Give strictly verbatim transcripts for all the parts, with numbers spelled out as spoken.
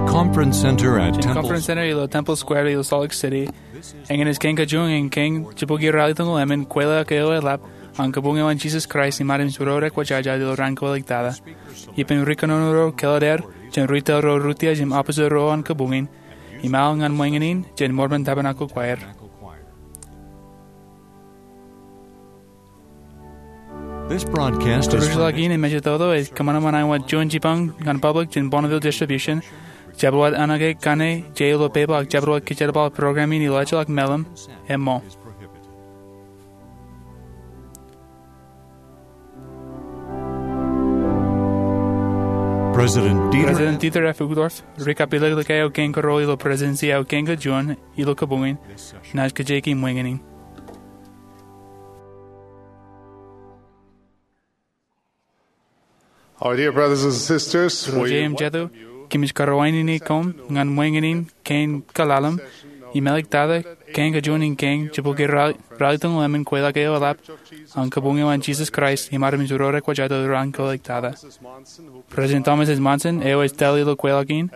Conference Center at Jān Temple Conference Center ilo Temple Square ilo Salt Lake City. Eñin ej kein kajuon in kein jibukwi ralitōñoul emān kweilọk eo eḷap an Kabuñ eo an Jisōs Kraist im Armej ro rekwōjarjar ilo raan kōlọk tata. Ippān ri kōnono ro kōḷḷā ro jān retail ro rūtiej im office ro an kabuñ in, im al ñan ṃōñā in jān Mormon Tabernacle Choir. This broadcast is Kōrujḷọk in im ej itok ej kōṃanṃan āinwōt juon jipañ ñan public jān Bonneville Distribution, jabdewōt anōke kaṇe je ilo pepa ak jabdewōt kijerbal program in ilo ejjeḷọk mālim, emo. President Dieter President Dieter F. Uchtdorf, ri kapilōklōk eo kein kōrā ilo Presidency eo kein kajuon ilo kabuñ in, naaj kajjioñ ṃōñā in. Our dear brothers and sisters, we Ro jeiū im jatū, kōmij karuwainene koṃ ñan ṃōñā in kein kōḷḷāḷḷaḷ im āliktata, kein kajuon in kein jibukwi ralitōñoul emān kweilọk eo eḷap an Kabuñ eo an Jisōs Kraist im Armej ro rekwōjarjar ilo raan kōlọk tata. President Thomas S. Monson, eo ej tōl ilo kweilọk in,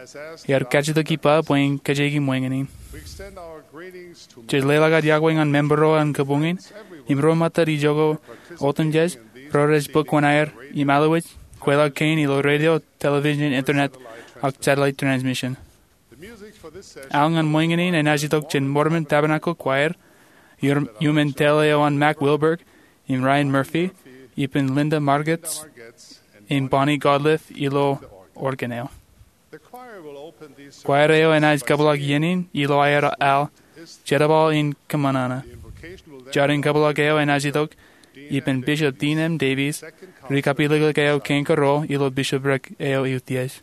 ear kajjitōk ippa bwe en kajjioñ ṃōñā in. Jej leḷọk ad iọkwe ñan member ro an kabuñ in, im ro ṃōttad ijoko otemjej, ro rej bōk kōṇaan aer im alwōj kweilọk kein ilo radio, television, internet, ak satellite transmission. Al ñan ṃōñā in enaaj itok jān Mormon Tabernacle Choir, iuṃwin tōl eo an Mac Wilberg im Ryan Murphy, ippān Linda Margetts im Bonnie Godliff ilo organ eo. Choir eo enaaj kōpeḷḷọk iien in ilo aer al, Jerbal in Kōṃanana. Jar in kōpeḷḷọk eo enaaj itok ippān Bishop Dean M. Davies, ri kapilōklōk eo kein kōrā ilo bishopric eo eutiej.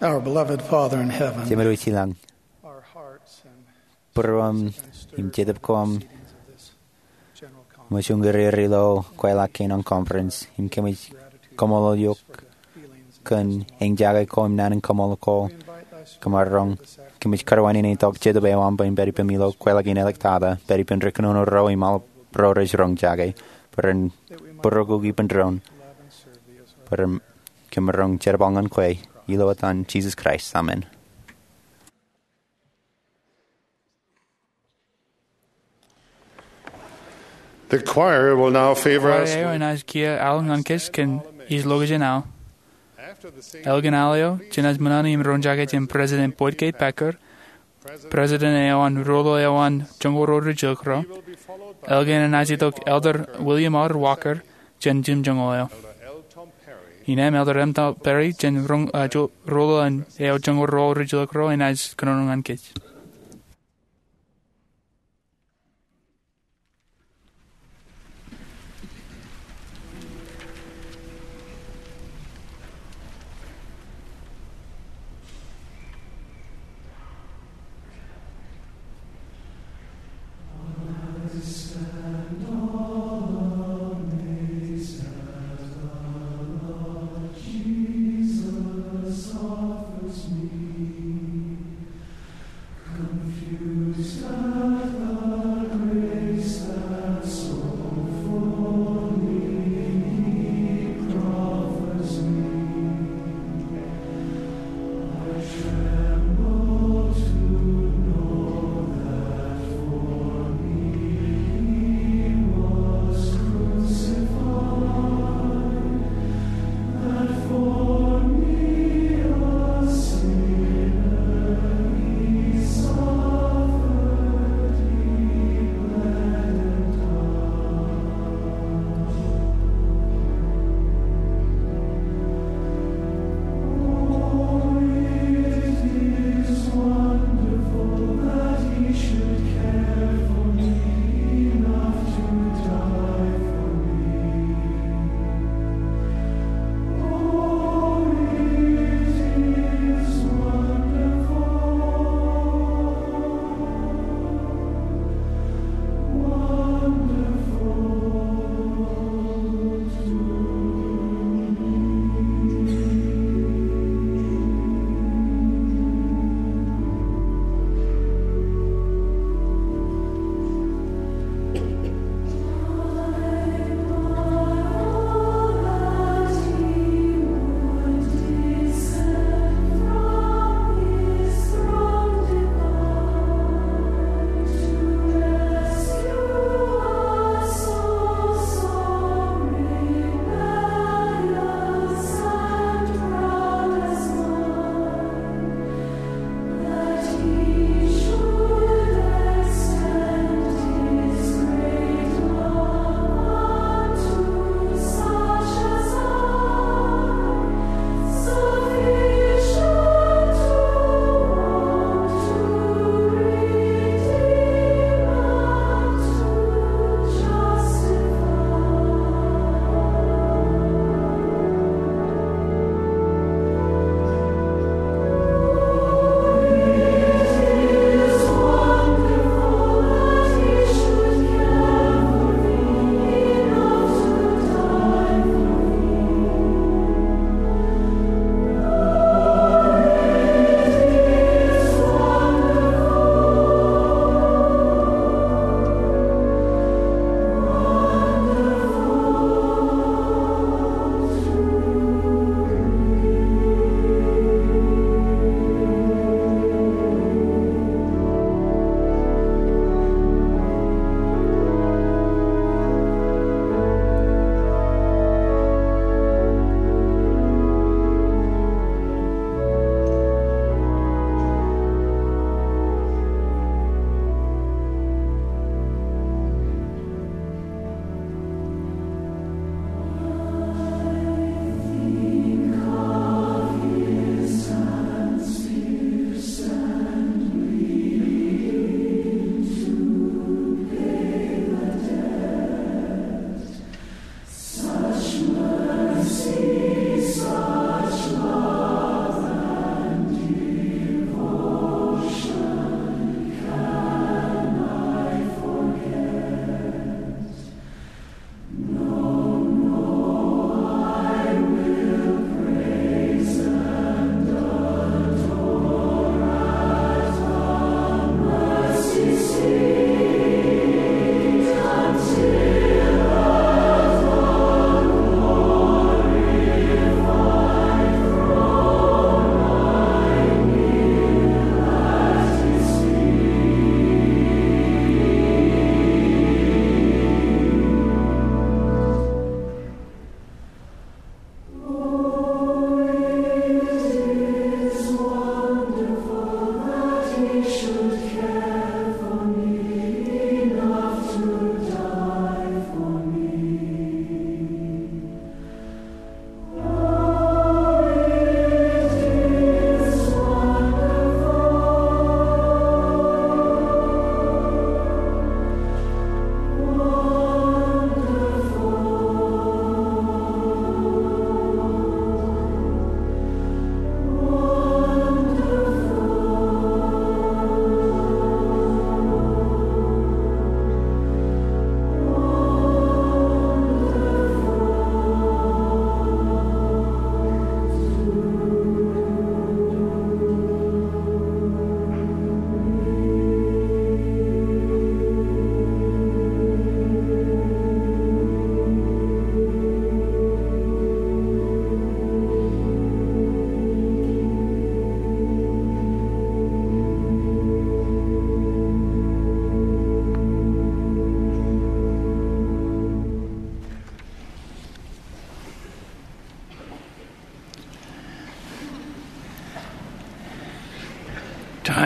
Our beloved Father in heaven, Jemedwōj Ilañ, our hearts and būruōm im jetōb ko aṃ general conference, ṃōj uñūr er ilo kweilọk kein an conference im kōmij kaṃṃoolol eok kōn eñjake ko im naan in kaṃṃoolol ko kōṃaroñ. Kōmij kōrā wōt in tok jetōb eo aṃ bwe in pād ippām ilo kweilọk in āliktata, pād ippān ri kōnono ro im aolep ro rej roñjake, bwe ren būroku ippān doon, bwe ren kōṃaroñ jerbal ñan kwe. Ilo etan Jisōs Kraist, amen. The choir will now favor us. Kwaer eo enaaj kiiō al ñan kōj kōn ij location aō. After the singing, elkin al eo jenaaj ṃōṇōṇō im roñjake jān President Boyd K. Packer, president eo an ruḷō eo an joñoul ruo rijjilōk ro. Elkin enaaj itok Elder William R. Walker jān jimjuonñoul eo. Innem Elder M. Tom Perry jān roñ, uh, jo-, ruḷō eo an joñoul ruo rijjilōk ro enaaj kōnono ñan kōj.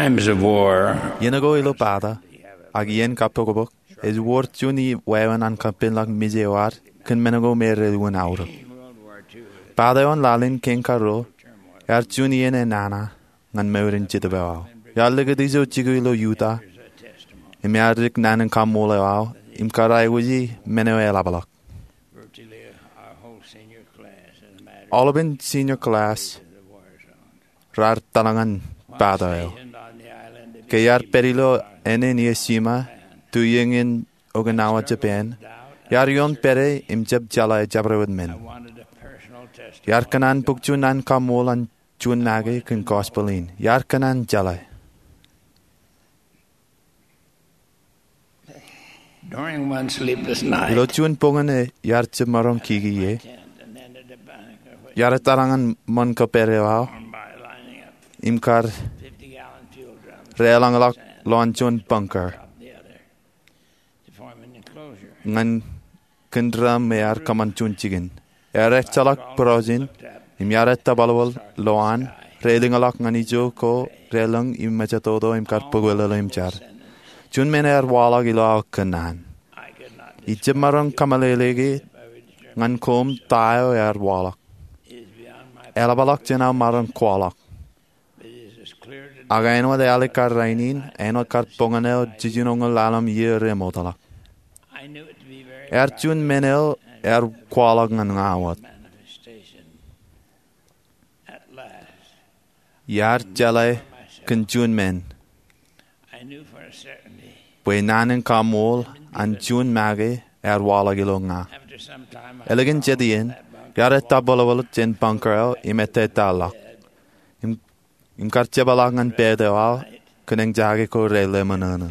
Iien ko ilo bata, ak iien kabbokbok, ej wor juon wāween an kapenḷọk mije eo ad kōn men ko me rej unin aorōk. Bata eo an laḷ in kein karuo ear juon iien enana ñan mour in Jetōb eo aō. Iar likūt ijo jikier ilo Utah im ear dik naan in kaṃṃoolol eo aō im kōrā aikuji men eo eḷapḷọk. Aolepān senior class raar tōl ñan bata eo. Ke iar pād ilo āne in Iwo Jima, tu iien in Okinawa, Japan, iar ioon pād ie im jab jeḷā jabdewōt men. Iar kōṇaan bōk juon naan in kaṃṃoolol an juon make kōn gospel in. Iar kōṇaan jeḷā. Ilo juon boñōn eo iar jab maroñ kiki ie, iar tōl ñan ṃōn ko pād eo aō im kar reḷọñḷọk lowaan juon bunker ñan kōn drum eo ear kōṃṃan juon jikin. Ear ejjeḷọk būrooj in im iar ettōbalbōl lowaan, reilōñḷọk ñan ijo ko relōñ im mejatoto im kar bōkwelōlō im jar. Juon men ear waḷọk ilo aō kōnono. Ij jab maroñ kaṃōleileke ñan koṃ ta eo ear waḷọk. Eḷapḷọk jān aō maroñ kwaḷọk. Ak āinwōt ealikkar rainin, āinwōt kar boñōn eo jijinoñoul ḷalem iiō remootḷọk, ear juon men eo ear kwaḷọk ñan ña wōt. Iar jeḷā kōn juon men bwe naan in kaṃṃoolol an juon make ear waḷọk ilo ña. Ālikin jet iien, iar ettōbalbōl jān bunker eo im ettataḷọk im kar jepḷọk ñan bed eo aō kōn eñjake ko relemṇōṇō.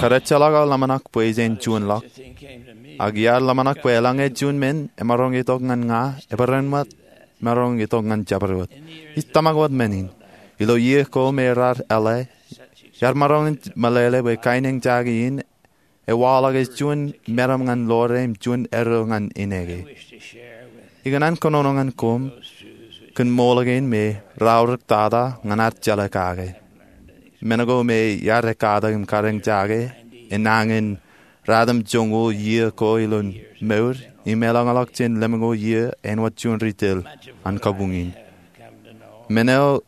Kar ejjeḷọk aō ḷōmṇak bwe ij juonḷọk, ak iar ḷōmṇak bwe eḷaññe juon men emaroñ itok ñan ña, ebōrāinwōt maroñ itok ñan jabdewōt. Ij tōmak wōt men in. Ilo iiō ko me raar ālā, iar maroñ in meḷeḷe bwe kain eñjake in ewaḷọk ej juon meram ñan ḷoore im juon erro ñan ineke. Ikōṇaan kōnono ñan koṃ kōn ṃool kein me raorōk tata ñan ad jeḷā kake. Men ko me iar ekatak im kar eñjake enañin ratimjuonñoul iiō ko ilo mour im eḷañḷọk jān lemñoul iiō āinwōt juon ri tōl an kabuñ in. Men eo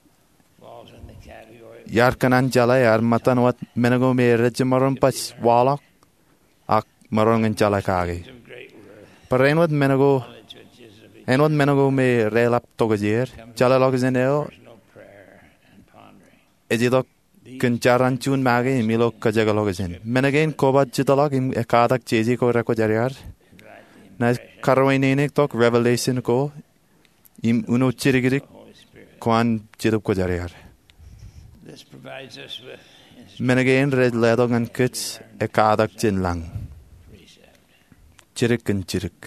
iar kōṇaan jeḷā ear ṃōttan wōt men ko me rej jab maroñ baj waḷọk ak maroñ in jeḷā kake. Barāinwōt men ko, āinwōt men ko me reḷap tokjāer, jeḷāḷọkjeṇ eo ej itok kōn jar an juon make im ilo kōjekḷọkjeṇ. Men kein koba jitḷọk im ekatak jeje ko rekwōjarjar. Naaj karuwainene tok revelation ko im uno jidikdik ko an Jetōb Kwōjarjar. Men kein rej letok ñan kōj ekatak jān lañ. Jidik kōn jidik.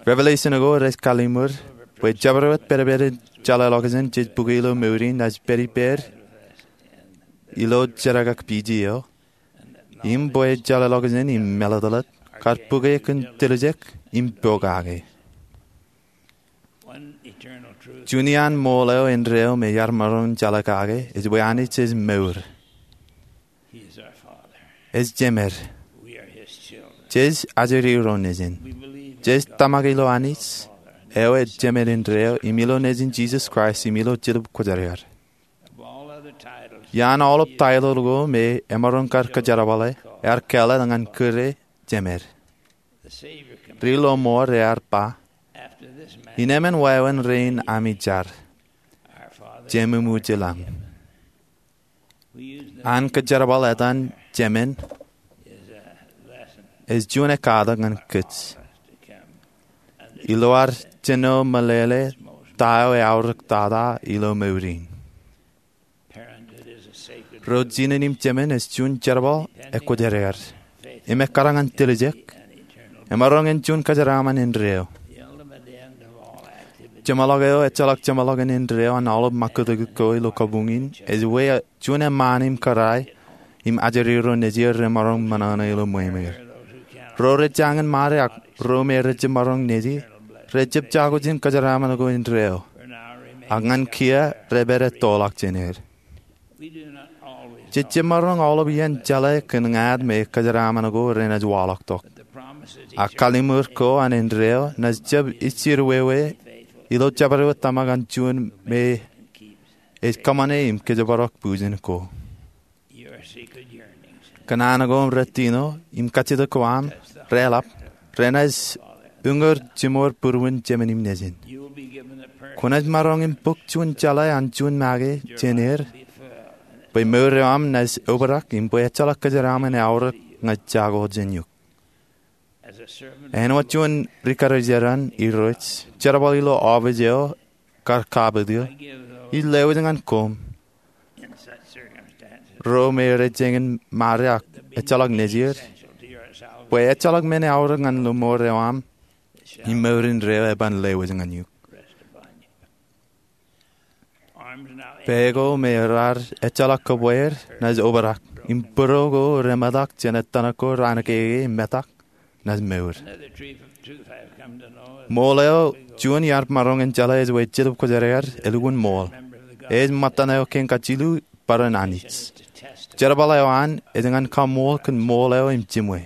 Revelation ko rej kalliṃur bwe jabdewōt pedped in jeḷāḷọkjeṇ jej bukwe ilo mour in naaj pād ippāer ilo jerkakpeje eo, im bwe jeḷāḷọkjeṇ im mālōtlōt kar bukwe kōn tiljek im pokake. Juon iaan ṃool eo indeeo me iar maroñ jeḷā kake ej bwe Anij ej mour. Ej Jemed. Jej ajri ro Nejin. Jej tōmak ilo Anij eo ej Jemed indeeo im ilo Nejin Jisōs Kraist im ilo Jetōb Kwōjarjar. Iaan aolep taitōḷ ko me emaroñ kar kōjerbale, ear kāālōt ñan kūr e Jemed. Ri-lọmọọr ear ba, innem wāween rein ami jar, Jememwōj ilañ. An kōjerbal etan Jemed ej juon ekkatak ñan kōj ilo ad jino meḷeḷe ta eo eaorōk tata ilo mour in. Ro jinen im jemen ej juon jerbal ekwōjarjar im ekkar ñan tiljek. Emaroñ in juon kōjeraaṃṃan indeeo. Jeṃḷọk eo ejjeḷọk jeṃḷọkin indeeo an aolep ṃakūtkūt ko ilo kabuñ in ej juon eṃṃaan im kōrā im ajri ro nejier remaroñ ṃōṇōṇō ilo ṃweiṃwei. Ro rej jañin ṃade ak ro me rej jab maroñ nejier Rej jab jako jān kōjeraaṃṃan ko indeeo, ak ñan kiiō rej pād ettoḷọk jān er. Jej jab maroñ aolep iien jeḷā kōn ñāāt me kōjeraaṃṃan ko renaaj waḷọk tok. Ak kalliṃur ko an indeeo naaj jab ijjirwewe ilo jabdewōt tōmak an juon me ej kōṃṃane im kōjparok bwijin ko. Kōṇaan ko im rūtino im kajjitōk ko aṃ reḷap renaaj uñūr jiṃor būruon Jemān im Nejin. Kwōnaaj maroñ im bōk juon jeḷā an juon make jān er bwe mour eo aṃ naaj obrak im bwe ejjeḷọk kōjeraaṃṃan eaorōk ñe jako jān eok. Āinwōt juon ri-karijeran Irooj jerbal ilo ọfis eo kar kapit eō, ij lewōj ñan koṃ, ro me rej jañin mare ak ejjeḷọk nejier, bwe ejjeḷọk men eaorōk ñan mour eo aṃ im mour indeeo eban lewōj ñan eok. Pā ko me raar ejjeḷọk kōbweer naaj obrak im būro ko remetak jān ettōṇak ko raan kekein im metak naaj mour. Ṃool eo juon iar maroñ in jeḷā ej bwe Jetōb Kwōjarjar elukkuun ṃool. Ej ṃōttan eo kein kajilu bwe en Anij. Jerbal eo an ej ñan kaṃṃool kōn ṃool eo im jiṃwe.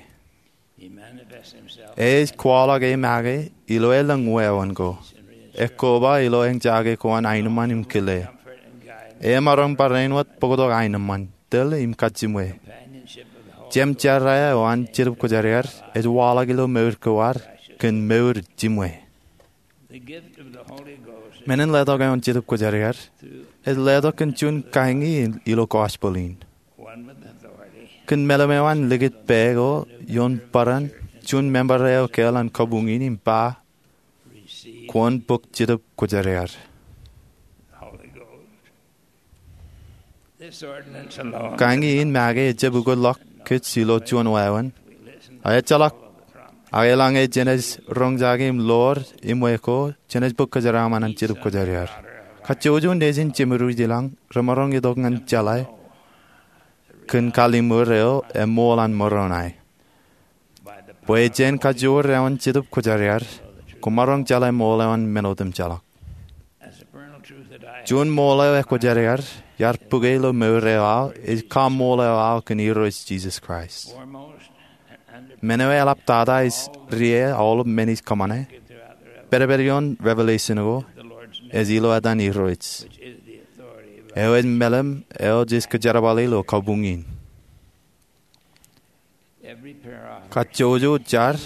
Ej kwaḷọk e make ilo elōñ wāween ko, ekkoba ilo eñjake ko an aenōṃṃan im kile. E maroñ bar āinwōt bōktok aenōṃṃan, tōl im kajiṃwe. Jemjerā eo an Jetōb Kwōjarjar ej waḷọk ilo mour ko ad kōn mour jiṃwe. Men in letok eo an Jetōb Kwōjarjar ej letok kōn juon kaeñi ilo gospel in. Kōn mālim eo an likūt pā ko ioon bōran, juon member eo ekāāl an kabuñ in im ba, kwōn bōk Jetōb Kwōjarjar. Kaeñi in make ejjab ukōtḷọk kōj ilo juon wāween, ak ejjeḷọk ak eḷaññe jenaaj roñjake im ḷoor iṃwe ko jenaaj bōk kōjeraaṃṃan an Jetōb Kwōjarjar. Kajjojo nejin Jemedwōj ilañ remaroñ itok ñan jeḷā kōn kalliṃur eo eṃool an Moroni. Bwe jān kajoor eo an Jetōb Kwōjarjar, koṃaroñ jeḷā ṃool eo an men otemjeḷọk. Juon ṃool eo ekwōjarjar iar bōke ilo mour eo aō ej kaṃṃool eo aō kōn Irooj Jisōs Kraist. Men eo eḷaptata ej ri-e aolep men ij kōṃṃane, pedped ioon Revelation ko, ej ilo etan Irooj, eo ej mālim eo jej kōjerbale ilo kabuñ in. Kajjojo jar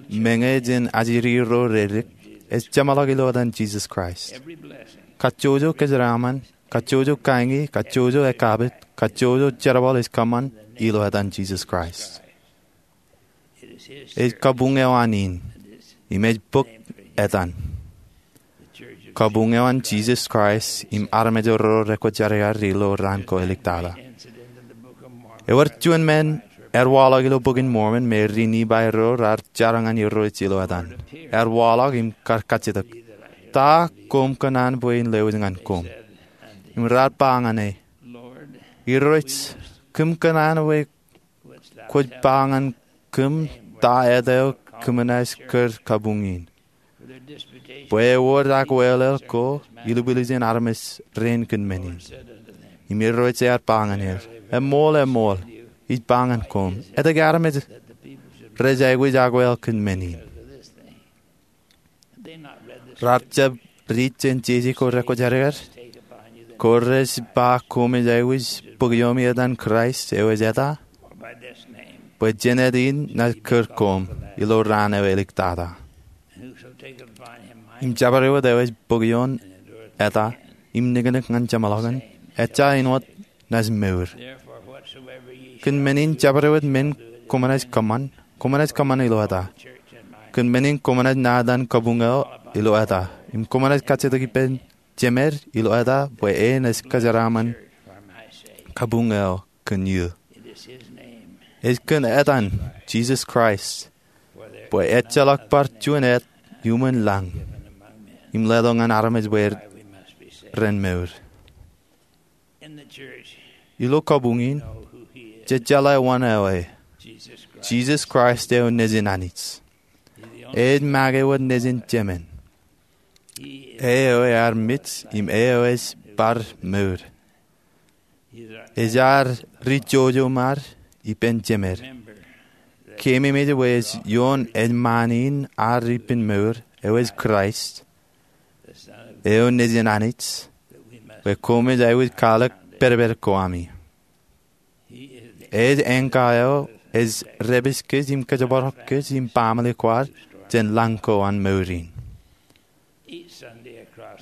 meñe jān ajri ro redik ej jeṃḷọk ilo etan Jisōs Kraist. Kajjojo kōjeraaṃṃan, kajjojo kaeñi, kajjojo ekkapit, kajjojo jerbal ej kōṃṃan ilo etan Jisōs Kraist. Ej kabuñ eo an in, im ej bōk etan. Kabuñ eo an Jisōs Kraist im armej ro rekwōjarjar ilo raan ko eliktata. Ewōr juon men ear waḷọk ilo Bok in Mormon me ri-Nifai ro raar jar ñan Irooj ilo etan. Ear waḷọk im kar kajjitōk, Ta koṃ kōṇaan bwe in lewōj ñan koṃ? Im raar ba ñan e, Irooj, kōm kōṇaan bwe kwōj ba ñan kōm ta et eo kōmnaaj kūr kabuñ in. Bwe ewōr akwāāl ko ilubwiljin armej rein kōn men in. Im Irooj ear ba ñan er, Eṃool, eṃool, ij ba ñan koṃ, etke armej rej aikuj akwāāl kōn men in? Raar jab riit jān jeje ko rekwōjarjar? Ko rej ba koṃij aikuj bōk iomi etan Kraist eo ej eta? Bwe jān et in naaj kūr koṃ ilo raan eo eliktata. Im jabdewōt eo ej bōk ioon eta im niknik ñan jeṃḷọkin, ejja āinwōt naaj mour. Kōn men in jabdewōt men koṃ naaj kōṃṃan, koṃ naaj kōṃṃan ilo eta. Kōn men in koṃ naaj naan etan kabuñ eo ilo eta. Im koṃ naaj kajjitōk ippān Jemed ilo eta bwe e naaj kōjeraaṃṃan kabuñ eo kōn eō. Ej kōn etan Jisōs Kraist bwe ejjeḷọk bar juon et iuṃwin lañ im letok ñan armej bwe ren mour. Ilo kabuñ in, jej jeḷā wōn eo e. Jisōs Kraist eo Nejin Anij. Ej make wōt Nejin Jemān. E eo ear mej im e eo ej bar mour. Ej ad ri jojo ṃad ippān jemed. Keememej bwe ej ioon ejṃaan in ad ippān mour, eo ej Kraist, eo Nejin Anij, bwe koṃij aikuj kwaḷọk pedped ko ami. Ej anchor eo ej dāpij kōj im kōjparok kōj im baaṃle kwaar jān lañ ko an mour in.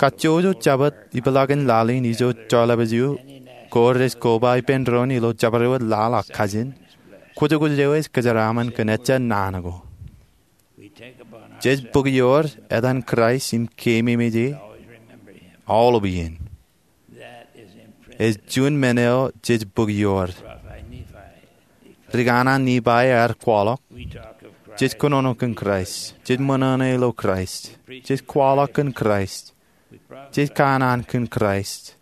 Kajjojo Jabōt ipḷaakin laḷ in ijo joḷọk eo, ko rej koba ippān doon ilo jabdewōt laḷ ak kajin, kwōjkwōj eo ej kōjeraaṃṃan kōn ejja naan ko. Jej bōk ioor etan Kraist im keememej e aolep iien. Ej juon men eo jej bōk ioor. Rikanaan Nifai ear kwaḷọk, jej kōnono kōn Kraist, jej ṃōṇōṇō ilo Kraist, jej kwaḷọk kōn Kraist, jej kanaan kōn Kraist,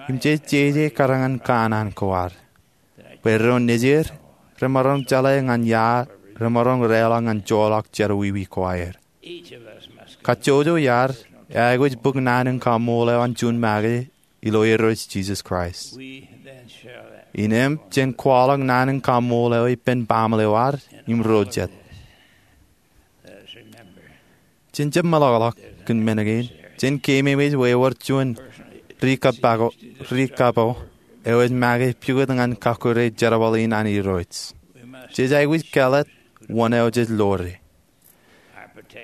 im jej jeje kōrā ñan kanaan ko ad, bwe ro nejier remaroñ jeḷā ñan ia remaroñ reḷọk ñan joḷọk jerọwiwi ko aer. Kajjojo iaad aikuj bōk naan in kaṃṃool eo an juon make ilo Irooj Jisōs Kraist. Innām jen kwaḷọk naan in kaṃṃool eo ippān baaṃle eo ad im ro jet. Jen jab meḷọkḷọk kōn men kein. Jen keememej bwe ewōr juon ri kapo eo ej make pukot ñan kakkure jerbal in an Irooj. Jej aikuj kālet wōn eo jej lore.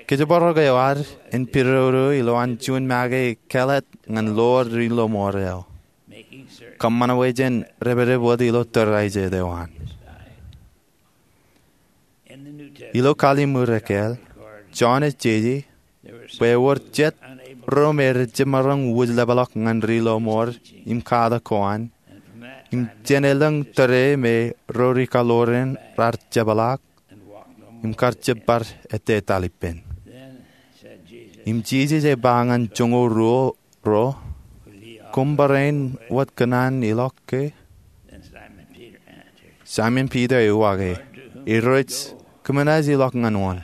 Kōjparok eo ad en pidodo ilowaan juon make kālet ñan lor ri lọmọọr eo, kōṃṃan bwe jen depdep wōt ilo tōre eo an. Ilo Kallim̧ur Ekkāāl, Jon ej jeje bwe ewōr jet ro me rej jab maroñ wūjlepḷọk ñan ri lọmọọr im katak ko an, im jān elōñ tōre me ro ri kaḷoor in raar jepḷaak im kar jab bar ettetaḷ ippān. Im Jisōs ej ba ñan joñoul ruo ro, Koṃ barāinwōt kōṇaan ilọk ke? Saimon Piter ej uwaak e, Irooj, kōm naaj ilọk ñan wōn?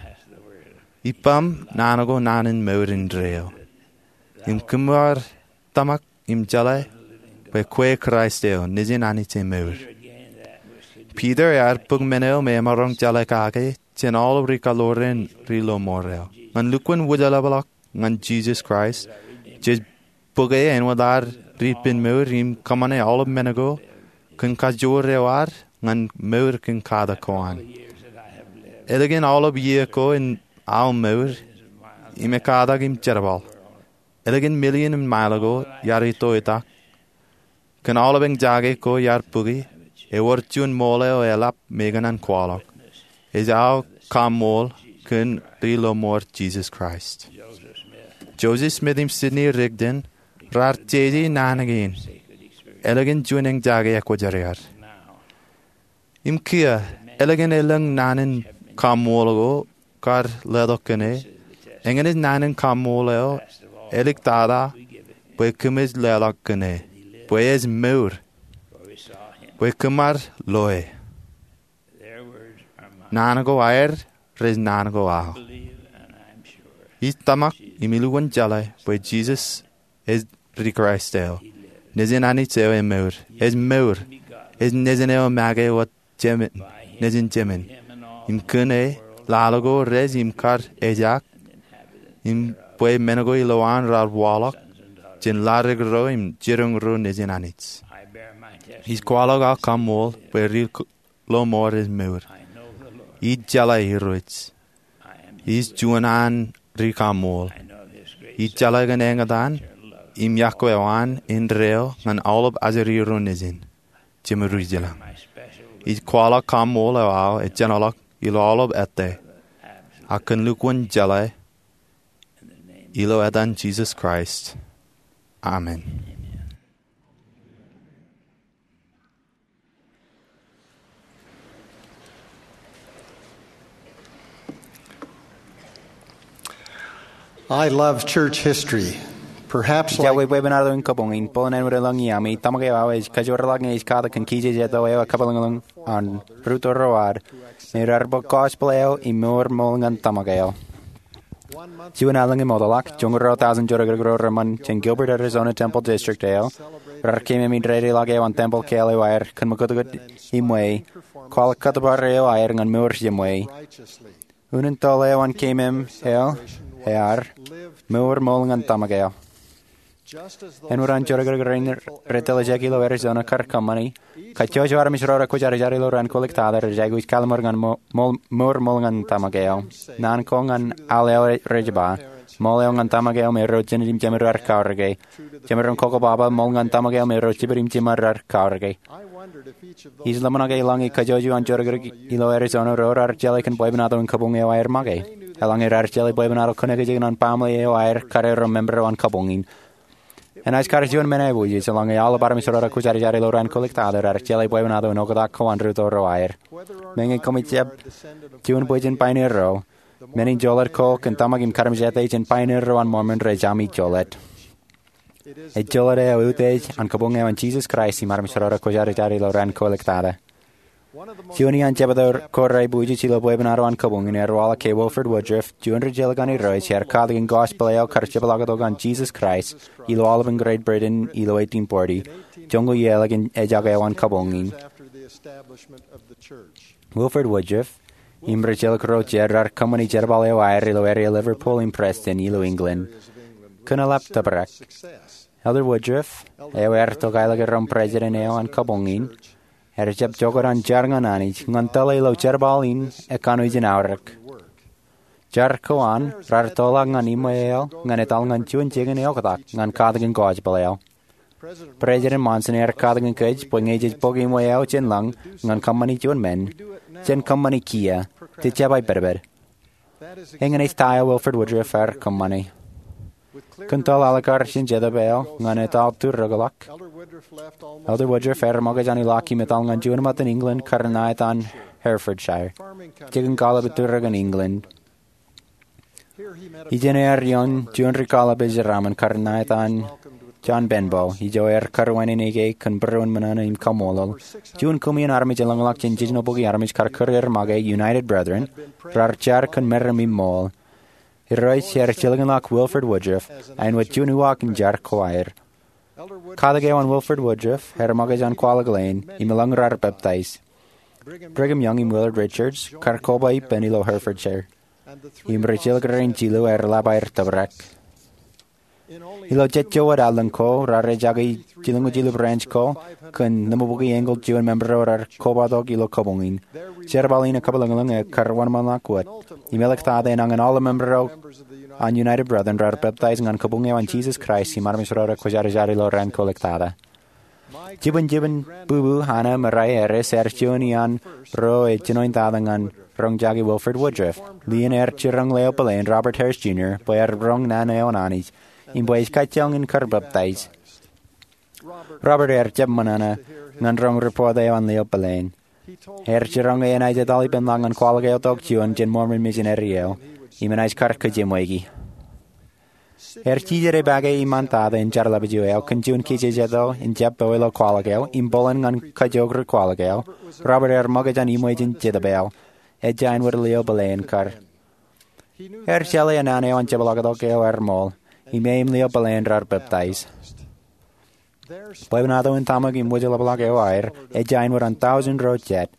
Ippaṃ naan ko naan in mour indeeo. Eo im kōm ar tōmak im jeḷā bwe kwe Kraist eo, Nejin Anij e mour. Piter ear bōk men eo me emaroñ jeḷā kake jān aolep ri kaḷoor in ri lọmọọr eo. Ñan lukkuun wūjlepḷọk ñan Jisōs Kraist, jej bōke āinwōt ad ri ippān mour im kōṃṃane aolep men ko kōn kajoor eo ad ñan mour kōn katak ko an. Ālikin aolep iiō ko in aō mour im ekkatak im jerbal, ālikin million in mile ko iar itoitak, kōn aolep eñjake ko iar bōke, ewōr juon ṃool eo eḷap me ikōṇaan kwaḷọk. Ej aō kaṃṃool kōn ri lọmọọr Jisōs Kraist. Joseph Smith im Sidney Rigdon raar jeje naan kein ālikin juon eñjake ekwōjarjar. Im kiiō, ālikin elōñ naan in kaṃṃool ko kar letok kōn e, eñin ej naan in kaṃṃool eo āliktata bwe kōmij leḷọk kōn e, bwe ej mour, bwe kōm ar lo e. Naan ko aer rej naan ko aō. Ij tōmak im ilukkuun jeḷā bwe Jisōs ej ri Kraist eo, Nejin Anij eo emour. Ej mour. Ej Nejin eo make wōt Nejin Jemān. Im kōn e, laḷ ko rej im kar ejak, im bwe men ko ilowaan raar waḷọk jān ladik ro im jiroñ ro nejin Anij. Ij kwaḷọk aō kaṃṃool bwe ri lọmọọr ej mour. Ij jeḷā Irooj. Ij juon an ri kaṃṃool. Ij jeḷā kōn eñtaan im yokwe eo an indeeo ñan aolep ajri ro nejin. Jemedwij ilañ. Ij kwaḷọk kaṃṃool eo aō ejjeḷọk ilo aolep ettā, ak kōn lukkuun jeḷā, ilo etan Jisōs Kraist, amen. I love church history. Perhaps ij like akwebwebwenato in kabuñ in bōlen āinwōt elōñ iaami, tōmak eo aō ej kajoorḷọk ñe ej katak kōn kijejeto eo ekabwilōñlōñ an Ruto Road, me raar bōk gospel eo im mour ṃool ñan tōmak eo. Juon allōñ im ṃokta ḷọk, joñoul ruo tọujin jodikdik ro reṃṃan jān Gilbert, Arizona Temple District eo raar keememej dedeḷọk eoon tempel kāāl eo aer kōn ṃōkutkūt im ṃweo, kwaḷọk kōttōpar eo aer ñan mour jemṃweo. Unin toḷ eo an keememej eo ear, Mour ṃool ñan tōmak eo. Āinwōt an jodikdik rein rej tōl ijek ilo Arizona kar kōṃṃani, kajjojo armej ro rekwōjarjar ilo raan kwōlōktata rej aikuj kalimur ñan mour ṃool ñan tōmak eo. Naan ko ñan al eo rej ba, Ṃool eo ñan tōmak eo me ro jined im jemed raar kaorōke. Jemaroñ koko baba, Ṃool ñan tōmak eo me ro jiped im jiṃṃad raar kaorōke. Ij ḷōmṇak ke eḷaññe kajjojo an jodikdik ilo Arizona ro raar jeḷā kōn bwebwenato in kabuñ eo aer make. Eḷaññe raar jeḷā bwebwenato kōnke ej kōṇaan baaṃle eo aer kade ro member eo an kabuñ in. Enaaj kar juon men aiboojoj eḷaññe aolep armej ro rekwōjarjar ilo raan kwōlōktata raar jeḷā bwebwenato in oktak ko an rūtto ro aer. Meñe koṃij jab juon bwijin pioneer ro, men in jolōt ko kōn tōmak im kadmejāte jān pioneer ro an Mormon rej ami jolōt. Ej jolōt eo utiej an kabuñ eo an Jisōs Kraist im armej ro rekwōjarjar ilo raan kwōlōktata. Juon iaan jebta ko rej aiboojoj ilo bwebwenato an kabuñ in ear waḷọk ke Wilford Woodruff, juon rijjelōk an Irooj ear katakin gospel eo kar jepḷaaktok an Jisōs Kraist ilo aolepān Great Britain ilo eighteen forty, joñoul iiō ḷọk in ejak eo an kabuñ in. Wilford Woodruff im rijjelōk ro jet raar kōṃṃani jerbal eo aer ilo area Liverpool im Preston ilo England kōn eḷap tōprak. Elder Woodruff, eo ear tokālik iroñ president eo an kabuñ in, ear jab jokwe an jar ñan Anij ñan tōl e ilo jerbal in ekkanooj in aorōk. Jar ko an raar tōl ñan iṃwe eo ñan etal ñan juon jikin eoktak ñan katakin gospel eo. President Monson ear katakin kōj bwe ñe jej bōk iṃwe eo jān lañ ñan kōṃṃani juon men, jen kōṃṃani kiiō, jej jab aipedped. Eñin ej ta eo Wilford Woodruff ear kōṃṃani. Kōn tōl alikkar jān Jetōb eo ñan etal turrōkḷọk, Elder Woodruff ear ṃōkaj an ilọk im etal ñan juon ṃōttan England kar ṇa etan Herefordshire, jikin kallib turrōk in England. Ijeṇ ear ioon juon ri-kallib ej jeraaṃṃan kar ṇa etan John Benbow, ijo ear kariwānene ke kōn būruon ṃōṇōṇō im kaṃṃoolol. Juon koṃeañ armej elōñḷọk jān jejno bukwi armej kar kūr er make United Brethren raar jar kōn meram im ṃool. Irooj ear jilkinḷọk Wilford Woodruff āinwōt juon uwaak in jar ko aer. Katak eo an Wilford Woodruff ear ṃōkaj an kwaḷọk leen im elōñ raar peptaij. Brigham Young im Willard Richards kar koba ippān ilo Herefordshire, im rijjelōk rein jilu ear lap aer tōprak. Ilo jejjo wōt allōñ ko raar ejaki jilñuul jilu branch ko kōn ḷimabukwi eñin juon member eo raar kobatok ilo kabuñ in. Jerbal in ekabwilōñlōñ ekar wōnṃaanḷọk wōt im eḷḷọk ta eo enañin aolep member eo an United Brethren raar peptaij ñan kabuñ eo an Jisōs Kraist im armej ro rekwōjarjar ilo raan kwōlōktata. Jibwinjibwin bwibwi Hannah Murray Harris ear juon iaan ro ej jinoin tata ñan roñjake Wilford Woodruff. Lien ear jiroñ leo pileen Robert Harris Junior bwe ear roñ naan eo an Anij im bwe ej kajjioñ in kar peptaij. Robert ear jab ṃōṇōṇō ñan roñ report eo an leo pileen. Ear jiroñ ke enaaj etal ippān ḷọk ñan kwaḷọk eotok juon jān Mormon misineri eo im enaaj kar kōjemweiki. Ear jijet epake iṃaan tata in jar ḷapiju eo kōn juon kijejeto in jab powe ilo kwaḷọk eo im bōlen ñan kajook ri-kwaḷọk eo. Robert ear ṃōkaj an iṃwe jān Jetōb eo, ejja āinwōt leo pileen kar. Ear jeḷā ke naan eo an jepḷaaktok eo ear ṃool im e im leo pileen raar peptaij. Bwebwenato in tōmak im wōjḷapḷọk eo aer ejja āinwōt an tọujin ro jet.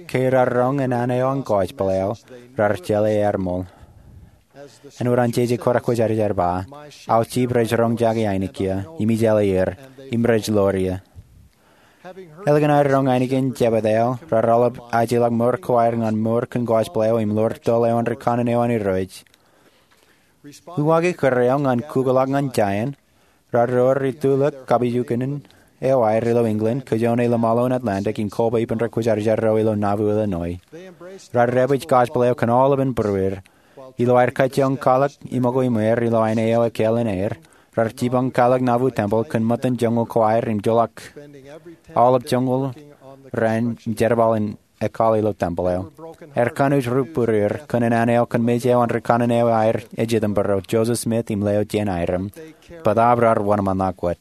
Ke raar roñ naan eo an gospel eo, raar jeḷā ear ṃool. Āinwōt an jeje ko rekwōjarjar ba, aō jip rej roñjake ainikieṇ im ij jeḷā er, im rej ḷoor eō. Eḷak in aer roñ ainikien jepta eo, raar aolep ajeḷọk mour ko aer ñan mour kōn gospel eo im ḷoor toḷ eo an rikanaan eo an Irooj. Uwaak ekkar eo ñan kukḷọk ñan giant, raar ro ri-tulōk kapijuknen eo aer ilo England, kajoone ilo ṃaḷo in Atlantic im koba ippān rekwōjarjar ro ilo Nauvoo, Illinois. Raar dāpij gospel eo kōn aolepān būrueir. Ilo aer kajjioñ kwaḷọk iṃōko iṃweer ilo aine eo ekāāl in aer, raar jipañ kwaḷọk Nauvoo Temple kōn ṃōttan joñoul ko aer im joḷọk aolep joñoul raan im jerbal in ekkaḷ ilo temple eo. Ear kanooj ri-būrueir kōn naan eo kōn mej eo an rikanaan eo aer ej itok būruo, Joseph Smith im Leo Jane Hyrum, bōtaab raar wōnṃaanḷọk wōt.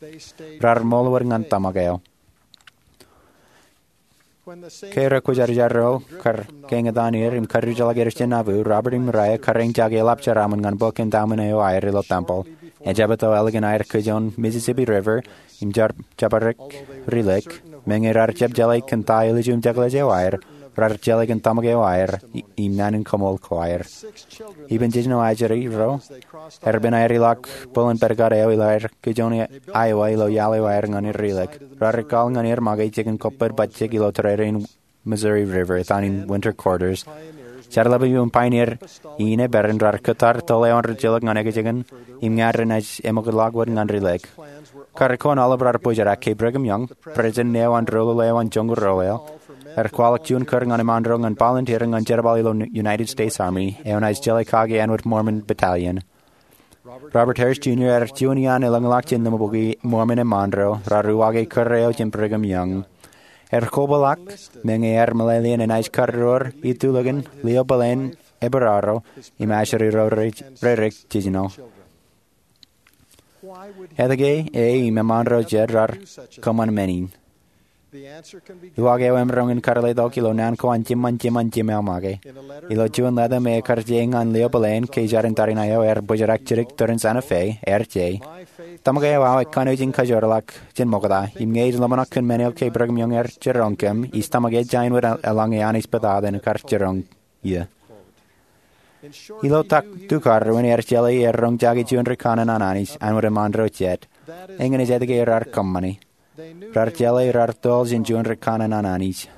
Raar ṃool wōt ñan tōmak eo. Ke rekwōjarjar ro kar kañōtan er im karūtḷọk er jān Nauvoo, Robert im Maria kar eñjake eḷap jeraaṃṃan ñan bōk endowment eo aer ilo tempel. Ejabōt eo ālikin aer kōjoon Mississippi River im jab-, jabdewōt ri-lake, meñe rar jab jeḷā kōn ta āliju im jekḷaj eo aer, rar jeḷā kōn tōmak eo aer im naan in kaṃool ko aer. Ippān jiljino ajri ro, erpān aer ilọk bōlen pād kōn eo ilo aer kōjoon Iowa ilo iaḷ eo aer ñan ri-lake. Rar ekkaḷ ñan er make jikin kōppād bajjek ilo tōrerein Missouri River etan in winter quarters. Jar ḷapḷap eo im pioneer in ej pād in rar kōttar tōl eo an rijjelōk ñan ekjeken im ña renaaj eṃōkḷọk wōt ñan ri-lake. Kar ko an aolep rar bōjrak ke Brigham Young, president eo an doulul eo an joñoul ruo eo, ear kwaḷọk juon kūr ñan eṃṃaan ro ñan volunteer ñan jerbal ilo United States Army eo naaj jeḷā kaki āinwōt Mormon Battalion. Robert Harris Junior ear juon iaan elōñḷọk jān ḷōmṇak bukwi Mormon eṃṃaan ro rar uwaak kūr eo jān Brigham Young. Ear kobaḷọk meñe ear meḷeḷe in enaaj kar door itulikin lio bōlen epararo im ajri ro rej-, rerek jiljino. Etke e im eṃṃaan ro jet rar kōṃṃan men in? Uwaak eo emaroñ in kar letok ilo naan ko an jiṃṃan jiṃṃan jiṃṃae make. Ilo juon lōta me ekar je ñan lio bōlen ke jar in tariṇae eo ear bōjrak jidik tōre in Santa Fe, ear je, tōmak eo aō kanooj in kajoorḷọk jān ṃokta, im ñe ij ḷōmṇak kōn men eo ke Brigham Young ear jiroñ kōm, ij tōmak ejja āinwōt eḷaññe Anij bōtata in kar jiroñ ie. Ilo tukar ruo in ear jeḷā ear roñjake juon ri kanaan an Anij āinwōt eṃṃaan ro jet. Eñin ej etke rar kōṃṃani. Rar jeḷā rar tōl jān juon ri kanaan an Anij.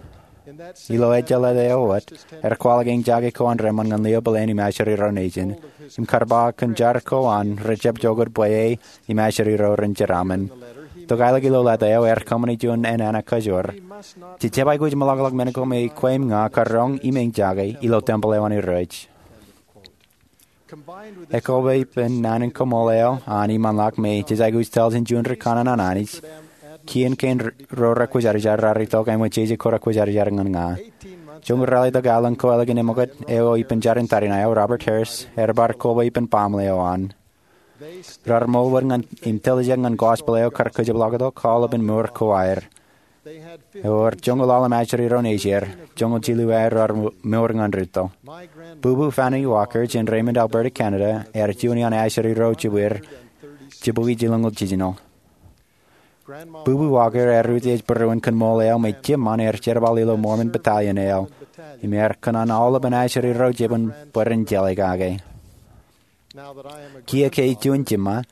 Ilo ejjeḷọk eo wōt, ear kwaḷọk eñjake ko an reṃṃan ñan lio bōlen im ajri ro nejin, im kar ba kōn jar ko an rej jab jokōt bwe e im ajri ro ren jeraaṃṃan. Tok aelōñ ilo lōta eo ear kōṃṃani juon enana kajoor. Jej jab aikuj meḷọkḷọk men ko me kwe im ña kar roñ im eñjake ilo tempel eo an Irooj. Ekwe ippān naan in kaṃool eo an iṃaanḷọk me jej aikuj tōl jān juon ri kanaan an Anij, kien kein ro rekwōjarjar rar itok āinwōt jeje ko rekwōjarjar ñan ña. Joñoul ralitōk aelōñ ko ālikin eṃōkūt eo ippān jar in tariṇae eo, Robert Harris ear bar koba ippān baaṃle eo an. Rar ṃool wōt ñan im tiljek ñan gospel eo kar kōjepḷaaktok aolepān mour ko aer. Ewōr joñoul ḷalem ajri ro nejier, joñoul jilu aer rar mour ñan rūtto. Bubu Fanny Walker jān Raymond, Alberta, Canada, ear juon iaan ajri ro jibwier jibukwi jilñoul jiljino. Bubu Walker ear utiej būruon kōn ṃool eo me jiṃṃan ear jerbal ilo Mormon Battalion eo, im ear kōṇaan aolepān ajri ro jibwin bwe ren jeḷā kake. Kiiō ke ij juon jiṃṃa,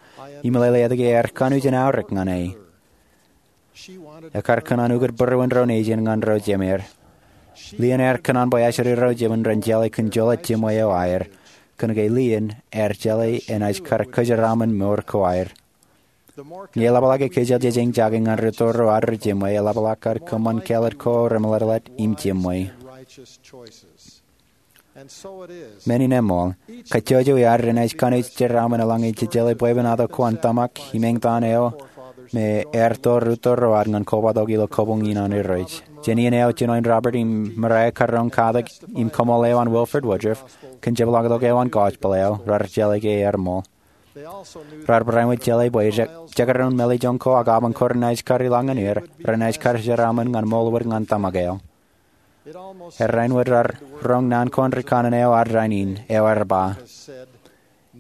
imeḷeḷe etke ear kanooj in aorōk ñan e. Ekar kōṇaan ukōt būruon ro nejin ñan ro jemāer. Lien ear kōṇaan bwe ajri ro jibwin ren jeḷā kōn joḷọk jiṃwe eo aer, kōnke lien ear jeḷā enaaj kar kōjeraaṃṃan mour ko aer. Ñe eḷapḷọk ke kōjeḷ jej eñjake ñan rūtto ro ad ri jiṃwe, eḷapḷọk kar kōṃṃan kāālōt ko remeḷeḷeḷe im jiṃwe. Men in eṃṃool, kajjojo iaad renaaj kanooj jeraaṃṃan eḷaññe jejeḷā bwebwenato ko an tōmak im eñtaan eo me ear to rūtto ro ad ñan kobatok ilo kabuñ in an Irooj. Jān iien eo jinoin Robert im Maria kar roñ katak im kaṃool eo an Wilford Woodruff kōn jepḷaaktok eo an gospel eo, rar jeḷā ke ear ṃool. Rar barāinwōt jeḷā bwe je-, jekdọọn mālejjoñ ko ak abañ ko renaaj kar ilọk ñan er, renaaj kar jeraaṃṃan ñan ṃool wōt ñan tōmak eo. Errāinwōt rar roñ naan ko an ri kanaan eo ad rainin, eo ear ba,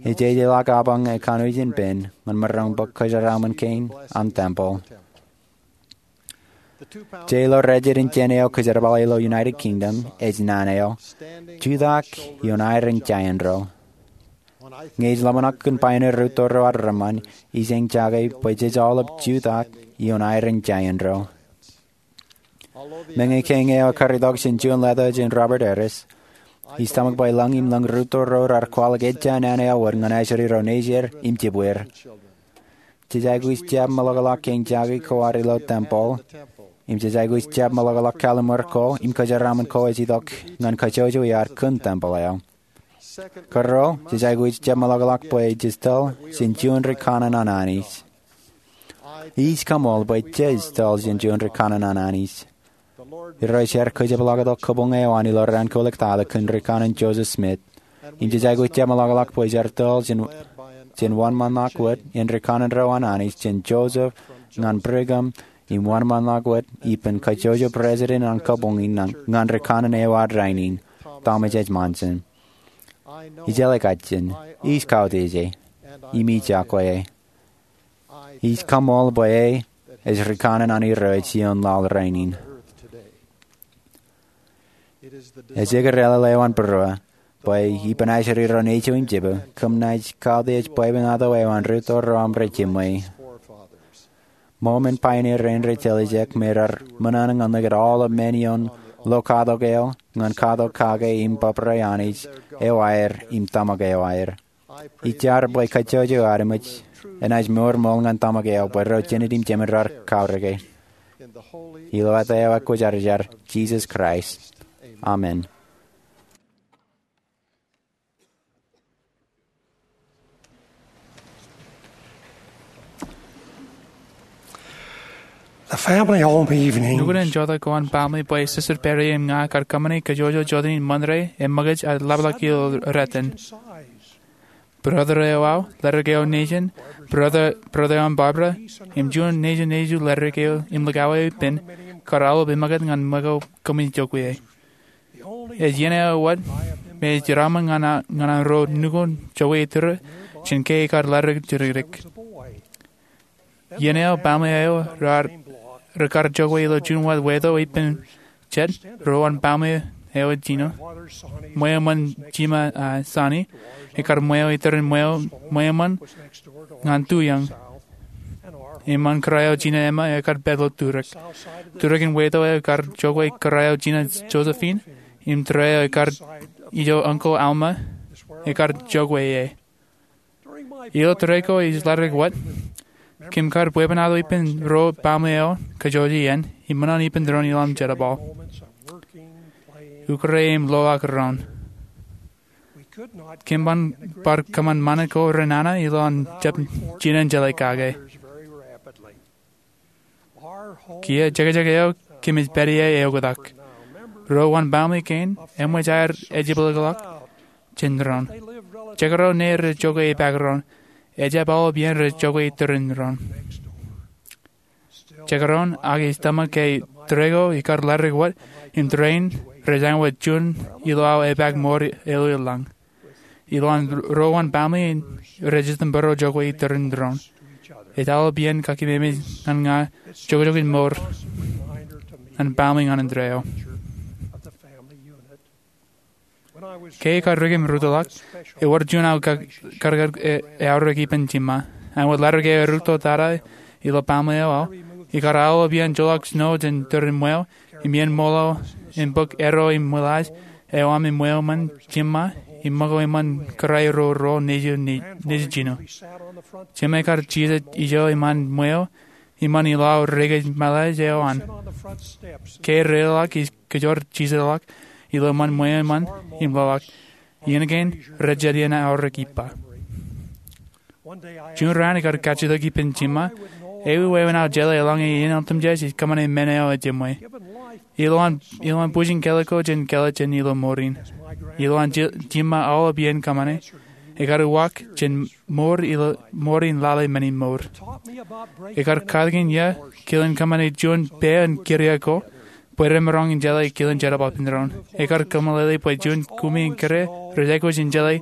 ejjeḷọk abañ ekanooj in pen ñan maroñ bōk kōjeraaṃṃan kein an tempel. Jej lo rejjid in jān eo kōjerbale ilo United Kingdom, ej naan eo, jutak ioon aer in jān ro. Ñe ij ḷōmṇak kōn pioneer rūtto ro ad reṃṃan, ij eñjake bwe jej aolep jutak ioon aer in jān ro. Meñe kein eo ekar itok jān juon lōta jān Robert Harris, ij tōmak bwe lōñ im lōñ rūtto ro rar kwaḷọk ejja naan eo wōt ñan ajri ro nejier im jibwier. Jej aikuj jab meḷọkḷọk eñjake ko ad ilo tempel, im jej aikuj jab meḷọkḷọk kalliṃur ko im kōjeraaṃṃan ko ej itok ñan kajjojo iaad kōn tempel eo. Karuo, jej aikuj jab meḷọkḷọk bwe jej tōl jān juon ri kanaan an Anij. Ij kaṃool bwe jej tōl jān juon ri kanaan an Anij. Irooj ear kōjepḷaaktok kabuñ eo an ilo raan ko ḷọk tata kōn ri kanaan Joseph Smith. Im jej aikuj jab meḷọkḷọk bwe jar tōl jān, jān wōnṃaanḷọk wōt in ri kanaan ro an Anij jān Joseph ñan Brigham im wōnṃaanḷọk wōt ippān kajjojo president an kabuñ in ñan ri kanaan eo ad rainin, Thomas S. Monson. Ij jeḷā kajjien, ij kautiej e, im ij iọkwe e. Ij kaṃool bwe e ej ri kanaan an Irooj ioon laḷ rainin. Ej ekkar ālōḷ eo an būruō bwe ippān ajri ro nejiṃ im jibū, kōm naaj kautiej bwebwenato eo an rūtto ro aṃ rej jiṃwe. Ṃool men pioneer rein rej jeḷā ijek me raar ṃōṇōṇō ñan likūt aolep men ioon lo katok eo ñan katok kake im bōbrae Anij eo aer im tōmak eo aer. Ij jar bwe kajjojo ad eṃōj enaaj mour ṃool ñan tōmak eo bwe ro jined im jemān raar kaorōke. Ilo etaer eo ekwōjarjar, Jisōs Kraist, amen. Nukun in jota ko an baaṃle bwe Sister Perry im ña kar kōṃṃani kajjojo jota in Ṃanre im ṃōkaj ad ḷapḷọk ilo rōtan. Brother eo aō, ledik eo nejin, brother, brother eo an Barbara, im juon nejin nejū ledik eo im likao eo ippān, kar aolep eṃōkaj ñan ṃōko kōmij jokwe e. Ej iien eo wōt me ej jeraṃṃan ñan an ro nukun jokwe iturū jān ke ekar ledik jidikdik. Iien eo baaṃle eo raar, rekar jokwe ilo juon wāt weto ippān jet, ro an baaṃle eo jino, ṃweo ṃōn jima, a, Sani, ekar ṃweo iturin ṃweo, ṃweo ṃōn ñan tuiōñ. Im ṃōn kōrā eo jino Emma ekar pād ilo turōk. Turōk in weto eo ekar jokwe kōrā eo jino Josephine, im tōre eo ekar ijo Uncle Alma, ekar jokwe e. Ilo tōre ko ij ledik wōt, kōm kar bwebwenato ippān ro baaṃle eo kajjojo iien, im ṃōṇōṇō ippān doon ilowaan jerbal, ukōrā im loḷọk doon. Kōm bar kōṃṃan ṃanit ko renana ilowaan jab jinen jeḷā kake. Kiiō jekjek eo kōmij pād ie eoktak. Ro an baaṃle kein eṃōj aer ejepḷaakḷọk jān doon. Jekdọọn ṇe rej jokwe ipaak doon. Ejab aolep iien rej jokwe iturin doon. Jekdọọn ak ij tōmak ke tōre ko ikar ledik wōt im tōre in rej āinwōt juon ilo aō epaak mour elōñ. Ilowaan ro an baaṃle in rej jitōnbōro jokwe iturin doon. Ej aolep iien kakememej ñan ña jokjok in mour an baaṃle ñan indeeo. Ke ikar rikim rūttoḷọk, ewōr juon aō kar, kar, kar, e, eaorōk ippān jimma. Āinwōt ledik eo erūtto tata ilo baaṃle eo aō, ikar aolep iien joḷọk snow jān turin ṃweo, im iien ṃool eo, im bōk erro im ṃōḷaaj eo aṃ im ṃweo ṃōn jimma, im ṃōko eṃṃan kōrā ro ro nejū, nejū jino. Jimma ekar jijet ijo eṃṃan ṃweo, eṃṃan ilo aō rekōj ṃōḷaaj eo an. Ke reiḷọk ij kōjor jijetḷọk ilo eṃṃan ṃweo eṃṃan im loḷọk. Iien kein rej jet iien aorōk ippa. Juon raan ikar kajjitōk ippān jimma, ewi wāween aō jeḷā eḷaññe iien otemjej ij kōṃṃane men eo ejimwe. Ilowaan, ilowaan bwijin kelōt ko jān kelōt jān ilo mour in. Ilowaan ji-, jimma aolep iien kōṃṃane. Ekar uwaak jān mour ilo, mour in lale men in mour. Ekar katakin iiō kilen kōṃṃane juon peeoon kiria ko, bwe remaroñ in jeḷā kilen jerbal ippān doon. Ekar kōmeḷeḷe bwe juon kumi in kiria rej aikuj in jeḷā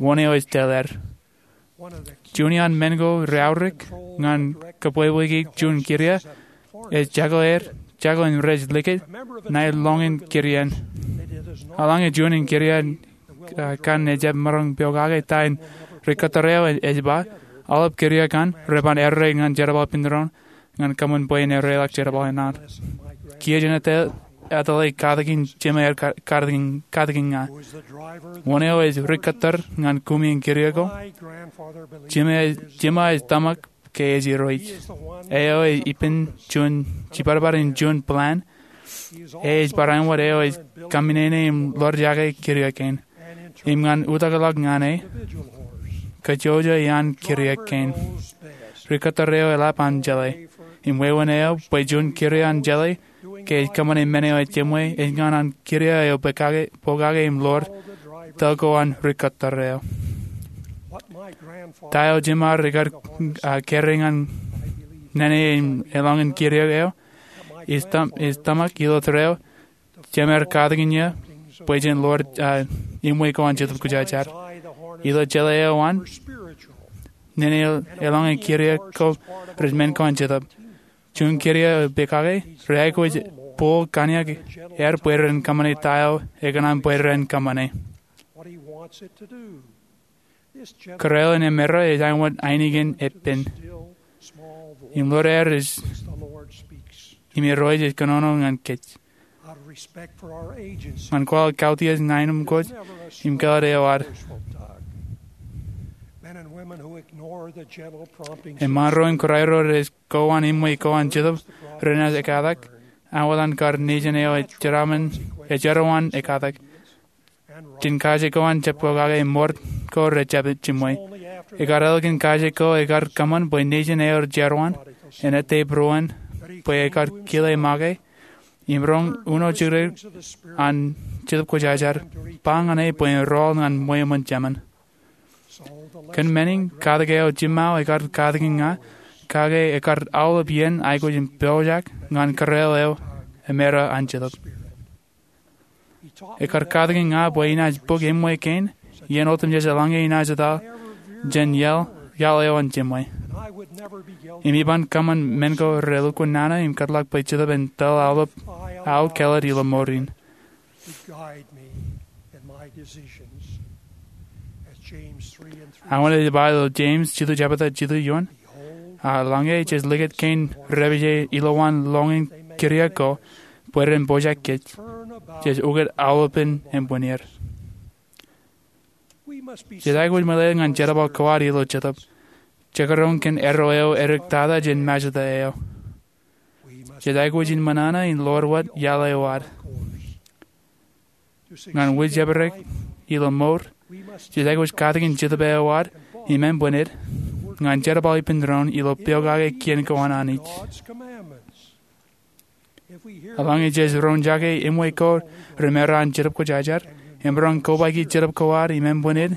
wōn eo ej tōl er. Juon iaan men ko reaorōk ñan kōbwebweik juon kiria, ej jako er, jako in rej likūt ṇae lọñin kiriain. Eḷaññe juon in kiria, a, kaṇ ejab maroñ pokake ta in rikōttar eo ej ba, aolep kiria kaṇ reban errā ñan jerbal ippān doon, ñan kōṃṃan bwe en erreḷọk jerbal in ad. Kiiō jen etale, etale katakin jema er ka-, katakin, katakin ña. Wōn eo ej rikōttar ñan kumi in kiria ko? Jema, jema ej tōmak ke ej Irooj. Eo ej ippān juon, jiparpar in juon plan. Ej barāinwōt eo ej kaminene im ḷoor jake kiria kein. Im ñan utakḷọk ñan e, kajjojo iaan kiria kein. Rikōttar eo eḷap an jeḷā. Im wāween eo bwe juon kiria an jeḷā, ke ej kōṃṃane men eo ejimwe, ej ñan an kiria eo pokake, pokake im ḷoor, tōl ko an rikōttar eo. Ta eo jema ar ikar, a, kere ñan Nene im eḷọñin kiriōk eo, ij tōmak ilo tōre eo, jemaroñ katakin eō bwe jen ḷoor iṃwe ko an Jetōb Kwōjarjar. Ilo jeḷā eo an, nene eḷọñin kiriōk ko rej men ko an Jetōb. Juon kōrā eo epād kake, rej aikuj bōk kōn aer bwe ren kōṃṃane ta eo ekōṇaan bwe ren kōṃṃane. Kōrā eo an Emera ej āinwōt ainikien eppen im ḷoor aer ej, im Irooj ej kōnono ñan kōj. Ñan kwaḷọk kautiej ñan aenōṃṃan kōj im kāālōt eo ad, eṃṃan ro im kōrā ro rej ko an iṃwe ko an Jetōb renaaj ekatak, āinwōt an kar nejin eo ejeraṃṃan, ejeraṃṃan ekatak. Jen kaje ko an jab pokake mour ko rejjab jiṃwe. Ekar ālikin kaje ko ekar kōṃṃan bwe nejin eo ejeraṃṃan en ettā būruon bwe ekar kile make im roñ uno jidikdik an Jetōb Kwōjarjar ba ñan e bwe en rọọl ñan ṃweo ṃōn jemān. Kōn menin, katak eo jiṃṃao ekar katakin ña, kake ekar aolep iien aikuj in pojak ñan kōrā eo Emera an Jetōb. Ekar katakin ña bwe inaaj bōk iṃwe kein iien otemjej eḷaññe inaaj etal jān iaḷ eo an jiṃwe. Im iban kōṃṃan men ko relukkuun nana im kōtḷọk bwe Jetōb en tōl aolep aō kāālōt ilo mour in. Āinwōt ej ba ilo Jemes jilu jebta jilu eoon, a, eḷaññe jej likūt kein repeje ilowaan lọñiin kiriōk ko bwe ren pojak kōj, jej ukōt aolepān ānbwinnier. Jej aikuj ṃōḷeḷe ñan jerbal ko ad ilo Jetōb, jekdọọn kōn arro eo edik tata jān Majeta eo. Jej aikuj in ṃōṇōṇō in ḷoor wōt iaḷ eo ad. Ñan wūjepdek ilo mour, jej aikuj katakin Jetōb eo ad im ānbwinnid ñan jerbal ippān doon ilo pokake kien ko an Anij. Eḷaññe jej roñjake iṃwe ko remera an Jetōb Kwōjarjar im roñ kobaiki Jetōb ko ad im ānbwinnid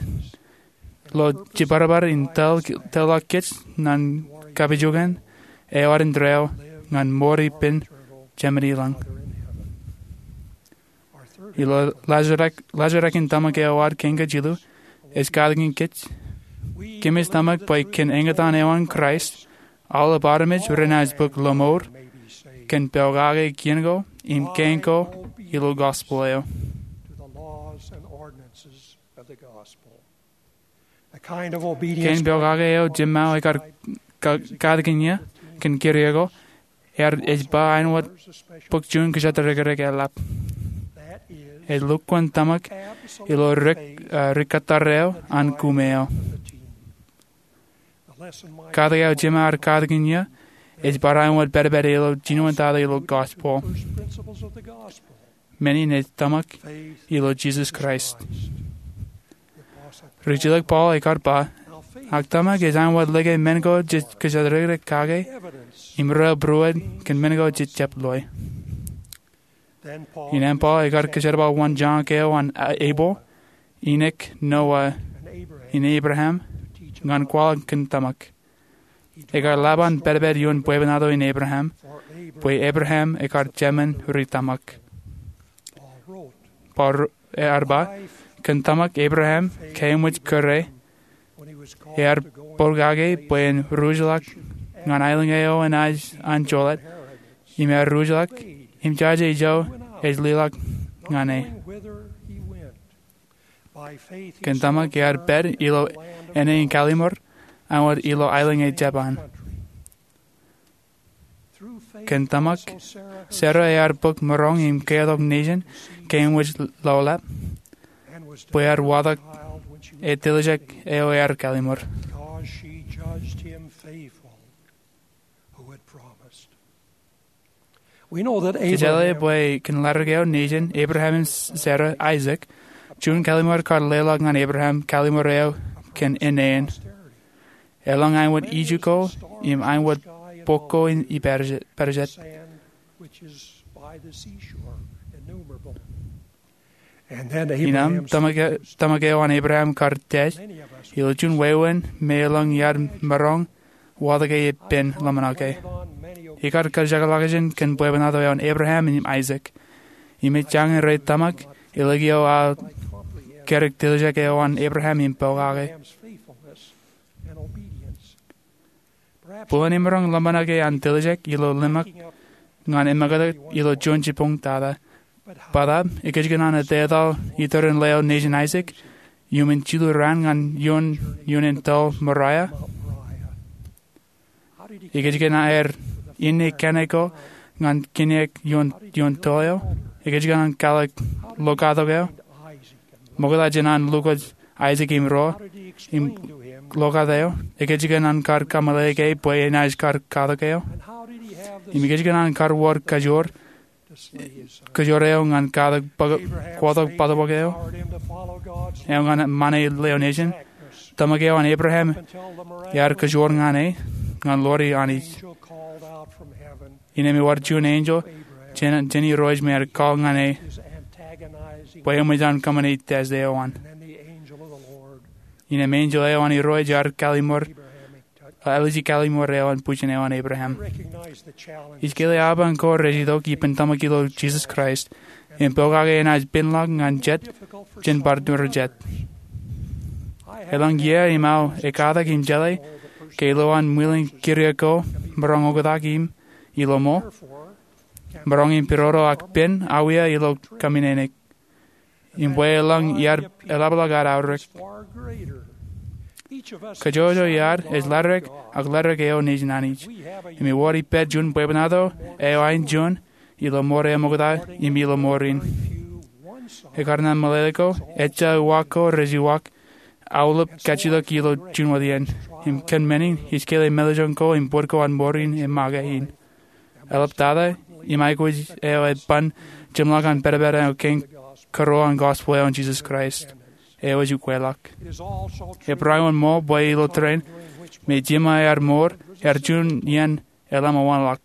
ilo jibadbad in tōl, tōlḷọk kōj ñan kapijuknen eo ad indeeo ñan mour ippān Jemān ilañ. Ilo laajrak, laajrak in tōmak eo ad kein kajilu, ej katakin kōj, kōmij tōmak bwe kōn eñtaan eo an Kraist, aolep armej renaaj bōk lọmọọr kōn pokake kien ko im kein ko ilo gospel eo. Kein pokake eo jiṃṃao ekar ka-, katakin eō kōn kiriōk ko, ear, ej ba āinwōt bōk juon kōjatdikdik eḷap. Ej lukkuun tōmak ilo rik, a, rikkatdar eo an kume eo. Katak eo jiṃṃa ear katakin eō ej bar āinwōt pād pād ilo jinoin tata ilo gospel. Men in ej tōmak ilo Jisōs Kraist. Rijjilōk Paul ekar ba, ak tōmak ej āinwōt lōke men ko jej kōjatdikdik kake, im rael būruod kōn men ko jej jab loe. Innām Paul ekar kōjerbal wōn jañak eo an A-, Ebel, Enok, Noah, im Abraham, ñan kwaḷọk kōn tōmak. Ekar lap an pād pād ioon bwebwenato in Abraham, bwe Abraham ekar jemān ri tōmak. Paul ro-, ear ba, kōn tōmak Abraham, kōmij kōrā, ear pokake bwe en ruj ḷọk ñan aelōñ eo enaaj an jolōt, im ear ruj ḷọk, im jaje ijo ej liḷọk ñan e. Kōn tōmak ear pād ilo āne in kallim̧ur, āinwōt ilo aelōñ eo Japan. Kōn tōmak, Sera ear bōk maroñ im keotok nejin kōmij lọḷap, bwe ear watōk e tiljek eo ear kallim̧ur. Kōjeḷā bwe kōn ḷaddik eo nejin Abraham im Sera, Aisak, juon kallim̧ur kar leḷọk ñan Abraham kallim̧ur eo kōn āne in. Eḷaññe āinwōt iju ko im āinwōt bok ko in ippād-, ippādejet. Innām tōmak e-, tōmak eo an Abraham kar tiaj, ilo juon wāween me eḷaññe iar maroñ wōt ke ippān ḷōmṇak e. Ikar kajekḷọkjeṇ kōn bwebwenato eo an Abraham im Isaac. Im ej jañin rej tōmak, elōñ eo aō karōk tiljek eo an Abraham im pokake. Bōlen im maroñ ḷōmṇak e an tiljek ilo ḷōmṇak ñan emōktak ilo juon jibboñ tata. Bōtab, ekōjkan an etetal iturin leo nejin Isaac iuṃwin jilu raan ñan ioon, ioon toḷ Moraia? Ekōjkan aer inne kane ko ñan kiniōk ioon, ioon toḷ eo? Ekōjkan an kwaḷọk lokatok eo? Ṃokta jān an lukkuun Isaac im ruo im lokat eo, ekōjkan an kar kameḷeḷeik e bwe enaaj kar katak eo? Im ekōjkan an kar wōr kajoor, kajoor eo ñan katak bōk, kwotak bōtōbōt eo, eo ñan ṃane leo nejin? Tōmak eo an Abraham ear kajoor ñan e, ñan ḷoori Anij. Innām ewōr juon enjeḷ jān, jān Irooj me ear call ñan e bwe eṃōj an kōṃṃane test eo an. Innām enjeḷ eo an Irooj ear kallimur, āliji kallimur eo an bwijin eo an Abraham. Ij kile apañ ko rej itok ippān tōmak ilo Jisōs Kraist im pokake enaaj penḷọk ñan jet jān bar tūrjet. Elōñ iiō im aō ekkatak im jeḷā ke ilowaan ṃwilen kūr ko maroñ oktak im ilo ṃool, maroñ im pidodo ak pen awiia ilo kōmmenin eok. Im bwe elōñ iar eḷapḷọk ad aorōk. Kajjojo iar ej ladik ak ladik eo nejin Anij. Im ewōr ippād juon bwebwenato eo aenjeḷ ilo ṃoor eo ṃokta im ilo ṃoor in. Ekar ṇa meḷeḷe ko, ejja uwaak ko rej uwaak aolep kajjitōk ilo juon wōt iien. Im kōn men in, ij kile meḷeḷein ko im bōd ko an ṃoor in e make in. Eḷaptata, im aikuj eo eban jimḷọk an pedped eo kein kōrā an gospel eo an Jisōs Kraist, eo ej ukweḷọk. Ebar wōnṃaanḷọk bwe ilo tōre in, me jiṃṃa ear mour, ear juon iien eḷap ṃōñā ḷọk.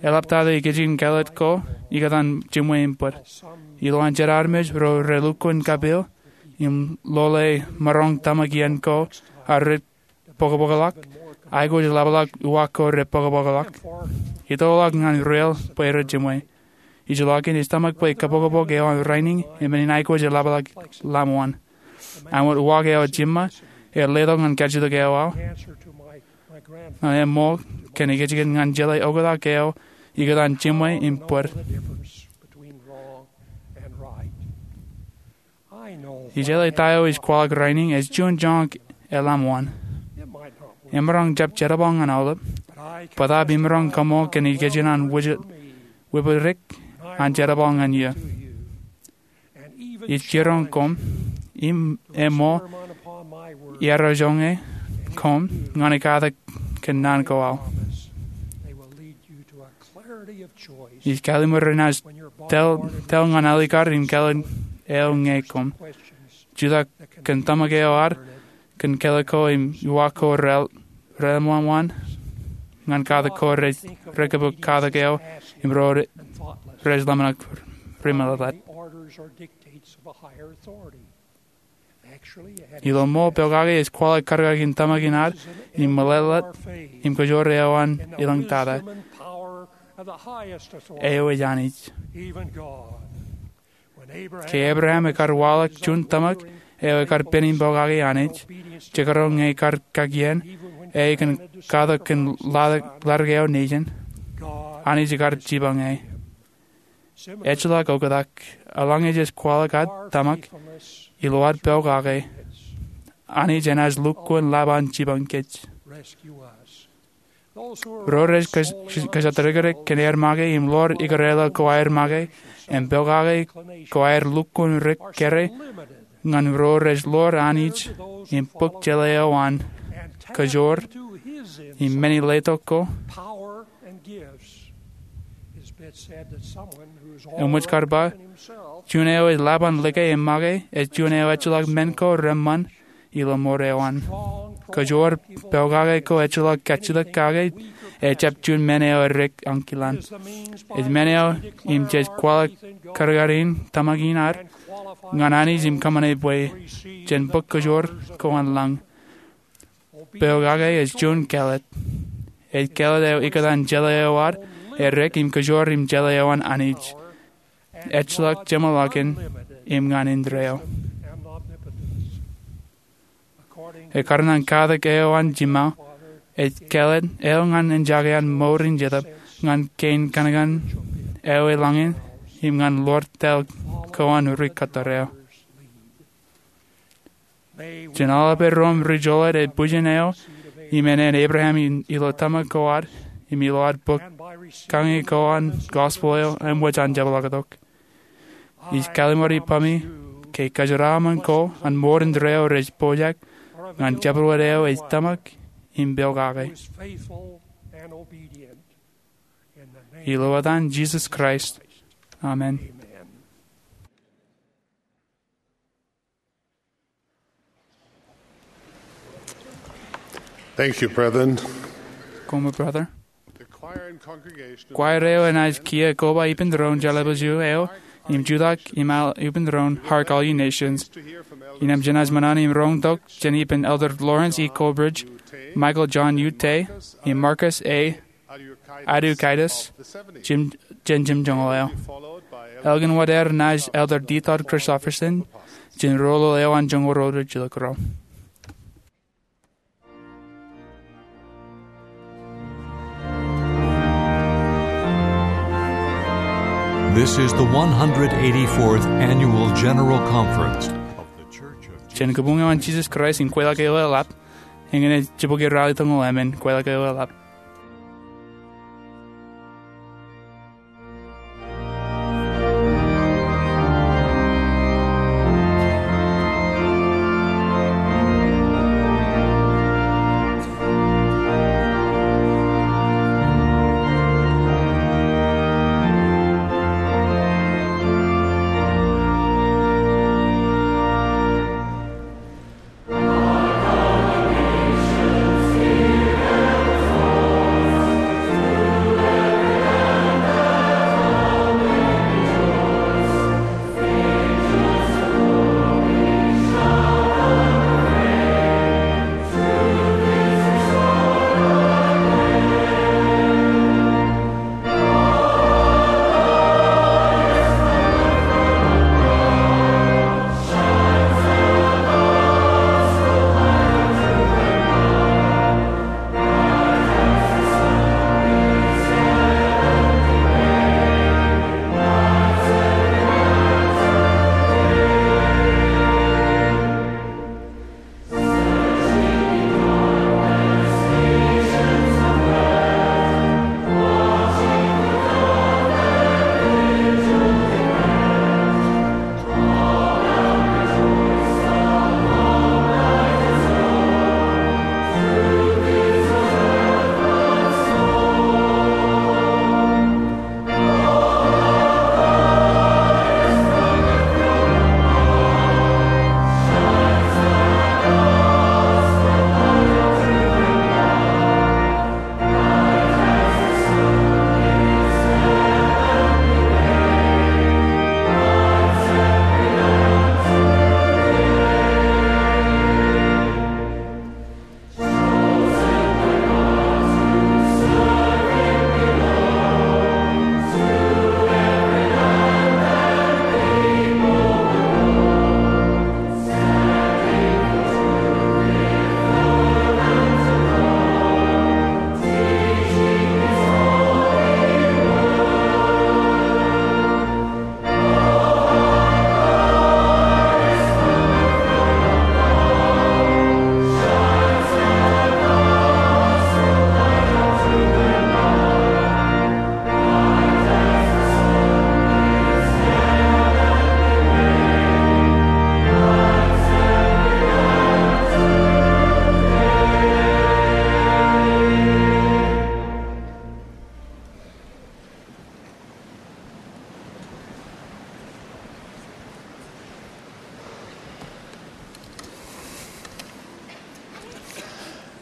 Eḷaptata ikijjien kāālōt ko ikōtaan jiṃwe im bōd. Ilowaan jet armej ro relukkuun kapeel im lole maroñ tōmak iien ko aō rej bōkbōkḷọk, aikuj eḷapḷọk uwaak ko rej bōkbōkḷọk. Itoḷọk ñan rael bwe rej jiṃwe. Ijellọkin ej tōmak bwe kabokbok eo an rainin e men in aikuj eḷapḷọk ḷaṃōṇ. Āinwōt uwaak eo jiṃṃa, ear letok ñan kajjitōk eo aō. Ñan eṃṃool kōn ikijjien ñan jeḷā oktak eo ikōtaan jiṃwe im bōd. Ij jeḷā ta eo ij kwaḷọk rainin ej juon joñak eḷaṃōṇ. Emaroñ jab jerbal ñan aolep, bōtaab imaroñ kaṃool kōn ikijjien an webwidik an jerbal ñan eō. Ij jiroñ koṃ im eṃṃool iarojoñe koṃ ñan ekkatak kōn naan ko aō. Ij kallimur renaaj tōl, tōl ñan alikar im kāālōt eo ñe koṃ. Jutak kōn tōmak eo ad kōn kāālōt ko im uwaak ko rej, rej ḷaṃōṇ ñan katak ko rej, rej kōpooḷ katak eo im ro rej ḷōmṇak remeḷeḷe. Ilo ṃool pokake ej kwaḷọk kadkadin tōmak in ad im meḷeḷe im kajoor eo an elōñ tata. Eo ej Anij. Ke Ebream ekar waḷọk juon tōmak eo ekar pen in pokake Anij, jekdọọn ñe kar kakien, e kōn katak kōn ladik, ladik eo nejin, Anij ekar jipañ e. Ejjeḷọk oktak, eḷaññe jej kwaḷọk ad tōmak ilo ad pokake, Anij enaaj lukkuun ḷap an jipañ kōj. Ro rej kōj-, kōjatdikdik kōn aer make im ḷoor ikōrā ḷọk ko aer make im pokake ko aer lukkuun dik kōrā ñan ro rej ḷoor Anij im bōk jeḷā eo an kajoor im men in letok ko. Eṃōj kar ba, juon eo ej ḷap an like im make ej juon eo ejjeḷọk men ko reṃṃan ilo ṃoor eo an. Kajoor pokake ko ejjeḷọk kajjitōk kake ejjab juon men eo edik ankilōñ. Ej men eo im jej kwaḷọk kadkadin tōmak in ad ñan Anij im kōṃṃane bwe jen bōk kajoor ko an lañ. pokake ej juon kāālōt. Ej kāālōt eo ikōtaan jeḷā eo ad errek im kōjoor im jeḷā eo an Anij, ejjeḷọk jeṃḷọkin im ñan indeeo. Ekkar ñan katak eo an jiṃṃa, ej kāālōt eo ñan enjake an mour in jetōb ñan kein kankan eo eḷaññe im ñan ḷoor tōl ko an ri kōttar eo. Jen aolep ro im ri jolōt ej bwijin eo im ānen Abraham ilo tōmak ko ad im ilo ad bōk kañe ko an gospel eo eṃōj an jepḷaaktok. Ij kalliṃur ippaṃi ke kōjeraaṃṃan ko an mour indeeo rej pojak ñan jabdewōt eo ej tōmak im pokake. Ilo etan Jisōs Kraist, amen. Thank you, brethren. Koṃṃool, brother. Kwaer eo enaaj kiiō koba ippān doon jeḷā bwe ju eo im jutak im al ippān doon Hark All Ye Nations. Innām jenaaj ṃōṇōṇō im roñtok jān ippān Elder Lawrence E. Colbridge, Michael John Yu Teh, im Marcus A. Adukatis jān jimjuonñoul eo. Ālikin wōt er naaj Elder D. Todd Christofferson jān roñoul eo an joñoul ruo rej jilkinḷọk. This is the one hundred eighty-fourth Annual General Conference of the Church of Jān kabuñ eo an Jisōs Kraist in Kweilọk eo Eḷap, eñin ej jibukwi ralitōñoul emān, Kweilọk eo Eḷap.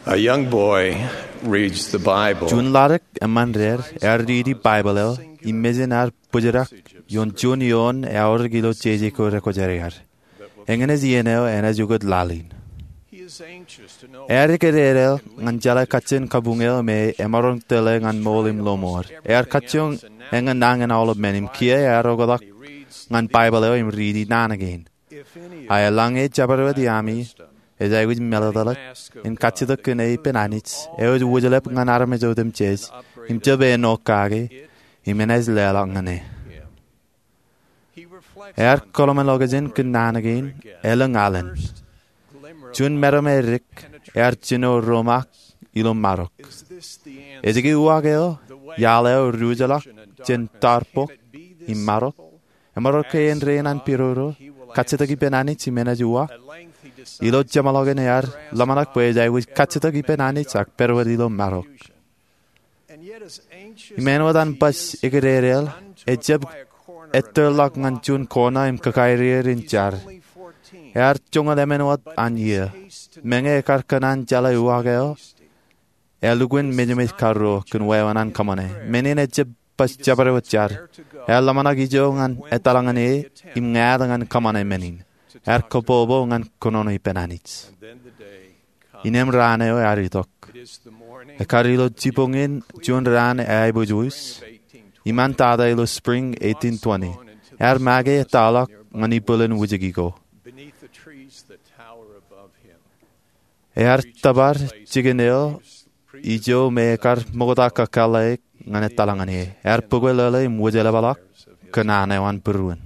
A young boy reads the Bible. Juon ḷaddik eṃṃan deer ear riiti Baibōḷ eo im mejān ear bōjrak ioon juon eoon eaorōk ilo jeje ko rekwōjarjar. Eñin ej iien eo enaaj ukōt laḷ in. Ear ekidedeḷọk ñan jeḷā kajjien kabuñ eo me emaroñ tōl ñan ṃool im lọmọọr. Ear kajjioñ eñin nañin aolep men im kiiō ear oktak ñan Baibōḷ eo im riiti naan kein. A eḷaññe jabdewōt iaami ej aikuj meḷeḷeḷe in kajjitōk kōn e ippān Anij eo ej wōjḷap ñan armej otemjej im jab āinwōt kake, im enaaj leḷọk ñan e. Ear kōḷmānḷọkjeṇ kōn naan kein elōñ alen. Juon meram edik ear jino romaak ilo marok. Ej ke uwaak eo, iaḷ eo ri-ujḷọk jān tọọr bok im marok? Emaroñ ke āindein an pidodo, kajjitōk ippān Anij im enaaj uwaak? Ilo jeṃḷọkin ear ḷōmṇak bwe ej aikuj kajjitōk ippān Anij ak pād wōt ilo marok. Im āinwōt an baj ekidedeḷ, ejab ettōrḷọk ñan juon kona im kakaireer in jar. Ear joñoul emān wōt an iiō. Meñe ekar kōṇaan jeḷā uwaak eo, ear lukkuun mejaṃej karuo kōn wāween an kōṃṃane. Men in ejab baj jabdewōt jar. Ear ḷōmṇak ijo ñan etal ñan e im ñāāt ñan kōṃṃane men in. Ear kōpopo ñan kōnono ippān Anij. Innem raan eo ear itok. Ekar ilo jibboñin juon raan eaiboojoj iṃaan tata ilo spring eighteen twenty. Ear make etal ḷọk ñan ibwilōn wūjeki ko. Ear tōpar jikin eo ijo me ekar ṃokta kakōḷḷe ñan etal ñan e. Ear bōkwōlōḷe im wōjḷapḷọk kōn an eo an būruon.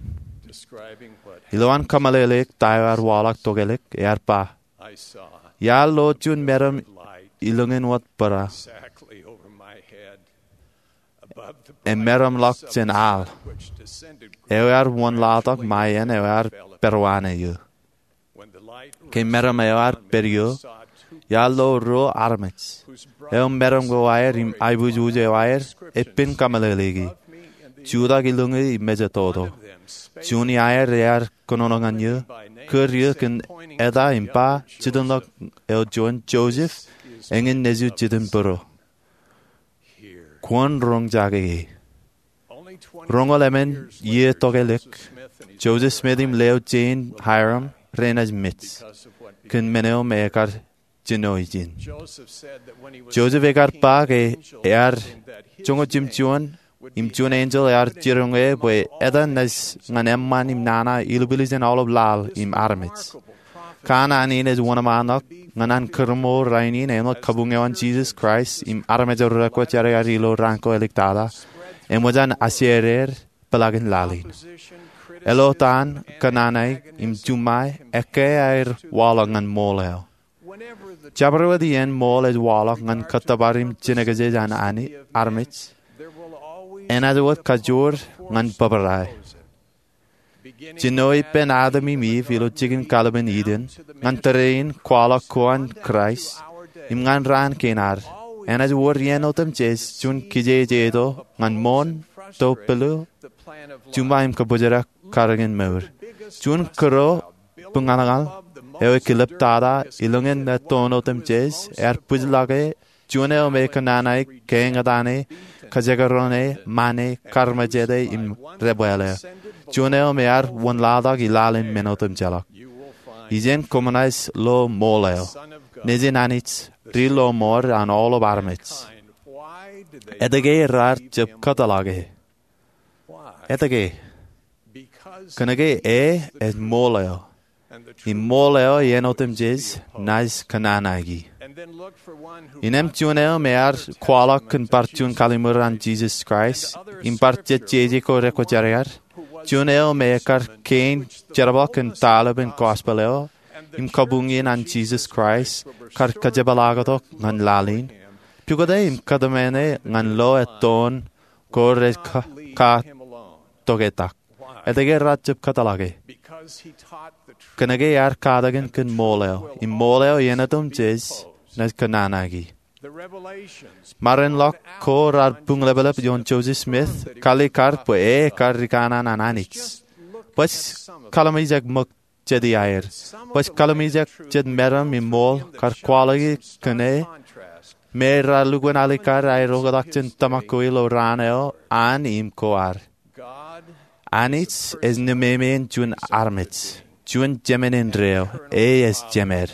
Ilowaan kōmeḷeḷeik ta eo ear waḷọk tokālik, ear ba, iar lo juon meram ilōñin wōt bōra, emeramḷọk jān al, eo ear wōnlaḷtak ṃae iien eo ear pād wōt eō. Ke meram eo ear pād eō, iar lo ruo armej, eo meram ko aer im aiboojoj eo aer epen kōmeḷeḷeiki, jutak ilōñi im mejatoto. Juon iaer ear kōnono ñan eō, kūr eō kōn eta im ba, jitōnḷọk eo juon Joseph, eñin nejū jitin būro. Kwōn roñjake e. Roñoul emān iiō tokālik, Joseph Smith im leo Jane Hyrum renaaj mej kōn men eo me ekar jino ijin. Joseph ekar ba ke ear joñoul jimjuon im juon enjeḷ ear jiroñ e bwe etan naaj ñan eṃṃan im nana ilubwiljin aolep laḷ im armej. Kanaan in ej wōnṃaanḷọk ñan an kūrṃool rainin āinwōt kabuñ eo an Jisōs Kraist im armej ro rekwōjarjar ilo raan ko āliktata, eṃōj an ajeeded peḷaakin laḷ in. Eḷotaan kōnanaik im juṃae ekkā aer waḷọk ñan ṃool eo. Jabdewōt iien ṃool ej waḷọk ñan kōttōpar im jinōkjeej an armej, enaaj wōt kajoor ñan bōbrae. Jino ippān Adam im Iv ilo jikin kallim̧ur Iden, ñan tōre in kwaḷọk ko an Kraist, im ñan raan kein ad, enaaj wōr iien otemjej juon kijejeto ñan ṃoon, to pālle, juṃae im kōbōjrak karōk in mour. Juon kūro buñalñal eo ekilep tata ilōñin ettoon otemjej ear bwijḷọk e, juon eo me kōnanaik, keeñtane, kajekdọọn e, ṃane, karmejete im debwāāl eo. Juon eo me ear wōnlaḷtak ilaḷ in men otemjeḷọk. Ijin koṃ naaj lo ṃool eo, Nejin Anij, ri-lọmọọr an aolep armej. Etke raar jab kōtḷọk e? Etke? Kōnke e ej ṃool eo, im ṃool eo iien otemjej naaj kōnanaiki. Innām juon eo me ear kwaḷọk kōn bar juon kalli̧mur an Jisōs Kraist im bar jet jeje ko rekwōjarjar, juon eo me ekar kein jerbal kōn taḷōb in gospel eo im kabuñ in an Jisōs Kraist kar kajepḷaaktok ñan laḷ in, pukot e im kōtmāne ñan lo ettoon ko rej ka, ka toketak. Etke raar jab kōtḷọk e? Kōnke ear katakin kōn ṃool eo, im ṃool eo iien otemjej naaj kōnanaiki. Ṃarinḷọk ko raar buñleplep ioon Joseph Smith, kalikkar bwe e ekar rikanaan an Anij. Baj kallim̧ur jet ṃōk jet iaer. Baj kallim̧ur jet meram im ṃool kar kwaḷọki kōn e, me raar lukkuun alikkar aer oktak jān tōmak ko ilo raan eo an im ko ad. Anij ej nememeen juon armej, juon jemān indeeo, e ej jemed.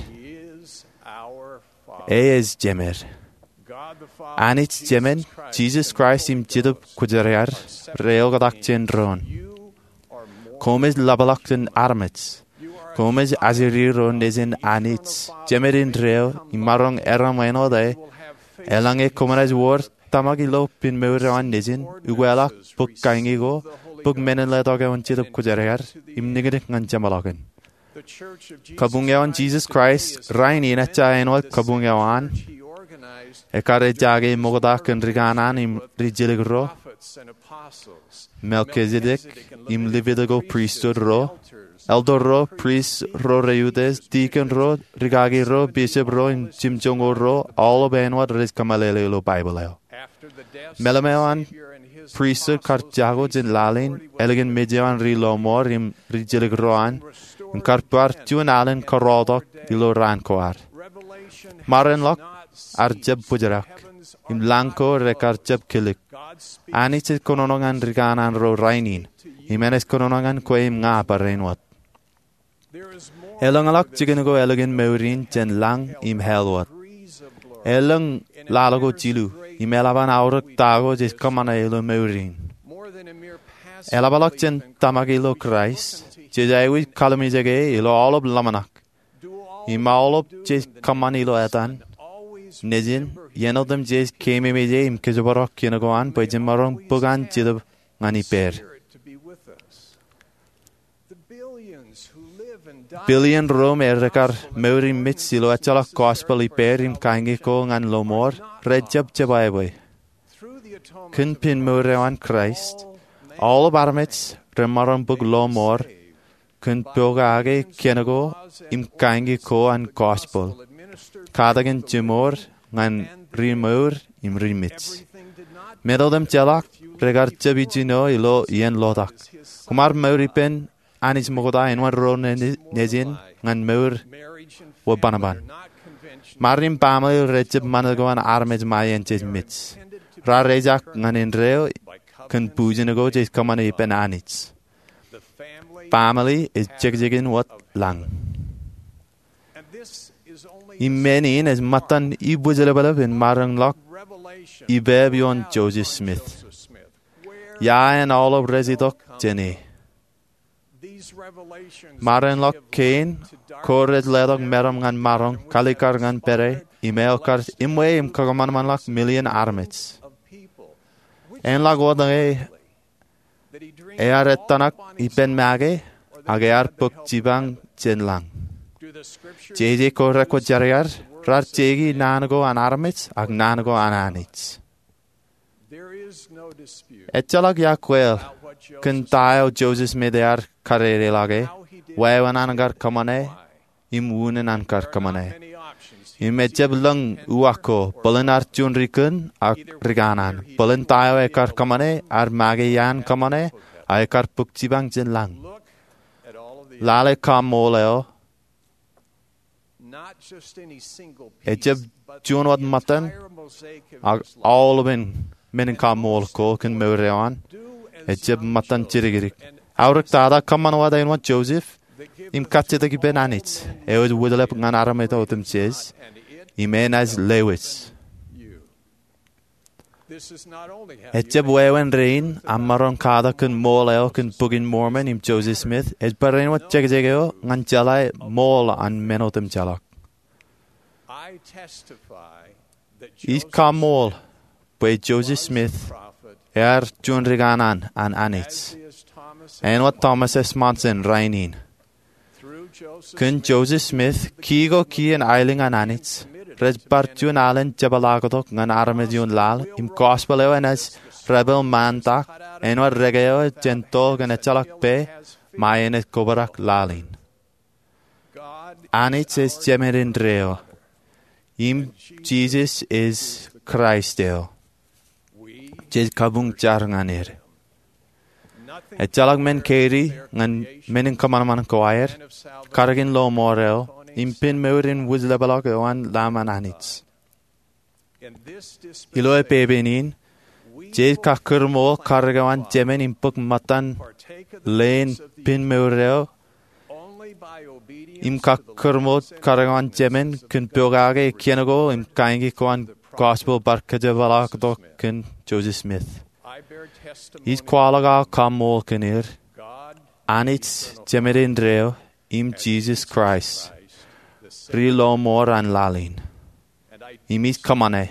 E ej jemed. Anij Jemān, Jisōs Kraist im Jetōb Kwōjarjar, re oktak jān doon. Koṃ ej ḷapḷọk jān armej. Koṃ ej ajri ro nejin Anij, jemed indeeo, im maroñ erom āinwōt e, eḷaññe koṃ naaj wōr tōmak ilo pen mour eo an nejin, ukweḷọk bōk kañi ko, bōk men in letok eo an Jetōb Kwōjarjar, im niknik ñan jeṃḷọkin. Kabuñ eo an Jisōs Kraist rainin ejja āinwōt kabuñ eo an ekkar ejjake ṃokta kōn rikanaan im ri-jilkinro, Melchizedek im Levitical priesthood ro, elder ro, prist ro re utiej, dikon ro, rikaki ro, bishop ro, im jimjuonñoul ro, aolep āinwōt rej kōmeḷeḷe ilo Baibōḷ eo. Meḷeḷe eo an pristut kar jako jān laḷ in, ālikin mej eo an ri-lọmọọr im ri-jilkinro an, im kar bar juon alen kōrọọltok ilo raan ko ad. Ṃarinḷọk ear jab bōjrak, im lañ ko rekar jab kilōk. Anij ej kōnono ñan rikanaan ro rainin, im enaaj kōnono ñan kwe im ña barāinwōt. Elōñḷọk jikin ko ālikin mour in jān lañ im hell wōt. Elōñ laḷ ko jilu, im eḷap an aorōk ta ko jej kōṃṃane ilo mour in. Eḷapḷọk jān tōmak ilo Kraist, jej aikuj kallimjeke ilo aolep ḷōmṇak. Im aolep jej kōṃṃan ilo etan, nejin, iien otemjej keememej e im kōjparok kien ko an bwe jemaroñ bōk an Jetōb ñan ippād. Billion ro me rekar mour im mej ilo ejjeḷọk gospel ippād im kañi ko ñan lọmọọr, rej jab jebwābwe. Kōn pen mour eo an Kraist, aolep armej remaroñ bōk lọmọọr kōn pokake kien ko im kañi ko an gospel, katakin jimour ñan ri-mour im ri-mej. Men otemjeḷọk rekar jab ijjino ilo iien ḷotak. Koṃ ar mour ippān Anij ṃokta āinwōt ro nejin ñan mour wōt bōnbōn. Maroñ in baaṃle rej jab ṃanit ko an armej ṃae in jej mej. Raar ejak ñan indeeo kōn bujen ko jej kōṃṃane ippān Anij. Baaṃle ej jekjekin wōt lañ. Im men in ej ṃōttan ibwijlepḷep in maroñ ḷọk ippān ioon Joseph Smith. Ia āin aolep rej itok jān e? Maroñ ḷọk kein ko rej letok meram ñan maroñ, kalikkar ñan pere, im eo kar iṃwe im kakōṃanṃanḷọk million armej. Āinḷọk wōt ñe ear ettōṇak ippān make, ak ear bōk jipañ jān lañ. Jeje ko rekwōjarjar, raar jeiki naan ko an armej ak naan ko an Anij. Ejjeḷọk ia kweeḷ kōn ta eo Joseph Smith ear kadedeḷọke, wāween an kar kōṃṃane, im unin an kar kōṃṃane. Im ejab lōñ uwaak ko, bōlen ear juon ri kōn ak rikanaan, bōlen ta eo ekar kōṃṃane, ear make iaan kōṃṃane, ak ekar bōk jipañ jān lañ. Lale kaṃṃool eo. Ejab juon wōt ṃōttan, ak aolepān men in kaṃṃool ko kōn mour eo an ejab ṃōttan jidikdik. Aorōk tata, kōṃṃan wōt āinwōt Joseph, im kajjitōk ippān Anij, eo ej wōtlep ñan armej otemjej, im enaaj lewōj. Ejab wāween rein aṃ maroñ katak kōn ṃool eo kōn Bok in Mormon im Joseph Smith, ej barāinwōt jekjek eo ñan jeḷā ṃool an men otemjeḷọk. Ij kaṃṃool bwe Joseph Smith ear juon rikanaan an Anij, āinwōt Thomas S. Monson rainin. Kōn Joseph Smith, kiiō ko kien aelōñ an Anij rej bar juon alen jepḷaaktok ñan armej ioon laḷ, im gospel eo enaaj repel ṃaantak āinwōt reke eo jān toḷ kōn ejjeḷọk pā ṃae enaaj kobrak laḷ in. Anij ej Jemān indeeo, im Jisōs ej Kraist eo. Jej kabuñ jar ñan er. Ejjeḷọk men kein ñan men in kōṃanṃan ko aer, karōk in lọmọọr eo, im pen mour in wūjlepḷọk eo an Lamb an Anij. Ilo epepen in, jej kakūrṃool karōk eo an Jemān im bōk ṃōttan leen pen mour eo im kakkōrmoot karuo an jemān kōn pokake kien ko im kain ko an gospel bar kōjepḷaaktok kōn Joseph Smith. Ij kwaḷọk aō kaṃṃool kōn er, Anij Jemān indeeo im Jisōs Kraist, ri lọmọọr an laḷ in. Im ij kōṃṃane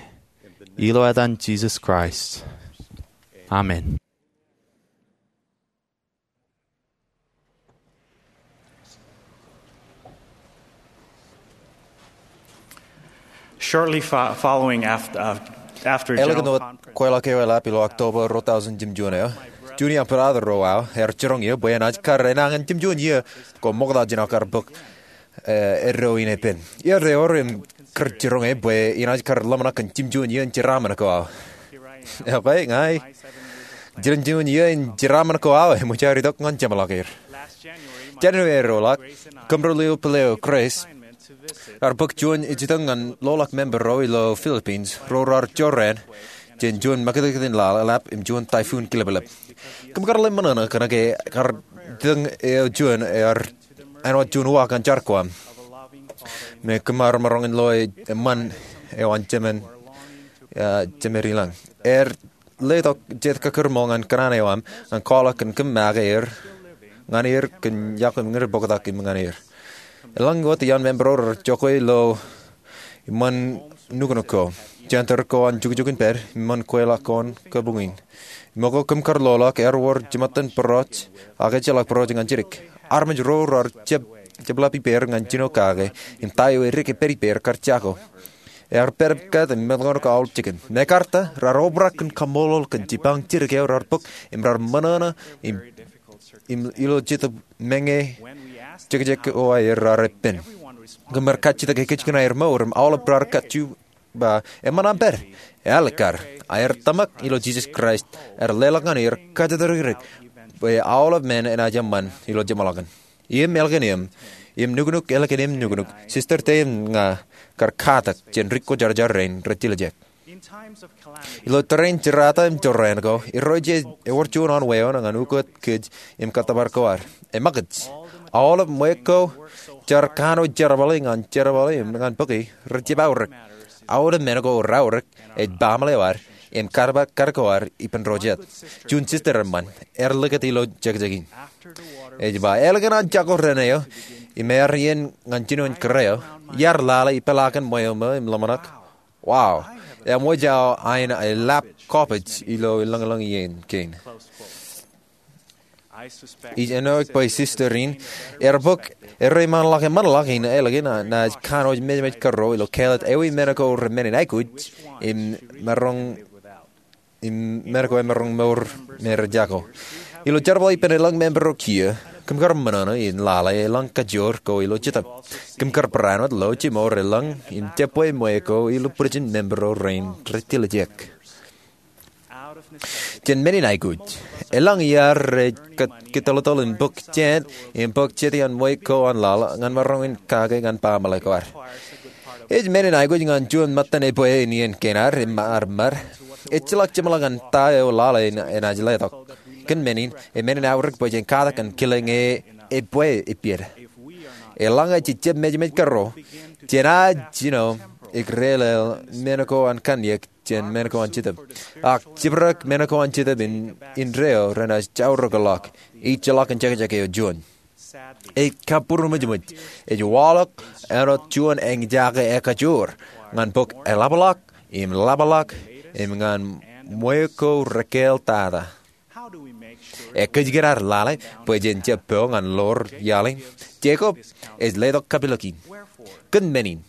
ilo etan Jisōs Kraist, amen. Shortly fo- following after, uh, after Ālikin General wōt Conference, kweilọk eo eḷap ilo October ruo thousand jimjuon eo, Junior im brother ro aō ear jiroñ eō bwe enaaj kar enañin jimjuon iiō ko ṃokta jān aō kar bōk, eh, eddo in epen. Iiō eo im kar jiroñ eō bwe enaaj kar ḷōmṇak kōn jimjuon iiō in jeraaṃṃan ko aō. Okay, ña ij jimjuon iiō in jeraaṃṃan ko aō eṃōj aer itok ñan jeṃḷọk er. January eo ḷọk, kōmro lio pile eo Grace ear bōk juon ejitōñ ñan loḷọk member ro ilo Philippines ro raar jorrāān jān juon makūtkūt in laḷ eḷap im juon typhoon kileplep. Kōm kar lale ṃōṇōṇō kōnke kar itōñ eo juon ear āinwōt juon uwaak ñan jar ko aṃ. Im kōm ar maroñ in loe eṃṃan eo an jemān, ah, jemān ilañ. Ear letok jet kakkōrmool ñan kōṇaan eo aṃ ñan kwaḷọk kōn kōm make er ñan er kōn iọkwe im ñe reboktak im ñan er. Eḷaññe wōt iaan member ro rej jokwe ilo eṃṃan nuknuk ko, jenter ko an jukjuk in pād, eṃṃan kweilọk ko an kabuñ in. Im ko kōm kar loḷọk ear wōr jiṃṃaten bōroj, ak ejjeḷọk bōroj ñan jidik. Armej ro raar jab, jabḷap ippāer ñan jino kake, im ta eo edik epād ippāer kar jako. Ear pād kat im meḷọkḷọk aolep jikin. Mekarta raar obrak kōn kaṃṃoolol kōn jipañ jidik eo raar bōk, im raar ṃōṇōṇō, im, im ilo jetōb meñe jekjek ko aer raar epen. Kōm ar kajjitōk ekōjkan aer mour im aolep raar kajju ba, eṃṃan aṃ pād. Ealikkar, aer tōmak ilo Jisōs Kraist ear leḷọk ñan er kōjatdikdik bwe aolep men enaaj eṃṃan ilo jeṃḷọkin. Im ālikin eō, im nuknuk ālikin eō nuknuk, sister te im ña kar katak jān ri kwōjarjar rein rej tiljek. Ilo tōre in jerata im jorrāān ko, Irooj ej ewōr juon eo an wāween ñan ukōt kōj im kōttōpar ko ad. Eṃōkaj. Aolep ṃweiuk ko jaar kanooj jerbale ñan jerbale im ñan bōki rej jab aorōk. Aolep men ko raorōk ej baaṃle eo ad im kar, kar ko ad ippān ro jet. Juon sister eṃṃan ear likūt ilo jekjek in. Ej ba, ālikin an jako dān eo im ear iien ñan jinoin kōrā eo, iar lale ipeḷaakin ṃweo ṃō im ḷōmṇak. Wow, eṃōj aō ain eḷap kọpej ilo elōñlōñ iien kein. Ij āinwōt bwe sister in ear bōk erreeṃṃanḷọk eṃṃanḷọk in ālikin naaj kanooj mejameja kōrā ilo kāālōt ewi men ko remennin aikuj im maroñ, im men ko emaroñ mour me rej jako. Ilo jerbal ippān elōñ member ro kiiō, kōm kar ṃōṇōṇō in lale elōñ kajoor ko ilo jetōb. Kōm kar barāinwōt lo jimour elōñ im jebwe ṃweiuk ko ilo bwijin member ro rein rej tiljek. Jān menin aikuj, elōñ iaad rej kōttoḷtoḷ im bōk jāān im bōk jete an ṃweiuk ko an laḷ ñan maroñ in kake ñan baaṃle ko ad. Ej menin aikuj ñan juon ṃōttan ebwe in iien kein ad im ar ṃad. Ejjeḷọk jeṃḷọk ñan ta eo laḷ in enaaj letok. Kōn menin, emenin aorōk bwe jen katak im kile ñe ebwe epād. Eḷaññe jej jab mejameja kōrā, jenaaj jino ekreel men ko an kanniōk jān men ko an jetōb. Ak jibrak men ko an jetōb in, indeeo renaaj jaorōkḷọk, ejjeḷọk in jekjek eo juon. Ej kabbūruṃōjṃōj, ej waḷọk āinwōt juon eñjake ekajoor, ñan bōk eḷapḷọk, im ḷapḷọk, im ñan ṃweiuk ko rekāāl tata. Ekōjkan ad lale bwe jen jab po ñan ḷoor iaḷ in? Jakob ej letok kapilōk in. Kōn menin,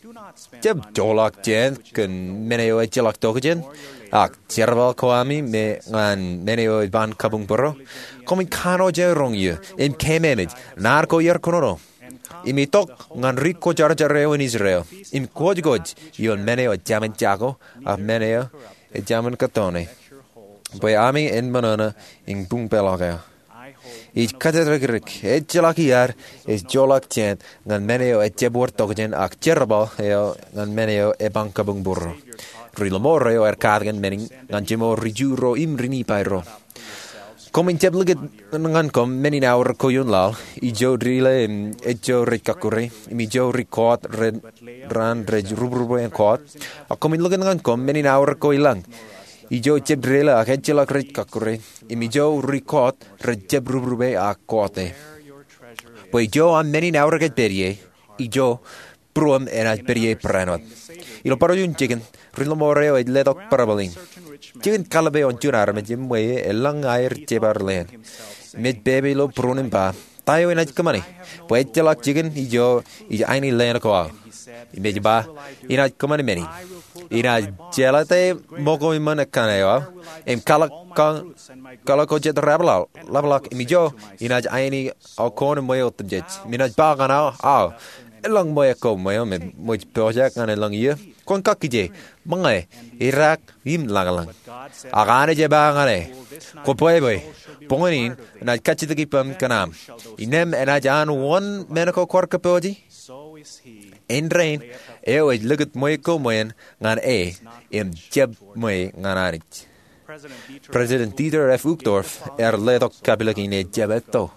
jab joḷọk jāān kōn men eo ejjeḷọk tokjān, ak jerbal ko ami me ñan men eo ej ban kabuñbūrō. Koṃij kanooj aerōñ iiō, im keememej, naan ko iar kōnono. Im itok ñan ri kwōjarjar eo in Israel, im kwōjkwōj ioon men eo ejāmin jako, ak men eo ejāmin kōttoone. Bwe ami en ṃōṇōṇō in buñpeḷọk eō. Ij kōjatdikdik, ejjeḷọk iaad ej joḷọk jāān ñan men eo ejjab wōr tokjān ak jerbal eo ñan men eo eban kabuñbūrō. Ri lọmọọr eo ear katakin menin ñan jimor ri Ju ro im ri Nifai ro. Koṃwin jab likūt ñan koṃ men in aorōk ko ioon laḷ, ijo deḷọñ im ejjo rej kakkure, im ijo ri kọọt raan rej rubrube en kọọt. Ak koṃwin likūt ñan koṃ men in aorōk ko ilañ, ijo jab deḷọñ ak ejjeḷọk rej kakkure, im ijo ri kọọt rej jab rubrube ak kọọte. Bwe ijo aṃ men in aorōk ej pād ie, ijo būruōṃ enaaj pād ie barāinwōt. Ilo bar juon jikin, ri-lọmọọr eo ej letok parabōl in. Jikin kallib eo an juon armej eṃṃan eḷaññe aer jebar leen. Im ej pepe ilo būruon im ba, "Ta eo inaaj kōṃṃani? Bwe ejjeḷọk jikin ijo ij aini leen ko aō." Im ej ba, "Inaaj kōṃṃani men in. Inaaj jeḷate ṃōko iṃōn ekkā eo aō, im kwaḷọk ko jet ḷapḷọk, im ijo inaaj aini aō koon eṃṃan otemjej. Im inaaj ba ñan aō, 'Aō, eḷaññe ṃōko eṃṃan me ṃōj pojak ñan eḷaññe iiō, kwōn kakkije, ṃōñā, idaak im lañlōñ.' Ak Anij ej ba ñan e, 'Kwōbwebwe, boñōn in enaaj kajjitōk ippaṃ kōn aṃ. Innām enaaj an wōn men ko kwaar kōpooje?' Āindein, eo ej likūt ṃōko eṃṃan ñan e, im jab ṃōko ñan Anij." President Dieter F. Uchtdorf ear letok kapilōk in ejjab etto.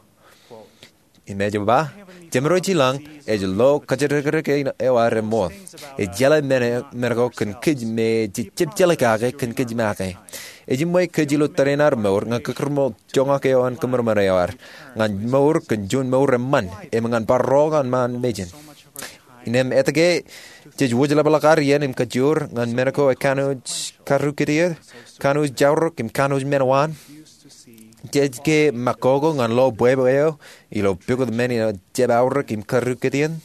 Im ej ba, "Jemediwōj ilañ ej lo kōjatdikdik eo ad reṃool. Ej jeḷā men ko kōn kōj me ej jab jeḷā kake kōn kōj make. Ej ṃōko kōj ilo tōre in ad mour ñan kōkūrmool joñak eo an kōṃanṃan eo ad, ñan mour kōn juon mour eṃṃan, im ñan bar ro ñan ṃaan mejān. Innām etke jej wōjlepḷọk ad iien im kajoor ñan men ko ekanooj karūkūtio, kanooj jaorōk im kanooj men waan? Jej ke ṃakoko ñan lo bwebwe eo ilo pukot men in jab aorōk im karūkūtien?"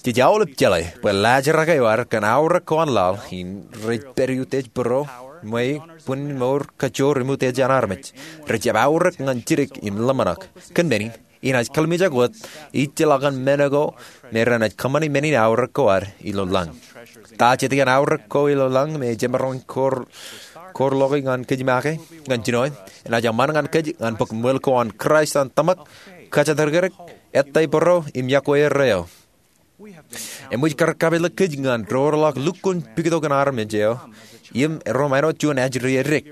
Jej aolep jeḷā bwe laajrak eo ad kōn aorōk ko an laḷ in rej pād utiej būro, ṃweo, bwin mour, kajoor im utiej an armej. Rej jab aorōk ñan jidik im ḷōmṇak. Kōn men in, inaaj kallimjek wōt ijjeḷọkin men ko me renaaj kōṃṃani men in aorōk ko ad ilo lañ. Ta jet iaan aorōk ko ilo lañ me jemaroñ kōrḷọk ñan kōj make? Ñan jinoin, enaaj eṃṃan ñan kōj ñan bōk ṃwil ko an Kraist an tōmak, kōjatdikdik, ettā būro, im iọkwe erreo. Eṃōj kar kapilōk kōj ñan doorḷọk lukkuun pikitok in armej eo im erom āinwōt juon ajri edik.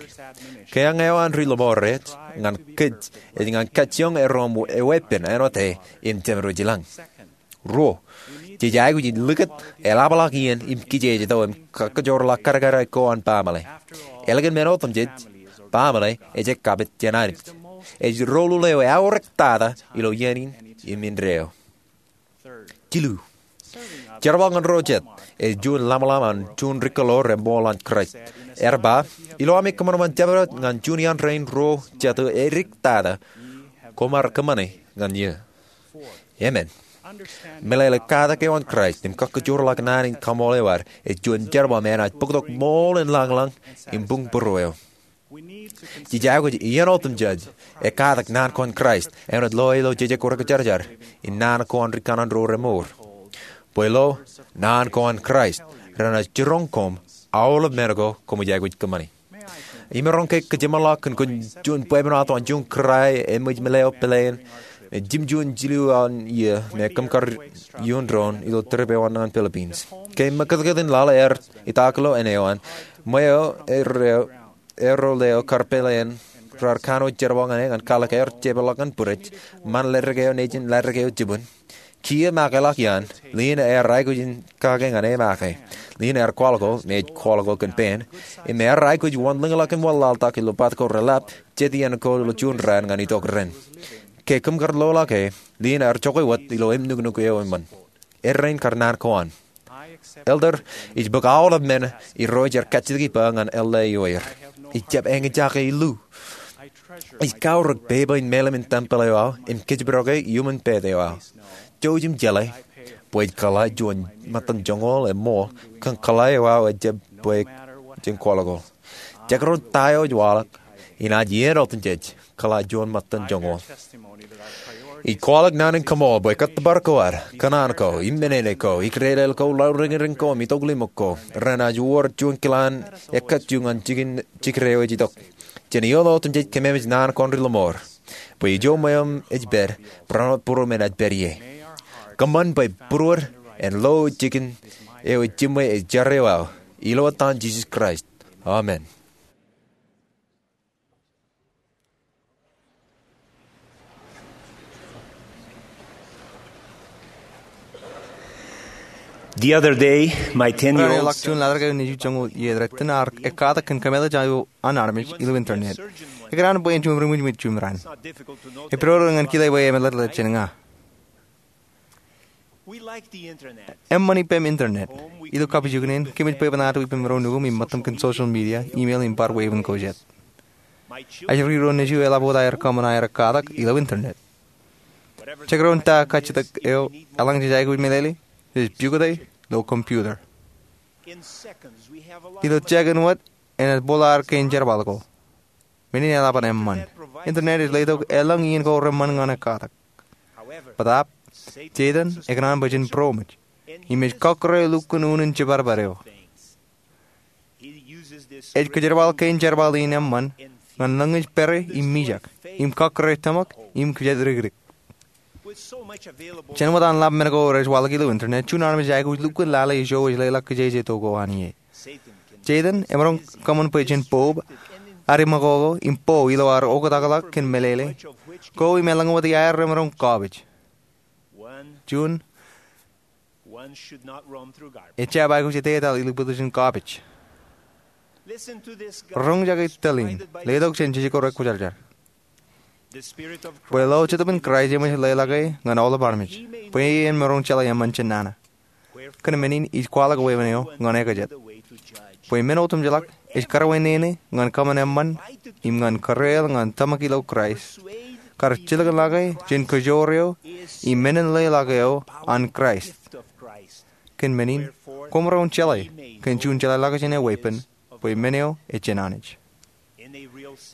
Kiiō eo an ri-lọmọọr eo ñan kōj ej ñan kajjioñ erom eweeppān āinwōt e im jemediwōj ilañ. Ruo, jej aikuj in likūt eḷapḷọk iien im kijeej tok im kakkōjoorḷọk kadkad ko an baaṃle. Ālikin men otemjej, baaṃle ej ekkapit jān Anij. Ej doulul eo eaorōk tata ilo iien in im indeeo. Jilu, jerbal ñan ro jet ej juon ḷamḷam an juon ri-kōḷḷā reṃool an Kraist. Ear ba, ilo ami kōṃanṃan jabdewōt ñan juon iaan rein ro jet eo edik tata, koṃ ar kōṃṃane ñan eō. Emān. Meḷeḷe katak eo an Kraist im kakkōjoorḷọk naan in kaṃool eo ad ej juon jerbal me enaaj bōktok ṃool in lañlōñ im buñ būruō eo. Jej aikuj iien otemjej ekatak naan ko an Kraist āinwōt lo ilo Jejek Kwōjarjar in naan ko an ri kanaan ro remour. Bwe lo naan ko an Kraist renaaj jiroñ koṃ aolep men ko koṃij aikuj kōṃṃani. Im maroñ ke kōjeṃḷọk kōn juon bwebwenato an juon kōrā eṃōj meḷeḷe peḷein im jimjuon jilu an iiō me kōm kar ioon doon ilo trip eo an ñan Philippines. Ke ṃakūtkūt in laḷ ear itak ilo āne eo an, ṃweo eo ro eo kar peḷein raar kanooj jerbal ñan e ñan kwaḷọk aer jepeḷḷọk ñan bwidej, ṃaan ledik eo nejin ledik eo jibwin. Kiiō make ḷọk iaan, Lena ear aikuj in kake ñan e make. Lena ear kwaḷọk, me ej kwaḷọk kōn pen, im ear aikuj wōnḷōñḷọk im wanlaḷtak ilo bat ko reḷap, jet iien ko ilo juon raan ñan itok ren. Ke kōm kar loḷọk e, Lena ear jokwe wōt ilo im nuknuk eo eṃṃan. Erein kar naan ko an. Elder, ij bōk aolep men irooj ear kajjitōk ippa ñan Elder eo er. Ij jab eñjake illu. Ij kaorōk pepe in meḷeḷe in tempel eo aō im kōjparok e iuṃwin pād eo aō. Jouj im jeḷā bwe ij kōḷā juon ṃōttan joñoul eṃool kōn kōḷā eo aō ejjab bwe jen kwaḷọk. Jekdọọn ta eo ej waḷọk, inaaj iien otemjej kōḷā juon ṃōttan joñoul. Ij kwaḷọk naan in kaṃool bwe kōttōpar ko ad, kōṇaan ko, im menene ko, ikdedeḷ ko, lauriñriñ ko, im itoklimok ko renaaj wōr juon kilaan ekkejjo ñan jikin jikid eo ej itok. Jen iien otemjej kememej naan ko an ri-lọmọọr. Bwe ijo ṃweo ej pād, barāinwōt būruōm enaaj pād ie. Kōṃṃan bwe būruod en lo jikin eo ej jiṃwe ej jar eo aō. Ilo etan Jisōs Kraist. Amen. The other day, my ten-year-old Raṇe ḷọk juon laḷ eo nejū joñoul iiō rej tōn ear ekkatak kōn kōmeḷeḷe eo an armej ilo internet. Ekōṇaan bwe en juon ri ṃwijṃij jumran. Epidodo ñan kile bwe emeḷeḷe jān ña. Eṃṃan ippem internet. Ilo kapijuknen, kōmij bwebwenato ippem ro nukuṃ im ṃōttan kōn social media, email im bar wāween ko jet. Ajri ro nejū eḷap wōt aer kōṃṃan aer ekkatak ilo internet. Jekdọọn ta kajjitōk eo, eḷaññe jej aikuj meḷeḷe, jej pukot e ilo computer. Ilo jekin wōt, enaaj bōḷaar kein jerbal ko. Men in eḷap an eṃṃan. Internet ej letok elōñ iien ko reṃṃan ñan ekkatak. Bōtaab, Setan ekōṇaan bwe jen būroṃōj im ej kọkkure lukkuun unin jibadbad eo. Ej kōjerbal kein jerbal in eṃṃan ñan lōñej pere im mijak im kọkkure tōmak im kōjatdikdik. Jān wōt an ḷap men ko rej waḷọk ilo internet, juon armej ej aikuj lukkuun lale ijo ej leḷọk kijeje to ko an ie. Setan emaroñ kōṃṃan bwe jen bōb ad iṃakoko im bo ilo ad oktakḷọk kōn meḷeḷe ko im eḷaññe wōt iaer remaroñ kọọpej. Juon ejjab aikuj etetal ilo bwiljin kọọpej. Roñjake tōl in, letok jān Jisōs ko Rekwōjarjar. Bwe lo Jetōb in Kraist eṃōj leḷọk e ñan aolep armej, bwe en maroñ jeḷā eṃṃan jān nana. Kōn men in ij kwaḷọk wāween eo ñan ekajet. Bwe men otemjeḷọk ej karwaineene ñan kōṃṃan eṃṃan im ñan kōreel ñan tōmak ilo Kraist, kar jilkinḷọk e jān kōjoor eo im menin leḷọk eo an Kraist. Kōn men in, koṃ maroñ jeḷā kōn juon jeḷāḷọkjeṇ eo weeppān, bwe men eo ej jān Anij.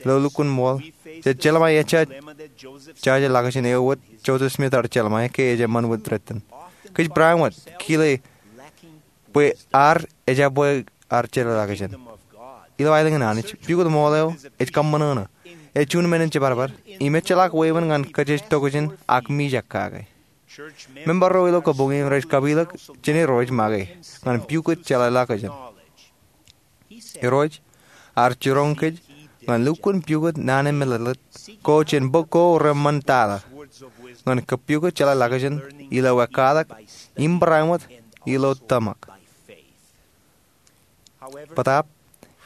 Ilo lukkuun ṃool, jej jelṃae ejja jaje ḷọkjeṇ eo wōt Joseph Smith ear jelṃae ke ej eṃṃan wōt rej tōn. Kōj bareinwōt kile bwe ear ejabwe ear jeḷāḷọkjeṇ. Ilo aelōñ in Anij, pukot ṃool eo ej kōṃṃan ṇe. Ej juon men in jibadbad im ejjeḷọk wāween ñan kōjjitōkjeṇ ak mijak kake. Member ro ilo kabuñ in rej kapilōk jān Irooj make ñan pukot jeḷāḷọkjeṇ. Irooj ear jiroñ kōj ñan lukkuun pukot naan in meḷeḷe ko jān bok ko reṃṃan tata ñan kapukot jeḷāḷọkjeṇ ilo ekkatak im bareinwōt ilo tōmak. Bōtaab,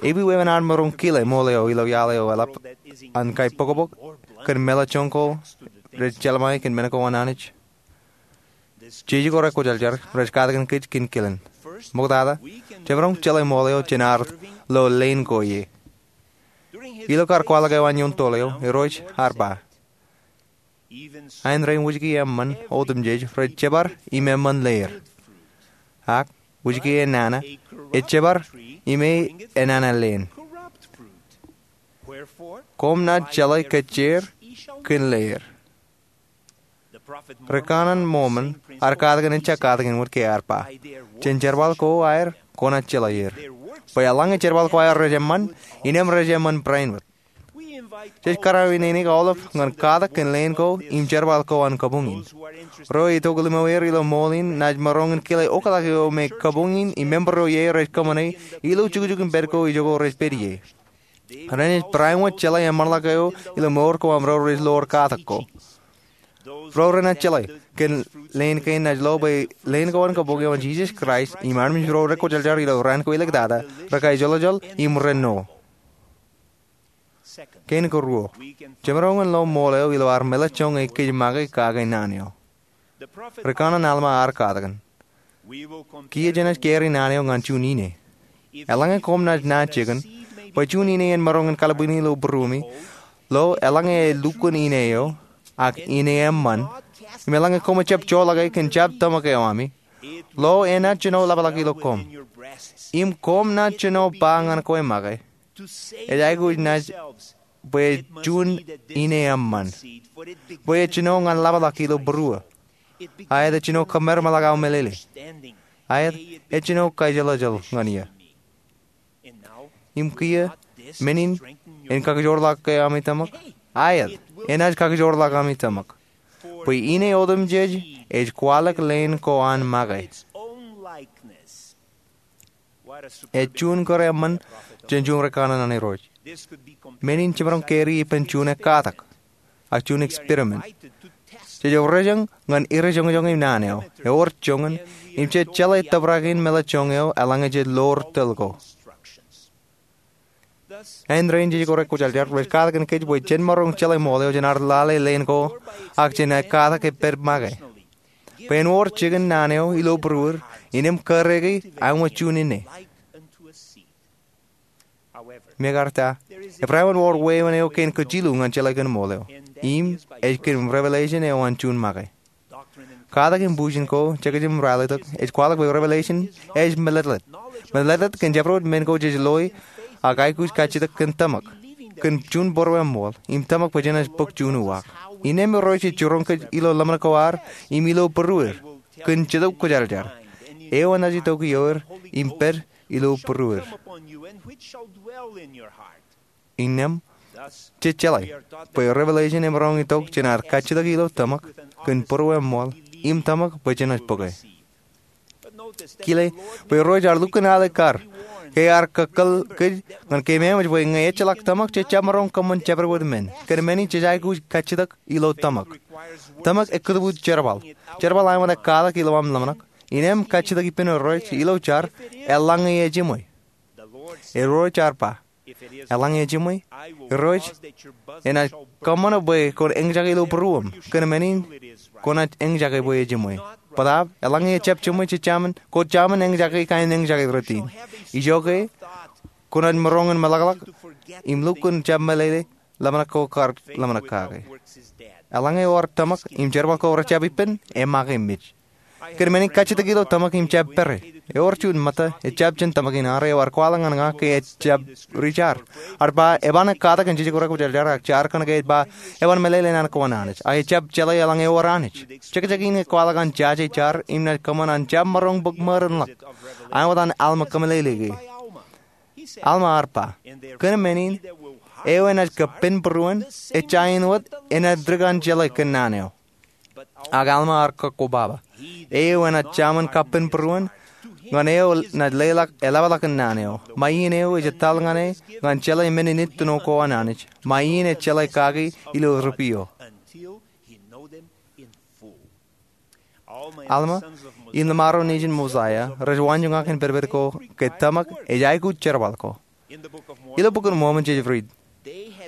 ewi wāween ad maroñ kile ṃool eo ilo iaḷ eo eḷap an kaipokpok kōn meḷeḷe joñ ko rej jelṃae kōn men ko an Anij? Jisōs ko Rekwōjarjar rej katakin kōj kōn kilen. Ṃoktata, jemaroñ jeḷā ṃool eo jān ad lo leen ko ie. Ilo kar kwaḷọk eo an ioon toḷ eo, Irooj ear ba, Aenrein wōjke eṃṃan otemjej rej jebar im eṃṃan leer. Ak wōjke enana ej jebar im e enana leen. Koṃ naaj jeḷā kōjjeer kōn leer. Ri kanaan Mōmon ear katakin ejja katakin wōt ke ear ba, Jān jerbal ko aer kwōnaaj jeḷā er. Bwe eḷaññe jerbal ko aer rej eṃṃan, innām rej eṃṃan bareinwōt. Jej karwaineene aolep ñan katak kōn leen ko im jerbal ko an kabuñ in. Ro itok limoer ilo ṃool in naaj maroñ in kile oktak eo me kabuñ in im member ro ie rej kōṃṃane ilo jukjuk in pād ko ijoko rej pād ie. Renaaj bareinwōt jeḷā eṃṃanḷọk eo ilo mour ko aṃ ro rej lowaan katak ko. Ro renaaj jeḷā kōn leen kein naaj lo bwe leen ko an kabuñ eo an Jisōs Kraist im armej ro Rekwōjarjar ilo raan ko iliktata, rekaijolojol im renno. Kein karuo, jemaroñ in lo ṃool eo ilo ad meḷeḷe joñe kōj make kake naan eo. Ri kanaan Alma ear katakin, Kiiō jenaaj carry naan eo ñan juon ine. Eḷaññe koṃ naaj naan jikin bwe juon ine en maroñ in kalbwini ilo būruemi, lo eḷaññe e lukkuun ine eo, ak ine eṃṃan, im eḷaññe koṃij jab joḷọk e kōn jab tōmak eo ami, lo enaaj jino ḷapḷọk ilo koṃ. Im koṃ naaj jino ba ñan kwe make, Ej aikuj naaj bwe juon ine eṃṃan. Bwe ej jino ñan ḷapḷọk ilo būruō. Aet ej jino kōmeremeḷọk aō meḷeḷe. Aet ej jino kaijolojol ñan iiō. Im kiiō, men in, en kakijoorḷọk ke ami tōmak? Aet, enaaj kakijoorḷọk ami tōmak. Bwe ine otemjej ej kwaḷọk leen ko an make. Ej juon kōrā eṃṃan jān juon ri kanaan an Irooj. Men in jemaroñ carry ippān juon ekkatak, ak juon experiment. Jej orjōñ ñan ri joñojoñ im naan eo. Ewōr joñan im jej jeḷā tōprak in meḷeḷe joñ eo eḷaññe jej loor tōl ko. Āindein jej ko rekwōjarjar rej katak kōn kōj bwe jen maroñ jeḷā ṃool eo jān ad lale leen ko ak jān katak ej pād make. Bwe en wōr jikin naan eo ilo būruod, innām kōrā ke aṃ juon inne. Mekarta, ebarāinwōt wōr wāween eo kein kōj jilu ñan jeḷā kōn ṃool eo. Im ej kōn revelation eo an juon make. Katak im bujen ko, jekjek im ralitōk, ej kwaḷọk bwe revelation ej mālōtlōt. Mālōtlōt kōn jabdewōt men ko jej loe, ak aikuj kajjitōk kōn tōmak, kōn juon būrueṃṃool, im tōmak bwe jenaaj bōk juon uwaak. Innām Irooj ej jiroñ kōj ilo ḷōmṇak ko ad, im ilo būruod, kōn Jetōb Kwōjarjar. Eo enaaj itok ioer, im pād ilo būruod. Innām, jej jeḷā bwe revelation emaroñ itok jān ad kajjitōk ilo tōmak, kōn būrueṃṃool, im tōmak bwe jenaaj bōke. Kile, bwe Irooj ear lukkuun ālikkar, ke ear kakkōl kōj ñan keememej bwe ñe ejjeḷọk tōmak jej jab maroñ kōṃṃan jabdewōt men. Kōn men in jej aikuj kajjitōk ilo tōmak. Tōmak ekōtbut jerbal. Jerbal āinwōt ekkatak ilo aṃ ḷōmṇak. Innām kajjitōk ippān Irooj ilo jar, eḷaññe ejiṃwe. Irooj ear ba, eḷaññe ejiṃwe, Irooj enaaj kōṃṃane bwe kwōn eñjake ilo būruōṃ, kōn men in kwōnaaj eñjake bwe ejiṃwe. Bōtaab, eḷaññe ejjab jiṃwe, jej jaṃin, kwōj jaṃin eñjake kain eñjake rot in. Ijoke, kwōnaaj maroñ in meḷọkḷọk, im lukkuun jab meḷeḷe, ḷōmṇak ko kar ḷōmṇak kake. Eḷaññe ewōr tōmak, im jerbal ko rejjab ippān, emake mej. Kōn men in kajjitōk ilo tōmak im jab pere. Ewōr juon ṃōtta, ejjab jān tōmak in arro, eo ear kwaḷọk ñan ña ke ejjab ri jar. Ear ba, eban ekkatak kōn Jetōb Kwōjarjar ak jar kōnke ej ba, eban meḷeḷe naan ko an Anij. Ak ejjab jeḷā eḷaññe ewōr Anij. Jekjek in ekwaḷọk an jaje jar, im naaj kōṃṃan an jab maroñ bōk ṃōdenḷọk. Āinwōt an Alma kōmeḷeḷeik e. Alma ear ba, kōn men in, eo enaaj kappān būruon, ejja āinwōt enaaj dik an jeḷā kōn naan eo. Ak Alma ear kakkobaba. Eo enaaj jaṃin kappān būruon, ñan eo naaj leḷọk eḷapḷọk in naan eo. Ṃae iien eo ej etal ñan e, ñan jeḷā men in itōn ko an Anij. Ṃae iien ej jeḷā kaki ilo ripio. Alma, im ḷōṃaro nejin Mosaia, rej waanjoñak in pedped ko, ke tōmak ej aikuj jerbal ko. Ilo Bok in Mormon jej riit.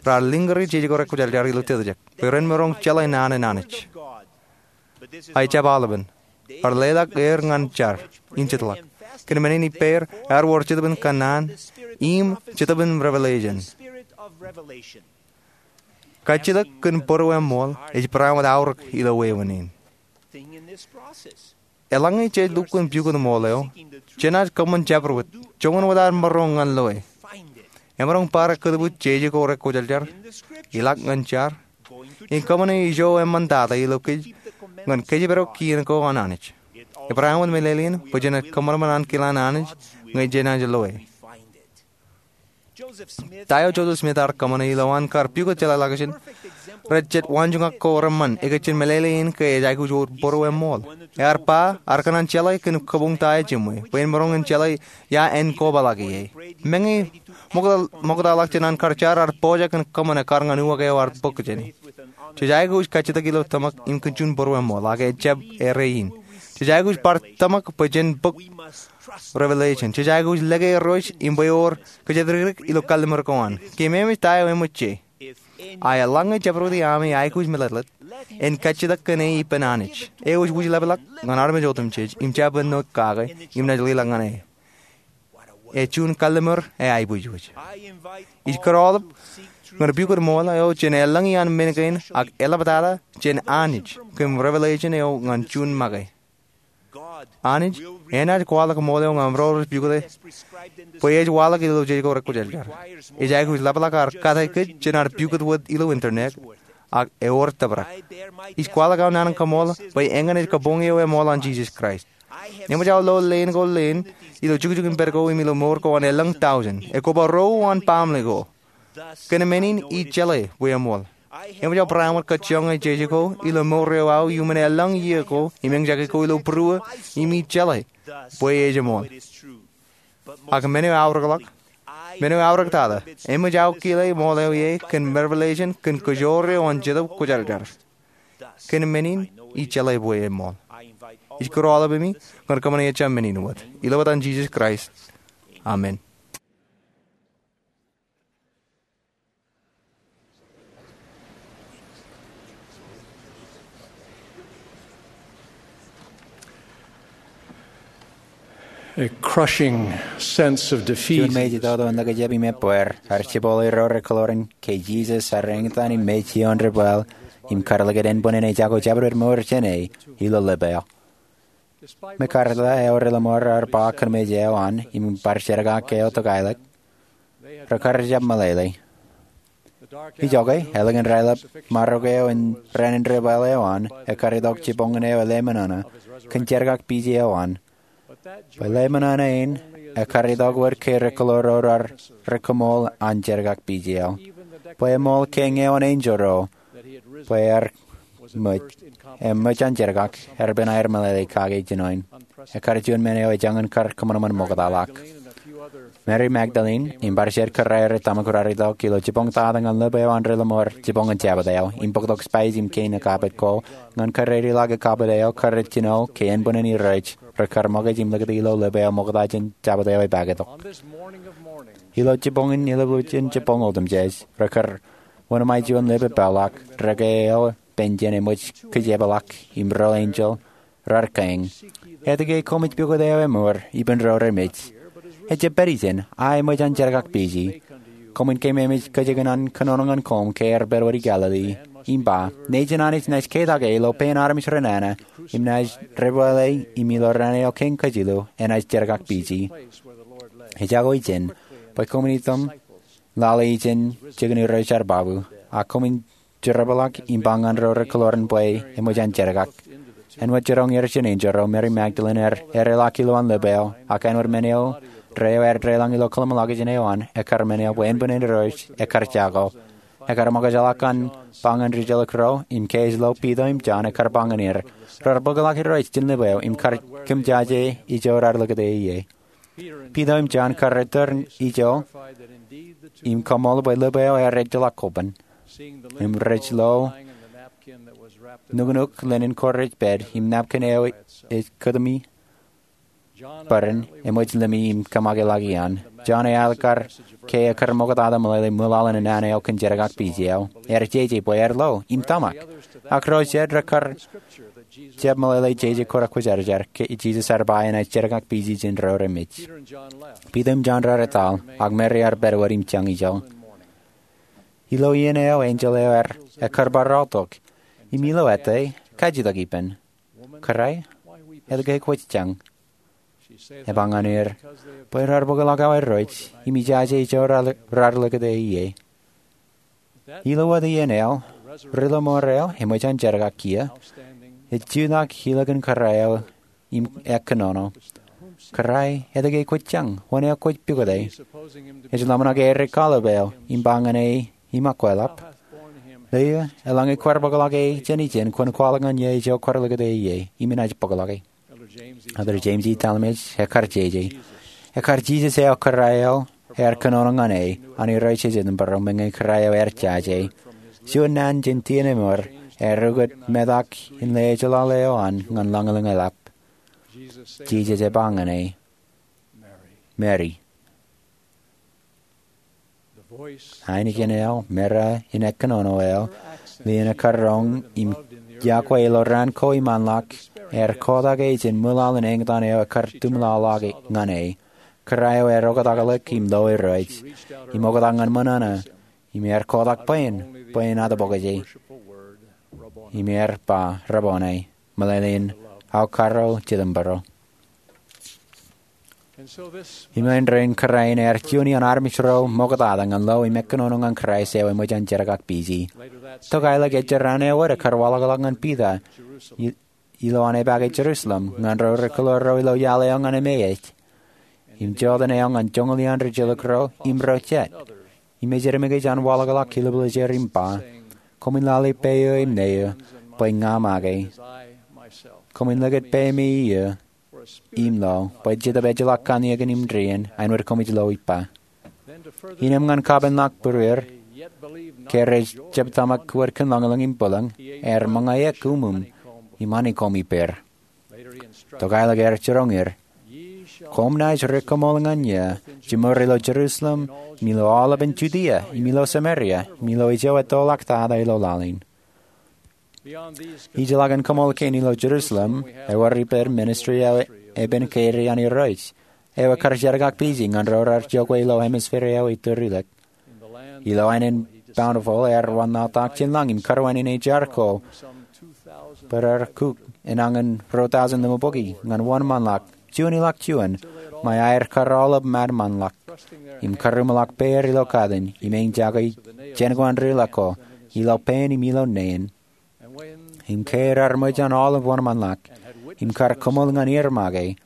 Raar lōñ kari jej ko rekwōjarjar ilo tōtōjek. Bwe ren maroñ jeḷā naan an Anij. Ak ejjab aolepen. Ear leḷọk er ñan jar. Im jetōb ḷọk. Kōn men in ippāer, ear wōr jetōb in kōnnaan. Im jetōb in revelation. Kajjitōk kōn būrueṃṃool, ej barāinwōt aorōk ilo wāween in. Eḷaññe jej lukkuun pukot ṃool eo, jenaaj kōṃṃan jabdewōt, joñan wōt ad maroñ ñan loe. Emaroñ bar ekōtbut jeje ko rekwōjarjar, ilọk ñan jar, im kōṃṃane ijo eṃṃantata ilo kōj, ñan kōjparok kien ko an Anij. Ebarāinwōt meḷeḷein, bwe jenaaj kōṃanṃan ankilaan Anij, ñe jenaaj loe. Ta eo Joseph Smith ear kōṃṃane ilo an kar pukot jeḷāḷọkjeṇ rej jet waanjoñak ko reṃṃan ekōjjien meḷeḷe in ke ej aikuj wōr būrueṃṃool. Ear ba, ear kōṇaan jeḷā kōn kabuñ ta ejiṃwe, bwe en maroñ in jeḷā ia en kobaḷọk ie. Meñe ṃoktaḷọk jān an kar jar ear pojak in kōṃṃane kar ñan uwaak eo ear bōk jāne. Jej aikuj kajjitōk ilo tōmak im kōn juon būrueṃṃool, ak ejjab erein. Jej aikuj bar tōmak bwe jen bōk revelation. Jej aikuj lōke Irooj im bwe ewōr kōjatdikdik ilo kalliṃur ko an. Keememej ta eo eṃōj je. Ak eḷaññe jabdewōt iaami aikuj mālōtlōt, en kajjitōk kōn e ippān Anij. Eo ej wūjlepḷọk ñan armej otemjej, im jab āinwōt kake, im naaj leḷọk ñan e. Ej juon kalliṃur eaiboojoj. Ij kōn aolep ñan pukot ṃool eo jān elōñ iaan men kein ak eḷaptata jān Anij kōn revelation eo ñan juon make. Anij enaaj kwaḷọk ṃool eo ñan ro rej pukot e bwe ej waḷọk ilo jej ko rekwōjarjar. Ej aikuj ḷapḷọk ad kate kōj jān ad pukot wōt ilo internet, ak ewōr tōprak. Ij kwaḷọk aō naan in kaṃool bwe eñin ej kabuñ eo eṃool an Jisōs Kraist. Eṃōj aō lo leen ko leen ilo jukjuk in pād ko im ilo mour ko an elōñ tọujin. Ekoba ro an baaṃle ko. Kōn men in ij jeḷā bwe eṃool. Eṃōj aō barāinwōt kajjioñ e jeje ko ilo mour eo aō iuṃwin elōñ iiō ko im eñjake ko ilo būruō im ij jeḷā bwe ej eṃool. Ak men eo eaorōkḷọk, men eo eaorōktata, eṃōj aō kile ṃool eo ie kōn revelation kōn kōjoor eo an Jetōb Kwōjarjar. Kōn men in, ij jeḷā bwe eṃṃool. Ij kūr aolep emi ñan kōṃṃane ejja men in wōt. Ilo etan Jisōs Kraist, amen. A crushing sense of defeat. Juon mej itoto in likjab im ebbeer ear jibboḷe ro rekōḷoor in ke Jisōs ear eñtaan im mej ioon debwāāl im karlikid ānbwinnin ej jako jabdewōt mour jāne ilo ḷap eo. Mekarta eo reḷōṃoor ear ba kōnmej eo an im bar jerkak eo tokailōk, rekar jab meḷeḷe. Ijoke, ālikin raelep marok eo in raan in debwāāl eo an, ekkar itok jiboñin eo eḷemānānā kōn jerkakpije eo an. Bwe ḷemānānā in ekkar itok wōt ke rekōḷoor ro raar kōṃool an jerkakpije eo, bwe eṃool ke ñe eoon enjeḷ ro bwe ear ṃōj, im ṃōj an jerkak, ear bwe en aer meḷeḷe kake jinoin. Ekkar juon men eo ej jañin kar kōṃanṃan ṃoktaḷọk. Mary Magdalene im bar jet kōrā eo rej tōmak raar itok ilo jiboñ tata ñan ḷap eo an reḷōṃoor jiboñin Jabōt eo im bōktok spice im kein ekapit ko ñan kōrā eo ḷak ekapit eo kar jino ke ānbwinnin Irooj rekar ṃōkaj im likūt ilo ḷap eo ṃokta jān Jabōt eo epāketok. Ilo jiboñin ilubujin jiboñ otemjej, rekar wōnṃae juon ḷap epeḷḷọk, dekā eo penjen eṃōj kijeplọk im ro enjeḷ raar kein, etke koṃij pukot eo emour ippān ro remej? Ejjab pād ijin, a eṃōj an jerkakpije. Koṃwin keememej kōjeken an kōnono ñan koṃ ke ear pād wōt Galili im ba, nejin Anij naaj ketak e ilo pein armej renana im naaj debwāāle im ilo raan eo kein kajilu enaaj jerkakpije. Ejako ijin bwe koṃwin itok im lale ijin jikin Irooj ear babu, a koṃwin jerbal ḷọk im ba ñan ro rekōḷoor in bwe eṃōj an jerkak. Āinwōt jiroñ er jān enjeḷ ro, Mary Magdalene ear ereḷọk ilowaan ḷap eo, ak āinwōt men eo deḷọñ ilo kōḷmānḷọkjeṇ eo an, ekkar men eo bwe ānbwinnin Irooj ekkar jako. Ekkar ṃōkajḷọk an ba ñan rijjelōk ro, im ke ej lo, Piter im Jon ekkar ba ñan er, raar bōkḷọk Irooj jān ḷap eo im kar kōmjaje ijo raar likūt e ie. Piter im Jon kar return ijo im kaṃool bwe ḷap eo ear ejjeḷọk koban. Im rej lo nuknuk linen ko rej pād im napkin eo ej kōtumi bōran eṃōj limi im kōṃṃakḷọk iaan. Jon eaḷ kar ke ekkar ṃoktata meḷeḷe ṃwilaḷ in naan eo kōn jerkakpije eo, ear jeje bwe ear lo im tōmak. Ak ro jet rekar jab meḷeḷe jeje ko kwōjarjar ke Jisōs ear ba enaaj jerkakpije jān ro remej. Piter im Jon raar etal, ak Mary ear pād wōt im jañ ijo. Ilo iien eo enjeḷ eo ear ekkar bar aotok, im ilo ettā, kajitok ippān, Kōrā, etke kwōj jañ? Eba ñan er, Bwe raar bōkḷọk awa Irooj, im ijaje ijo raar likūt e ie. Ilo wōt iien eo, reḷōṃoor eo eṃōj an jerkak kiiō ej jutak ilo kōn kōrā eo im ekkōnono, Kōrā, etke kwōj jañ? Wōn eo kwōj pukot e? Ej ḷōmṇak er ej kwaḷọk eo im ba ñan e im akwāḷọk, Leo, eḷaññe kwaar bōkḷọk e jān ijin, kwōn kwaḷọk ñan eō ijo kwaar likūt e ie, im inaaj bōkḷọk e. Elder James E. Talmage ekkar jeje, ekkar Jisōs eo kōrā eo ear kōnono ñan e an Irooj ej Jetōnbōro, meñe kōrā eo ear jaje. Juon naan jān tienemier ear ukōt metak in ḷe ejjeḷọk eo an ñan lañlōñ e ḷap. Jisōs ej ba ñan e, Mary. Ainikien eo, meḷeḷe in ekkōnono eo, lien ekkar roñ im iọkwe ilo raan ko iṃaanḷọk, ear kotak e jān ṃwilaḷ in eñtaan eo ekkar tumḷọḷọk ñan e. Kōrā eo ear oktakḷọk im lo Irooj, im oktak ñan ṃōṇōṇō, im ear kotak bwe en, bwe en atbōkje, im ear ba, Rabboni, meḷeḷein, Aokaro Jetōnbōro. Im āindein kōrā in ear juon iaan armej ro ṃoktata ñan lo im ekkōnono ñan Kraist eo eṃōj an jerkakpije. Tokailōk ejjeraan eo wōt ekkar waḷọkḷọk ñan Piter i-, ilo an epaake Jerusalem ñan ro rekōḷoor ro ilo iaḷ eo ñan emej, im joteen eo ñan joñoul iaan rijjelōk ro im ro jet, im ej eṃōj an waḷọkḷọk kileplōj er im ba, Koṃwin lale peiū im neiū, bwe ña make. Koṃwin likūt peiṃ iiō im lo, bwe Jetōb ejjeḷọk kanniōk in im dien, āinwōt koṃij lo ippa. Innām ñan kapenḷọk būruer, Ke rej jab tōmak wōt kōn lañlōñ im bwilōñ, ear ṃōñā eok uṃwim im honeycomb ippāer. Tokālik ear jiroñ er, Koṃ naaj rikaṃool ñan eō, jiṃor ilo Jerusalem, im ilo aolepān Judia, im ilo Samaria, im ilo ijo ettoḷọk tata ilo laḷ in. Ijellọkin kaṃool kein ilo Jerusalem, ewōr ippān ministry eo epen kein an Irooj, eo ekar jerkakpeje ñan ro raar jokwe ilo hemisphere eo itōrilōk. Ilo aenōṃṃan Bountiful ear wanlaḷtak jān lañ im kōrā wāween eo jar ko, bwe raar kuk enañin ruo tọujin limabukwi ñan wōnṃaanḷọk juon ilọk juon, ṃae aer kar aolep ṃadṃōnḷọk, im kar uṃḷọk peier ilo katin, im ej jake jān ko an ri-ḷọk ko, ilo pein im ilo neen. Im ke raar ṃōj an aolep wōnṃaanḷọk, im kar kaṃool ñan er make,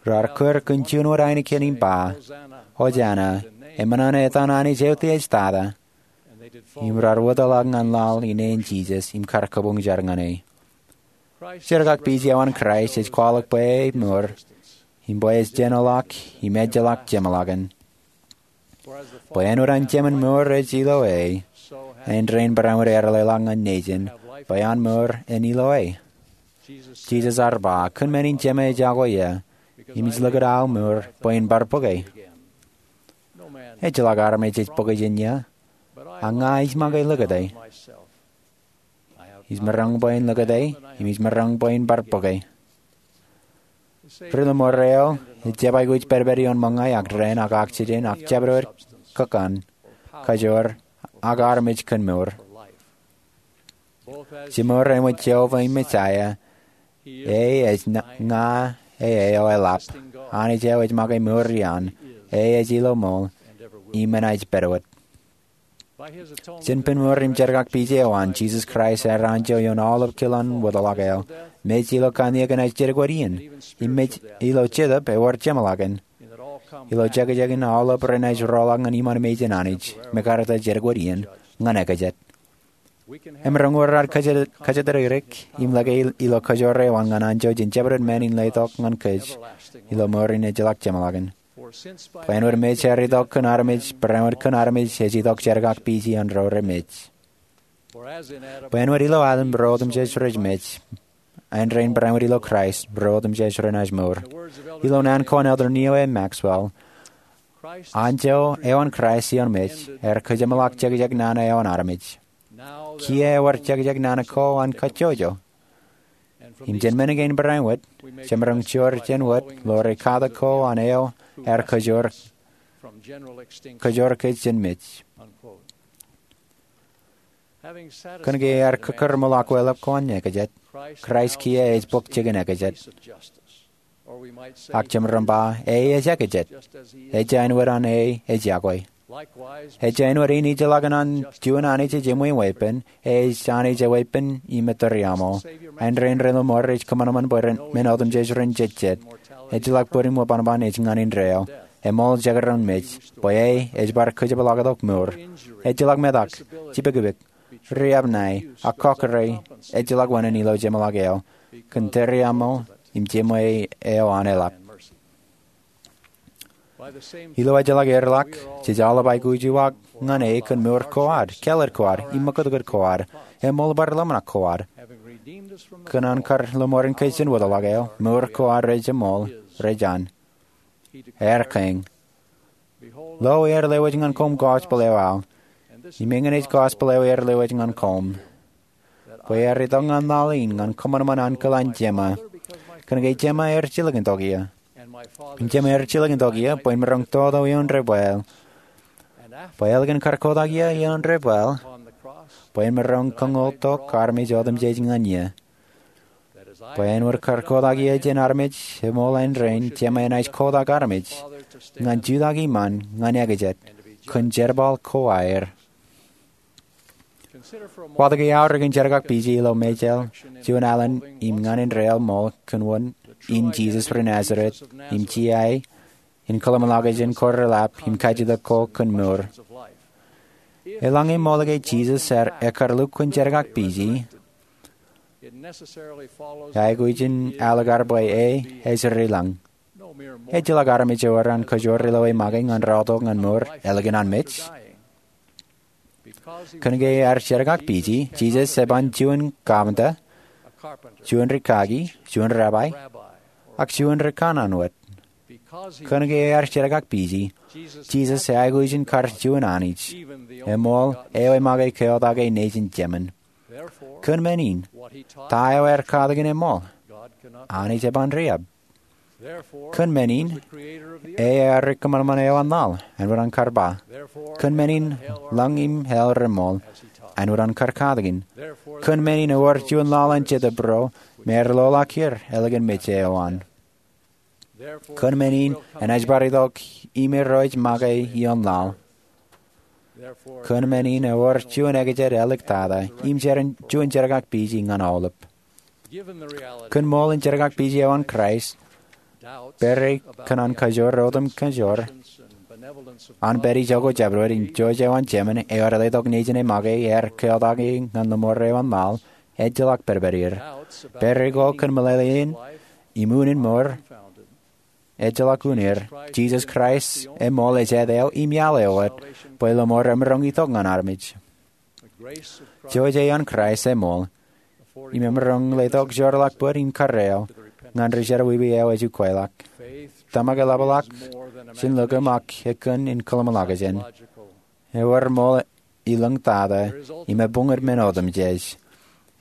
raar kūr kōn juon wōt ainikien im ba, Ojana, eṃṃan an etan Anij Eutiejtata, im raar wōtlọk ñan laḷ ilo naan in Jisōs, im kar kabuñ jar ñan e. Jerkakpeje eo an Kraist ej kwaḷọk bwe emour, im bwe ej jenoḷọk im ejjeḷọk jeṃḷọkin. Bwe āinwōt an Jemān mour ej ilo e, āindein barāinwōt ear leḷọk ñan nejin, bwe an mour en ilo e. Jisōs ear ba, Kōn men in Jemān ej iọkwe eō, im ij likūt aō mour bwe in bar bōke. Ejjeḷọk armej ej bōke jān eō, a ña ij make likūt e. Ij maroñ bwe in likūt e, im ij maroñ bwe in bar bōke. Ri-lọmọọr eo ej jab aikuj pedped ioon ṃōñā ak dān ak oxygen ak jabdewōt kōkkan, kajoor, ak armej kōn mour. Jiṃor eṃōj Jeova im Messiah, e ej ña, e eo eḷap, Anij eo ej make mour iaan, e ej ilo ṃool, im enaaj pād wōt. Jān pen mour im jerkakpeje eo an, Jisōs Kraist ear anjọ ioon aolep kilōn wōtḷọk eo, mej ilo kanniōk enaaj dedik wōt iien, im mej ilo jetōb ewōr jeṃḷọkin, ilo jekjekin aolep renaaj roḷọk ñan iṃaan mejān Anij, mekaarta dedik wōt iien, ñan ekajet. Emaroñ wōr ad kajatdikdik im lōke ilo kajoor eo an ñan anjọ jān jabdewōt men in letok ñan kōj ilo mour in ejjeḷọk jeṃḷọkin. Bwe āinwōt mej ear itok kōn armej, barāinwōt kōn armej ej itok jerkakpeje an ro remej. Bwe āinwōt ilo Adam ro otemjej rej mej, āindein barāinwōt ilo Kraist ro otemjej renaaj mour. Ilo naan ko an Elder Neal A. Maxwell, anjọ eo an Kraist ioon mej ear kajeṃḷọk jekjek nana eo an armej. Kiiō ewōr jekjek nana ko an kajjojo. Im jān men kein barāinwōt, jemaroñ joor jān wōt ḷọk ri katak ko an eo ear kajoor kōj jān mej. Kōnke ear kōkōrṃōḷọk weḷap ko an ekajet, Kraist kiiō ej bōk jikin ekajet. Ak jemaroñ ba, e ej ekajet, ejja āinwōt an e ej iọkwe. Ejja āinwōt in ijellọkin an juon Anij ej eṃweeṃ weeppān, e ej Anij eweeppān im ettōr iaṃo. Āindein ri-lọmọọr rej kōṃanṃan bwe men otemjej ren jejjet. Ejjeḷọk bōd im ṃōṃan ej ñan indeeo. Eṃool jekdọọn mej, bwe e ej bar kōjepḷaaktok mour. Ejjeḷọk metak, jipōkpōk, riab ṇae, ak kọkkure, ejjeḷọk wāween ilo jeṃḷọk eo, kōn tōre iaṃo im jeṃwe eo an eḷap. Ilo ejjeḷọk earḷọk, jej aolep aikuj uwaak ñan e kōn mour ko ad, kāālōt ko ad, im ṃōkūtkūt ko ad, eṃool bar ḷōmṇak ko ad. Kōn an kar lọmọọren kōj jān wōtḷọk eo, mour ko ad rej eṃool, rej an. Ear kein, Lo, ear lewōj ñan koṃ gospel eo aō, im eñin ej gospel eo ear lewōj ñan koṃ, bwe ear itok ñan laḷ in ñan kōṃanṃan ankilōk an Jemā, kōnke Jemā ear jilkintok eō. Im Jemā ear jilkintok eō bwe en maroñ toto ioon debwāāl, bwe ālikin kar kotak eō ioon debwāāl, bwe en maroñ kañoul tok armej otemjej ñan eō, bwe āinwōt kar kotak eō jān armej, eṃool āindein Jemā enaaj kotak armej ñan jutak iṃaan ñan ekajet, kōn jerbal ko aer. Watōke aorōk in jerkakpeje ilo mejāāl, juon alen im ñan indeeo ṃool kōn wōt in Jisōs ri Nazeret, im jiae, in kōḷmānḷọkjeṇ ko reḷap, im kajjitōk ko kōn mour. Eḷaññe ṃool ke Jisōs ear, ekkar lukkuun jerkakpeje, aikuj in ālikkar bwe e ej ri lañ. Ejjeḷọk armej ewōr an kajoor ilo e make ñan rọọltok ñan mour ālikin an mej. Kōnke ear jerkakpeje, Jisōs eban juon kapinta, juon rikaki, juon rabbi, ak juon rikanaan wōt. Kōnke ear jerkakpeje, Jisōs eaikuj in kar juon Anij, eṃool, eo ej make keotak e nejin Jemān. Kōn men in, ta eo ear katakin eṃool? Anij eban riab. Kōn men in, e ear ri kōṃanṃan eo an laḷ, āinwōt an kar ba. Kōn men in, lañ im hell reṃool, āinwōt an kar katakin. Kōn men in ewōr juon laḷ an Jetōb ro, me ear loḷọk er ālikin mej eo an. Kōn men in, enaaj bar itok im ro ej make ioon laḷ. Kōn men in ewōr juon ekjed āliktata, im juon jerkakpeje ñan aolep. Kōn ṃool in jerkakpeje eo an Kraist, pere kōn an kajoor otemjej an pād ijoko jabdewōt im jouj eo an Jemān eo ear letok nejin e make ear keotake ñan lọmọọr eo an laḷ, ejjeḷọk pedped er. Pere ko kōn meḷeḷein im unin mour, ejjeḷọk un er. Jisōs Kraist eṃool ej āt eo im iaḷ eo wōt, bwe lọmọọr emaroñ itok ñan armej. Jouj eo an Kraist eṃool, im emaroñ letok joorḷọk bōd im karreo ñan ri jerọwiwi eo ej ukweḷọk. Tōmak eḷapḷọk jān lōke ṃōk ekkōn in kōḷmānḷọkjeṇ. Ewōr ṃool ilōñtata, im ebuñūd men otemjej.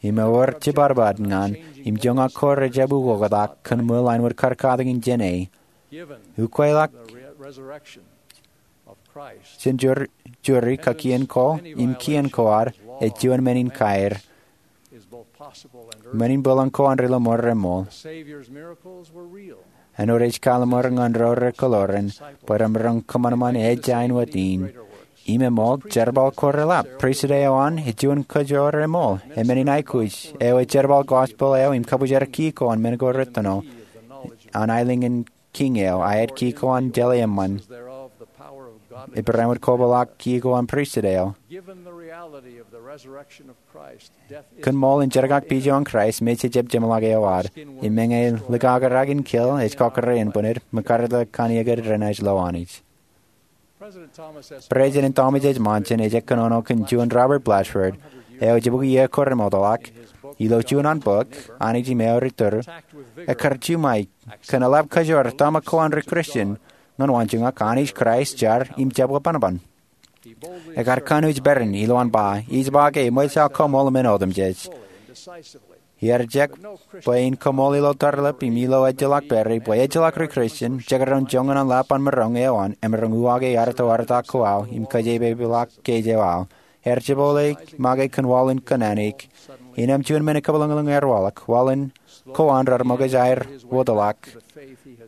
Im ewōr jipadpad ñan, im joñak ko rejjab ukoktak kōn ṃool āinwōt kar katakin jāne. Ukweḷọk jān juri, juri kōn kien ko, im kien ko ad, ej juon men in kaer. Men in bōlen ko an ri lọmọọr reṃool. Āinwōt ej kaḷmānḷọkjeṇ ñan ro rekōḷoran, bwe remaroñ kōṃanṃan ejja āinwōt in. Im eṃool, jerbal ko reḷap. Pristut eo an, ej juon kajoor eṃool, e men in aikuj, eo ej jerbal gospel eo im kabwijer ki ko an men ko retōno, an aelōñ in Kiiñ eo, a āid ki ko an jeḷā eṃṃan. Ej barāinwōt kobaḷọk ki ko an pristut eo. Kōn ṃool in jerkakpeje eo an Kraist, mej ejjab jeṃḷọk eo ad. Im meñe likakrak in keel ej kọkkure ānbwinid, mekarta kōn iiō ke renaaj lo Anij. President Thomas S. Monson ej kōnono kōn juon Robert Blatchford, eo ej jibukwi iiō ko remootḷọk, ilo juon an bok, Anij im Eoon Ri Tōre, ekkar juṃae kōn eḷap kajoor tōmak ko an ri Kristian ñan waanjoñak Anij Kraist jar im jab bōk bōnbōn. Ekkar kanooj peran ilo an ba, ij ba ke eṃōj aō koṃṃool men otemjej. Iar jek bwe in koṃṃool ilo tarlip im ilo ejjeḷọk pere bwe ejjeḷọk ri Kristian, jekdọọn joñan an lap an maroñ eo an, emaroñ uwaake artoarto ko aō im kōjeepepḷọk kōj eo aō. Ear jepole make kōn waḷoon kōnnaan eik. Innām juon men ekabwilōñlōñ ear waḷọk, waḷoon ko an raar ṃōkaj aer wōtlọk.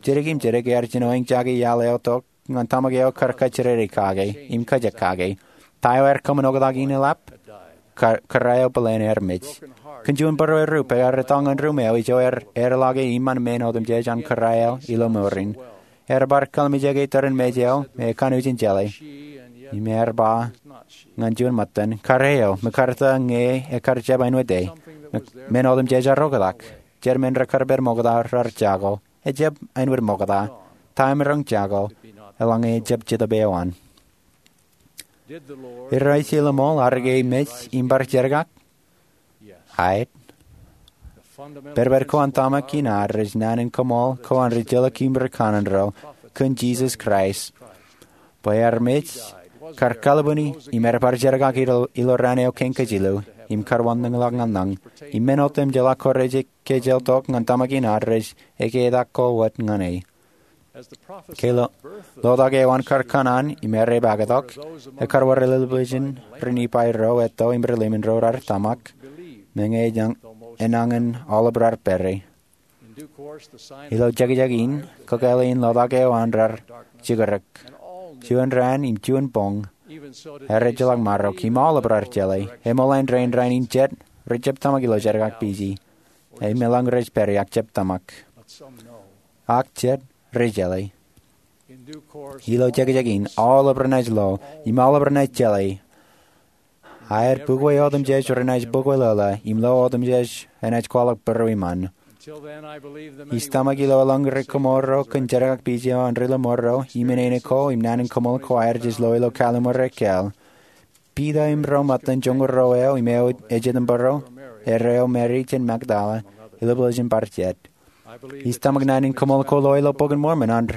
Jidik im jidik ear jino eñjake iaḷ eo tok ñan tōmak eo kar kajjidikdik kake im kajek kake. Ta eo ear kōṃṃan oktak in eḷap? Kōrā eo bōlen ear mej. Kōn juon būruerūp ear etto ñan ruum eo ijo ear eḷọke iṃaan men otemjej an kōrā eo ilo mour in. Ear bar kallimjeke tōre in mej eo me ekanooj in jeḷā. Im ear ba ñan juon ṃōttan, kōrā eo, mekarta ñe ekar jab āinwōt e. Men otemjej ear oktak. Jet men rekar pād ṃokta raar jako. Ejjab āinwōt ṃokta. Ta emaroñ jako, eḷaññe ejjab Jetōb eo an. Irooj ilo ṃool ad ke mej im bar jerkak? Aet. Pedped ko an tōmak in ad rej naan in koṃṃool ko an ri jilkinḷọk im ri kanaan ro kōn Jisōs Kraist, bwe ear mej, kar kalbwini, im ear bar jerkak ilo raan eo kein kōj ilo, im kar wanlōñḷọk ñan lañ, im men otemjeḷọk ko rej kōjel tok ñan tōmak in ad rej eketak ko wōt ñan e. Ke lotak eo an kar kōṇaan im ear epaak tok, ekar wōr lelōpḷọk jān ri Nifai ro etto im ri lemon ro raar tōmak, meñe enañin aolep raar pere. Ilo jekjek in, kakāāl in lotak eo an raar jikidik. Juon raan im juon boñ, ear ejjeḷọk marok im aolep raar jeḷā. Eṃool an rein rainin jet rejjab tōmak ilo jerkakpeje. Im eḷaññe rej pere ak jab tōmak. Ak jet rej jeḷā. Ilo jekjek in, aolep renaaj lo, im aolep renaaj jeḷā. Aer bukwe otemjej renaaj bukweḷeḷe, im lo otemjej enaaj kwaḷọk būrueṃṃan. Ij tōmak ilo eḷaññe ri kōṃṃool ro kōn jerkakpeje eo an ri lọmọọr ro, im inene ko, im naan in koṃṃool ko aer jej lo ilo Kalliṃur ekkāāl. Piter im ro ṃōttan joñoul ruo eo im eo ejitōnbōro, erreo Meri jān Magdala, iloblo ijin bar jet. Ij tōmak naan in koṃṃool ko lo ilo Bok in Mormon an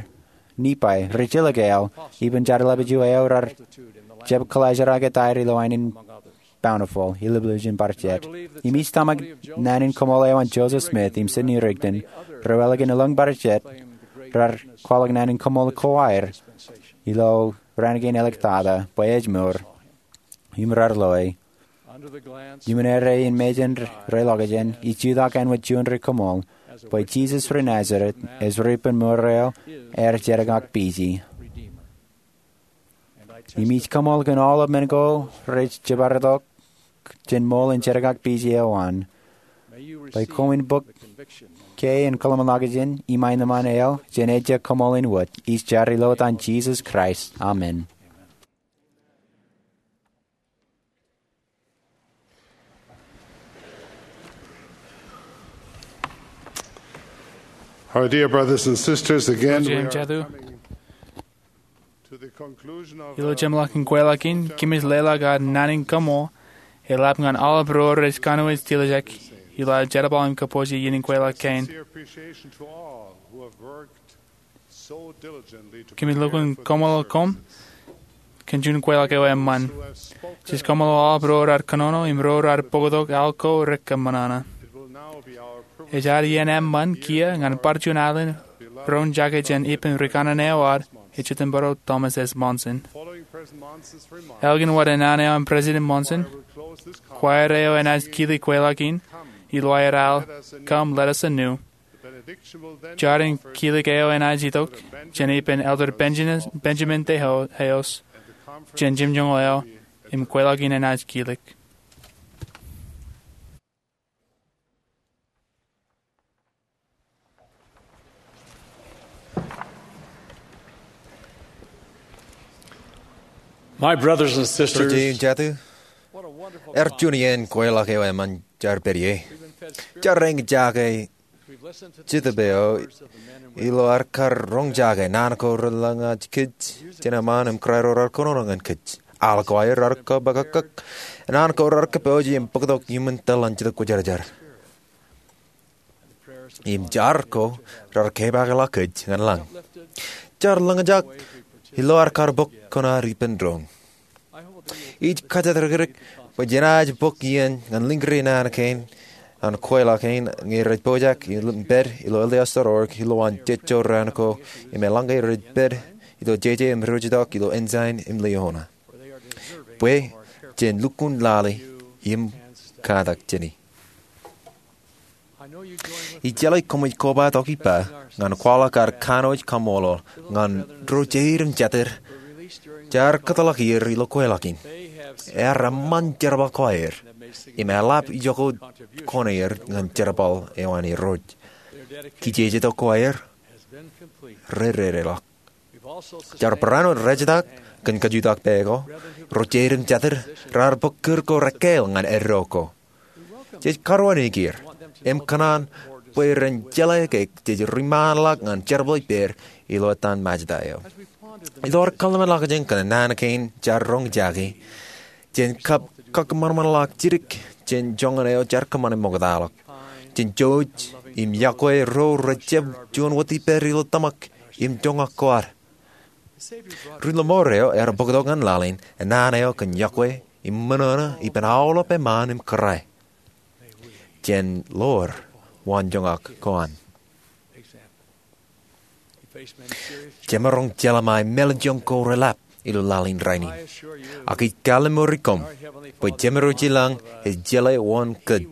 Nipai, rijilōk eo, ippān jar ḷapij eo raar jab kōḷaajrak etaer ilo aenōṃṃan Bountiful, iloblo ijin bar jet. Im ij tōmak naan in koṃṃool eo an Joseph Smith im Sidney Rigdon, ro ālikin elōñ bar jet raar kwaḷọk naan in koṃṃool ko aer ilo raan kein āliktata bwe ej mour im raar loe. Iuṃwin erreo in mejān reḷọkjeṇ, ij jutak āinwōt juon ri koṃṃool bwe Jisōs ri Nazeret ej ri ippān mour eo aer jerkakpeje. Im ij koṃṃool kōn aolep men ko rej jibadtok jān ṃool in jerkakpeje eo an, bwe koṃwin bōk ke in kōḷmānḷọkjeṇ im aenōṃṃan eo jān ejja koṃṃool in wōt. Ij jar ilo etan Jisōs Kraist, amen. Our dear brothers and sisters, again, we are coming to the conclusion of ilo our jeṃḷọkin kweilọk in, kōmij leḷọk ad naan in koṃṃool eḷap ñan aolep ro rej kanooj tiljek ilo aer jerbal im kōpooj iien in kweilọk kein. Sincere appreciation to all who have worked Kōmij lukkuun koṃṃool koṃ kōn juon kweilọk eo eṃṃan. Jej koṃṃool aolep ro raar kōnono im ro raar bōktok al ko rekōṃṃan. Ej ad iien eṃṃan kiiō ñan bar juon alen roñjake jān ippān rikaṇan eo ad ejitōnbōro, Thomas S. Monson. Ālikin wōt naan eo an President Monson, kwaer eo enaaj kile kweilọk in ilo aer al, Come, let us anew. Jar in kilik eo enaaj itok jān ippān Elder Benjamin, Benjamin De Hales jān jimjuonñoul eo im kweilọk in enaaj kilik. My brothers and sisters, Ri-jeiū im jatū, ear juon iien kweilọk eo eṃṃan jaar pād ie. Jaar eñjake Jetōb eo ilo ad kar roñjake naan ko relōñ kōj kōj jān eṃṃan im kōrā ro raar kōnono ñan kōj. Al ko aer raar kōpakakak, naan ko raar kōpooje im bōktok iuṃwin tōl an Jetōb Kwōjarjar. Im jar ko raar kepaakḷọk kōj ñan lañ. Jar lōñjake ilo ad kar bōk kōn ad ippān doon. Ij kajjitōk bwe jenaaj bōk iien ñan lōñ ri naan kein an kweilọk kein ñe rej pojak im pād ilo L D S dot org ilowaan jejjo raan ko im eḷaññe rej pād ilo jeje im roñjake ilo Ensign im Liahona, bwe jen lukkuun lale im katak jāne. Ij jeḷā koṃij kobatok ippa ñan kwaḷọk ad kanooj kaṃṃoolol ñan ro jeid im jatid jaar kōtḷọk er ilo kweilọk in. Ear eṃṃan jerbal ko aer im eḷap ijo ko kōn er ñan jerbal eo an Irooj. Kijejetok ko aer reredeḷọk. Jar barāinwōt rejetak kōn kajutak pā ko, ro jeid im jatid raar bōk kūr ko rekkāāl ñan eddo ko. Jej karuwainiki er im kōṇaan bwe ren jeḷā ke jej riṃaanḷọk ñan jerbal ippād ilo etan Majda eo. Ilo ad kōḷmānḷọkjeṇ kōn naan kein jaar roñjake, jen kab kakōṃanṃanḷọk jidik jān joñan eo jaar kōṃṃane ṃoktaḷọk. Jen jouj im yokwe ro rej jab juon wōt ippād ilo tōmak im joñak ko ad. Ri-lọmọọr eo ear bōktok ñan laḷ in enana eo kōn yokwe im ṃōṇōṇō ippān aolep eṃṃaan im kōrā. Jen ḷoor waanjoñak ko an. Jemaroñ jeḷā ṃae mālejjoñ ko reḷap ilo laḷ in rainin. Ak ij kalemmour ri koṃ bwe Jemem eo ej ilañ ej jeḷā wōn kōj.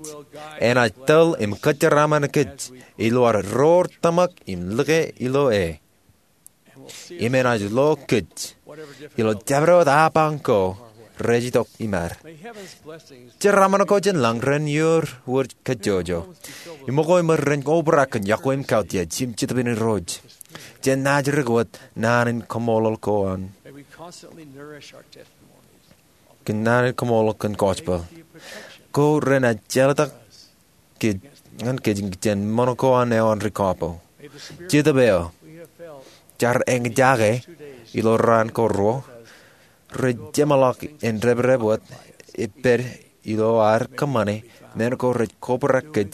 Enaaj tōl im kōjeraṃṃan kōj ilo ad roor tōmak im lōke ilo e. Im enaaj lo kōj ilo jabdewōt apañ ko rej itok im ad. Jeraṃṃan ko jān lañ ren ioor wōj kajjojo. Im ṃōko im ren obrak kōn yokwe im kautiej im Jetōb in Irooj. Jen naajdik wōt naan in kaṃṃoolol ko an, kōn naan in kaṃṃoolol kōn gospel ko renaaj jeḷā kōj ñan kōj jān ṃōṇō ko an eo an ri kọọpo. Jetōb eo jaar eñjake ilo raan ko ruo rej jeṃḷọk in reprep wōt epād ilo ad kōṃṃane men ko rej kobrak kōj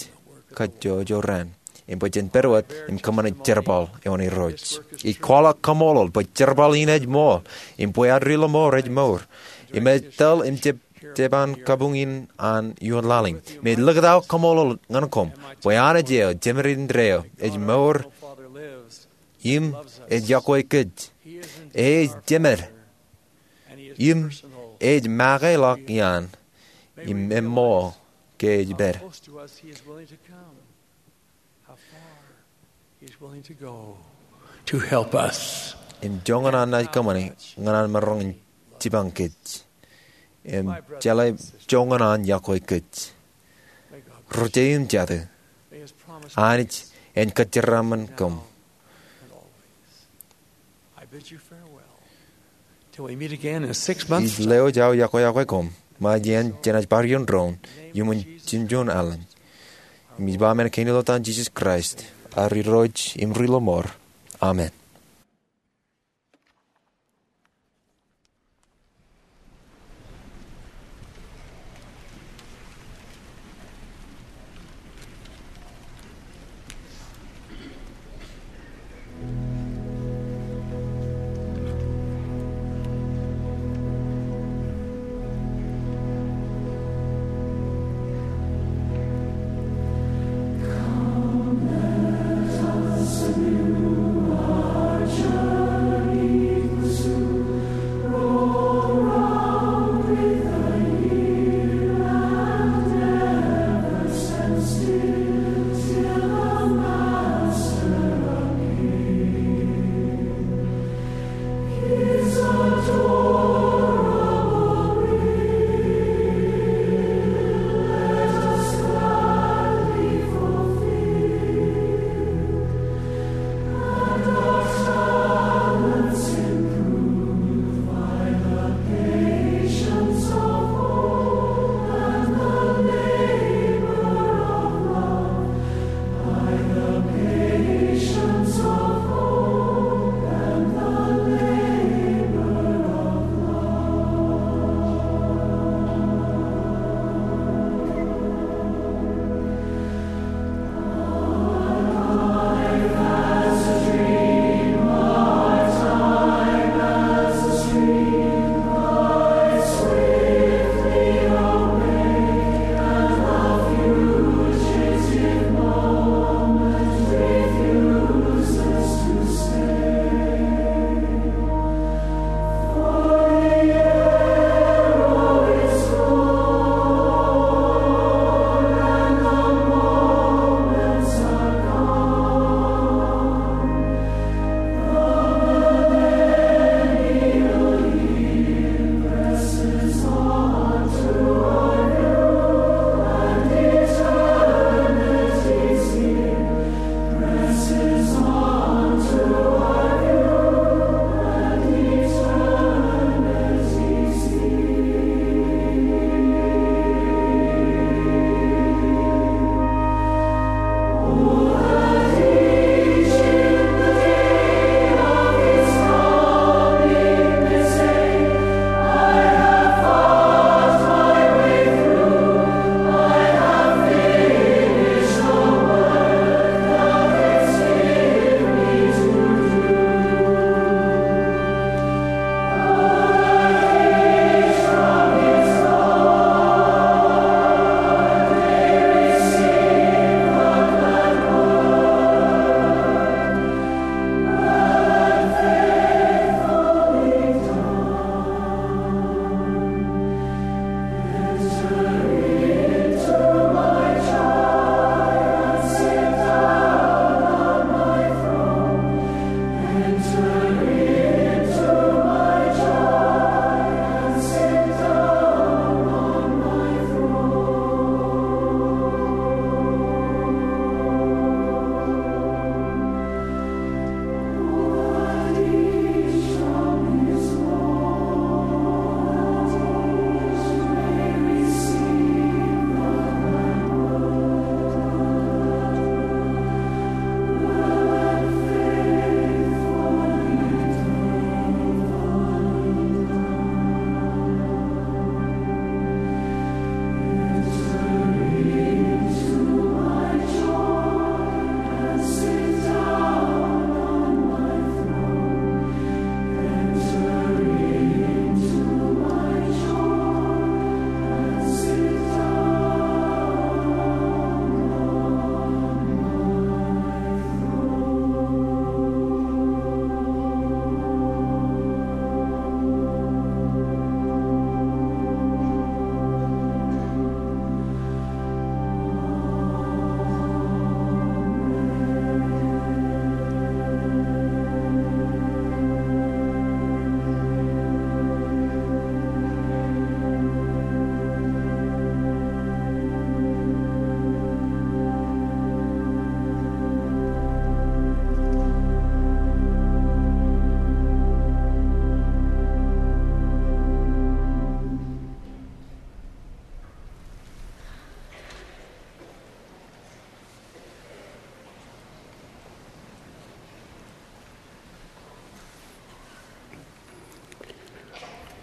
kajjojo raṇ. Im bwe jen pād wōt im kōṃṃane jerbal eo an Irooj. Ij kwaḷọk kaṃṃoolol bwe jerbal in ej ṃool, im bwe ad ri-lọmọọr ej mour. Im ej tōl im jepjepaan kabuñ in an ioon laḷ in. Im ij likūt aō kaṃṃoolol ñan koṃ bwe Anij eo, Jemed indeeo, ej mour im ej yokwe kōj. Ej jemed im ej makeḷọk iaan im eṃṃool ke ej pād. He's willing to go to help us. Im joñan an naaj kōṃṃane ñan an maroñ in jipañ kōj im jeḷā joñan an yokwe kōj. Ri-jeje im jatū, Anij en kōjeraaṃṃan koṃ. I bid you farewell till we meet again in six months. Ij lewōj aō yokwe yokwe koṃ ṃae jān jenaaj bar ioon doon iuṃwin jimjuon alen. Im ij ba men kein ilo etan Jisōs Kraist, ad Irooj im ri-lọmọọr. Amen.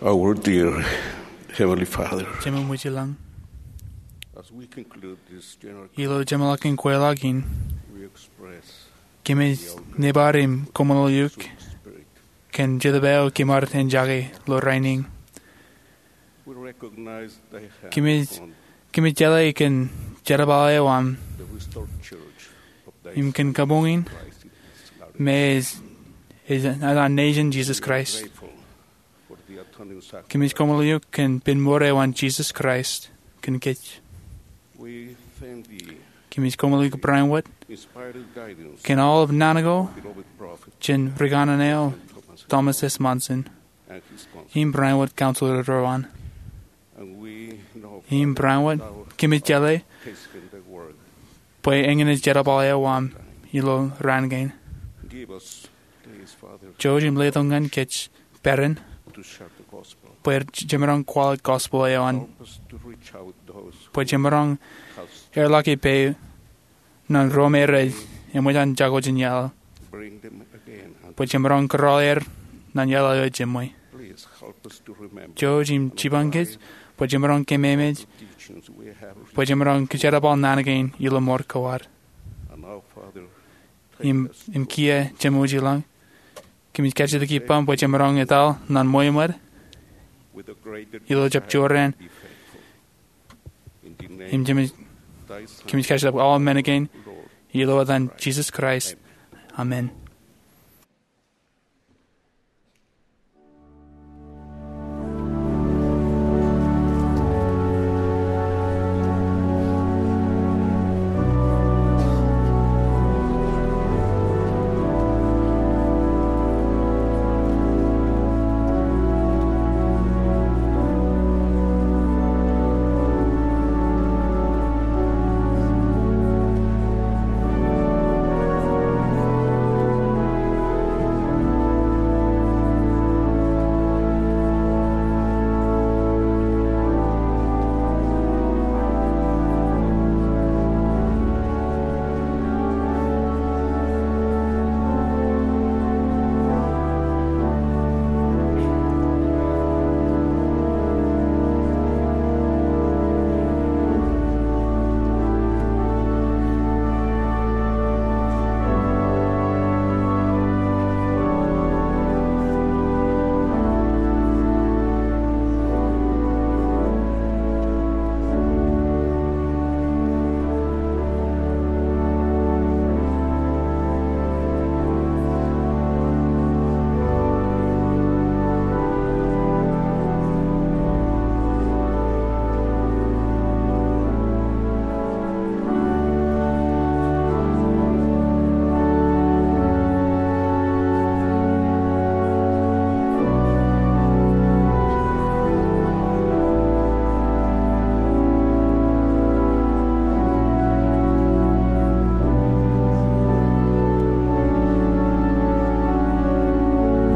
Our dear Heavenly Father, Jemām wōj ilañ, as we conclude this general, ilo jeṃḷọkin kweilọk in, we express kōmij nebar im kōṃṃool eok spirit. Kōn Jetōb eo kimaroñ in jake ilo rainin. We recognize thy hand Kōmij, on kōmij jeḷā kōn jerbal eo aṃ the restored church of thy im kōn kabuñ in Christ in this land. Me ej, ej, ej an nejin Jesus Christ. Grateful for the atoning sacrifice. Kōmij koṃṃool eok kōn pen mour eo an Jesus Christ kōn kōj. We thank thee. Kōmij koṃṃool eok Ibrahim wōt. Inspired guidance. Kōn aolep naan ko. Beloved prophet. Jān ri kanaan eo Thomas S. Monson. And his council. Im Ibrahim wōt council ro an. And we know, Father, Ibrahim wōt, thou kōmij jeḷā. Hasten thy word. Bwe eñin ej jerbal eo aṃ ilo raan kein. Give us Jouj im letok ñan kōj peran bwe jemaroñ kwaḷọk gospel eo an, bwe jemaroñ erḷọk ippān ro me rej eṃōj an jako jān iaḷ, bwe jemaroñ kōrọọl er ñan iaḷ eo ejjeṃwe. Jouj im jipañ kōj bwe jemaroñ kememej, bwe jemaroñ kōjerbal naan kein ilo mour ko ad. Im, im kiiō, Jemem wōj ilañ, kōmij kajjitōk ippaṃ bwe jemaroñ etal ñan ṃweo ṃōd ilo jab jorrāān. Im Jemem, kōmij kajjitōk aolep men kein ilo etan Jesus Christ. Amen.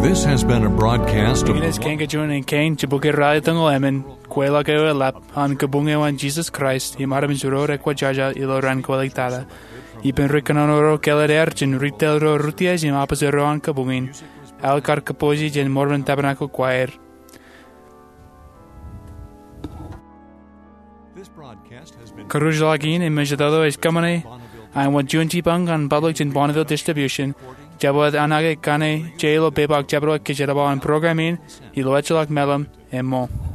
This has been a broadcast of Eñin ej kain kōjeañ in kein jibukwi ralitōñoul emān kweilọk eo eḷap an kabuñ eo an Jesus Christ im armej ro rekwōjarjar ilo raan kweiliktata. Ippān ri kōnono ro kāālōt aer jān retail ro rūtiej im opposite ro an kabuñ in, Al Karkapoji jān Mormon Tabernacle Choir. Kūrjilọk in im ṃōjtata ej kōṃṃane an wōt juon jipañ ñan public jān Bonneville Distribution. Jabōt an aō kaṇe je ilo pepa ak jabdewōt kōjerbal an program in ilo ejjeḷọk mālim, emōj.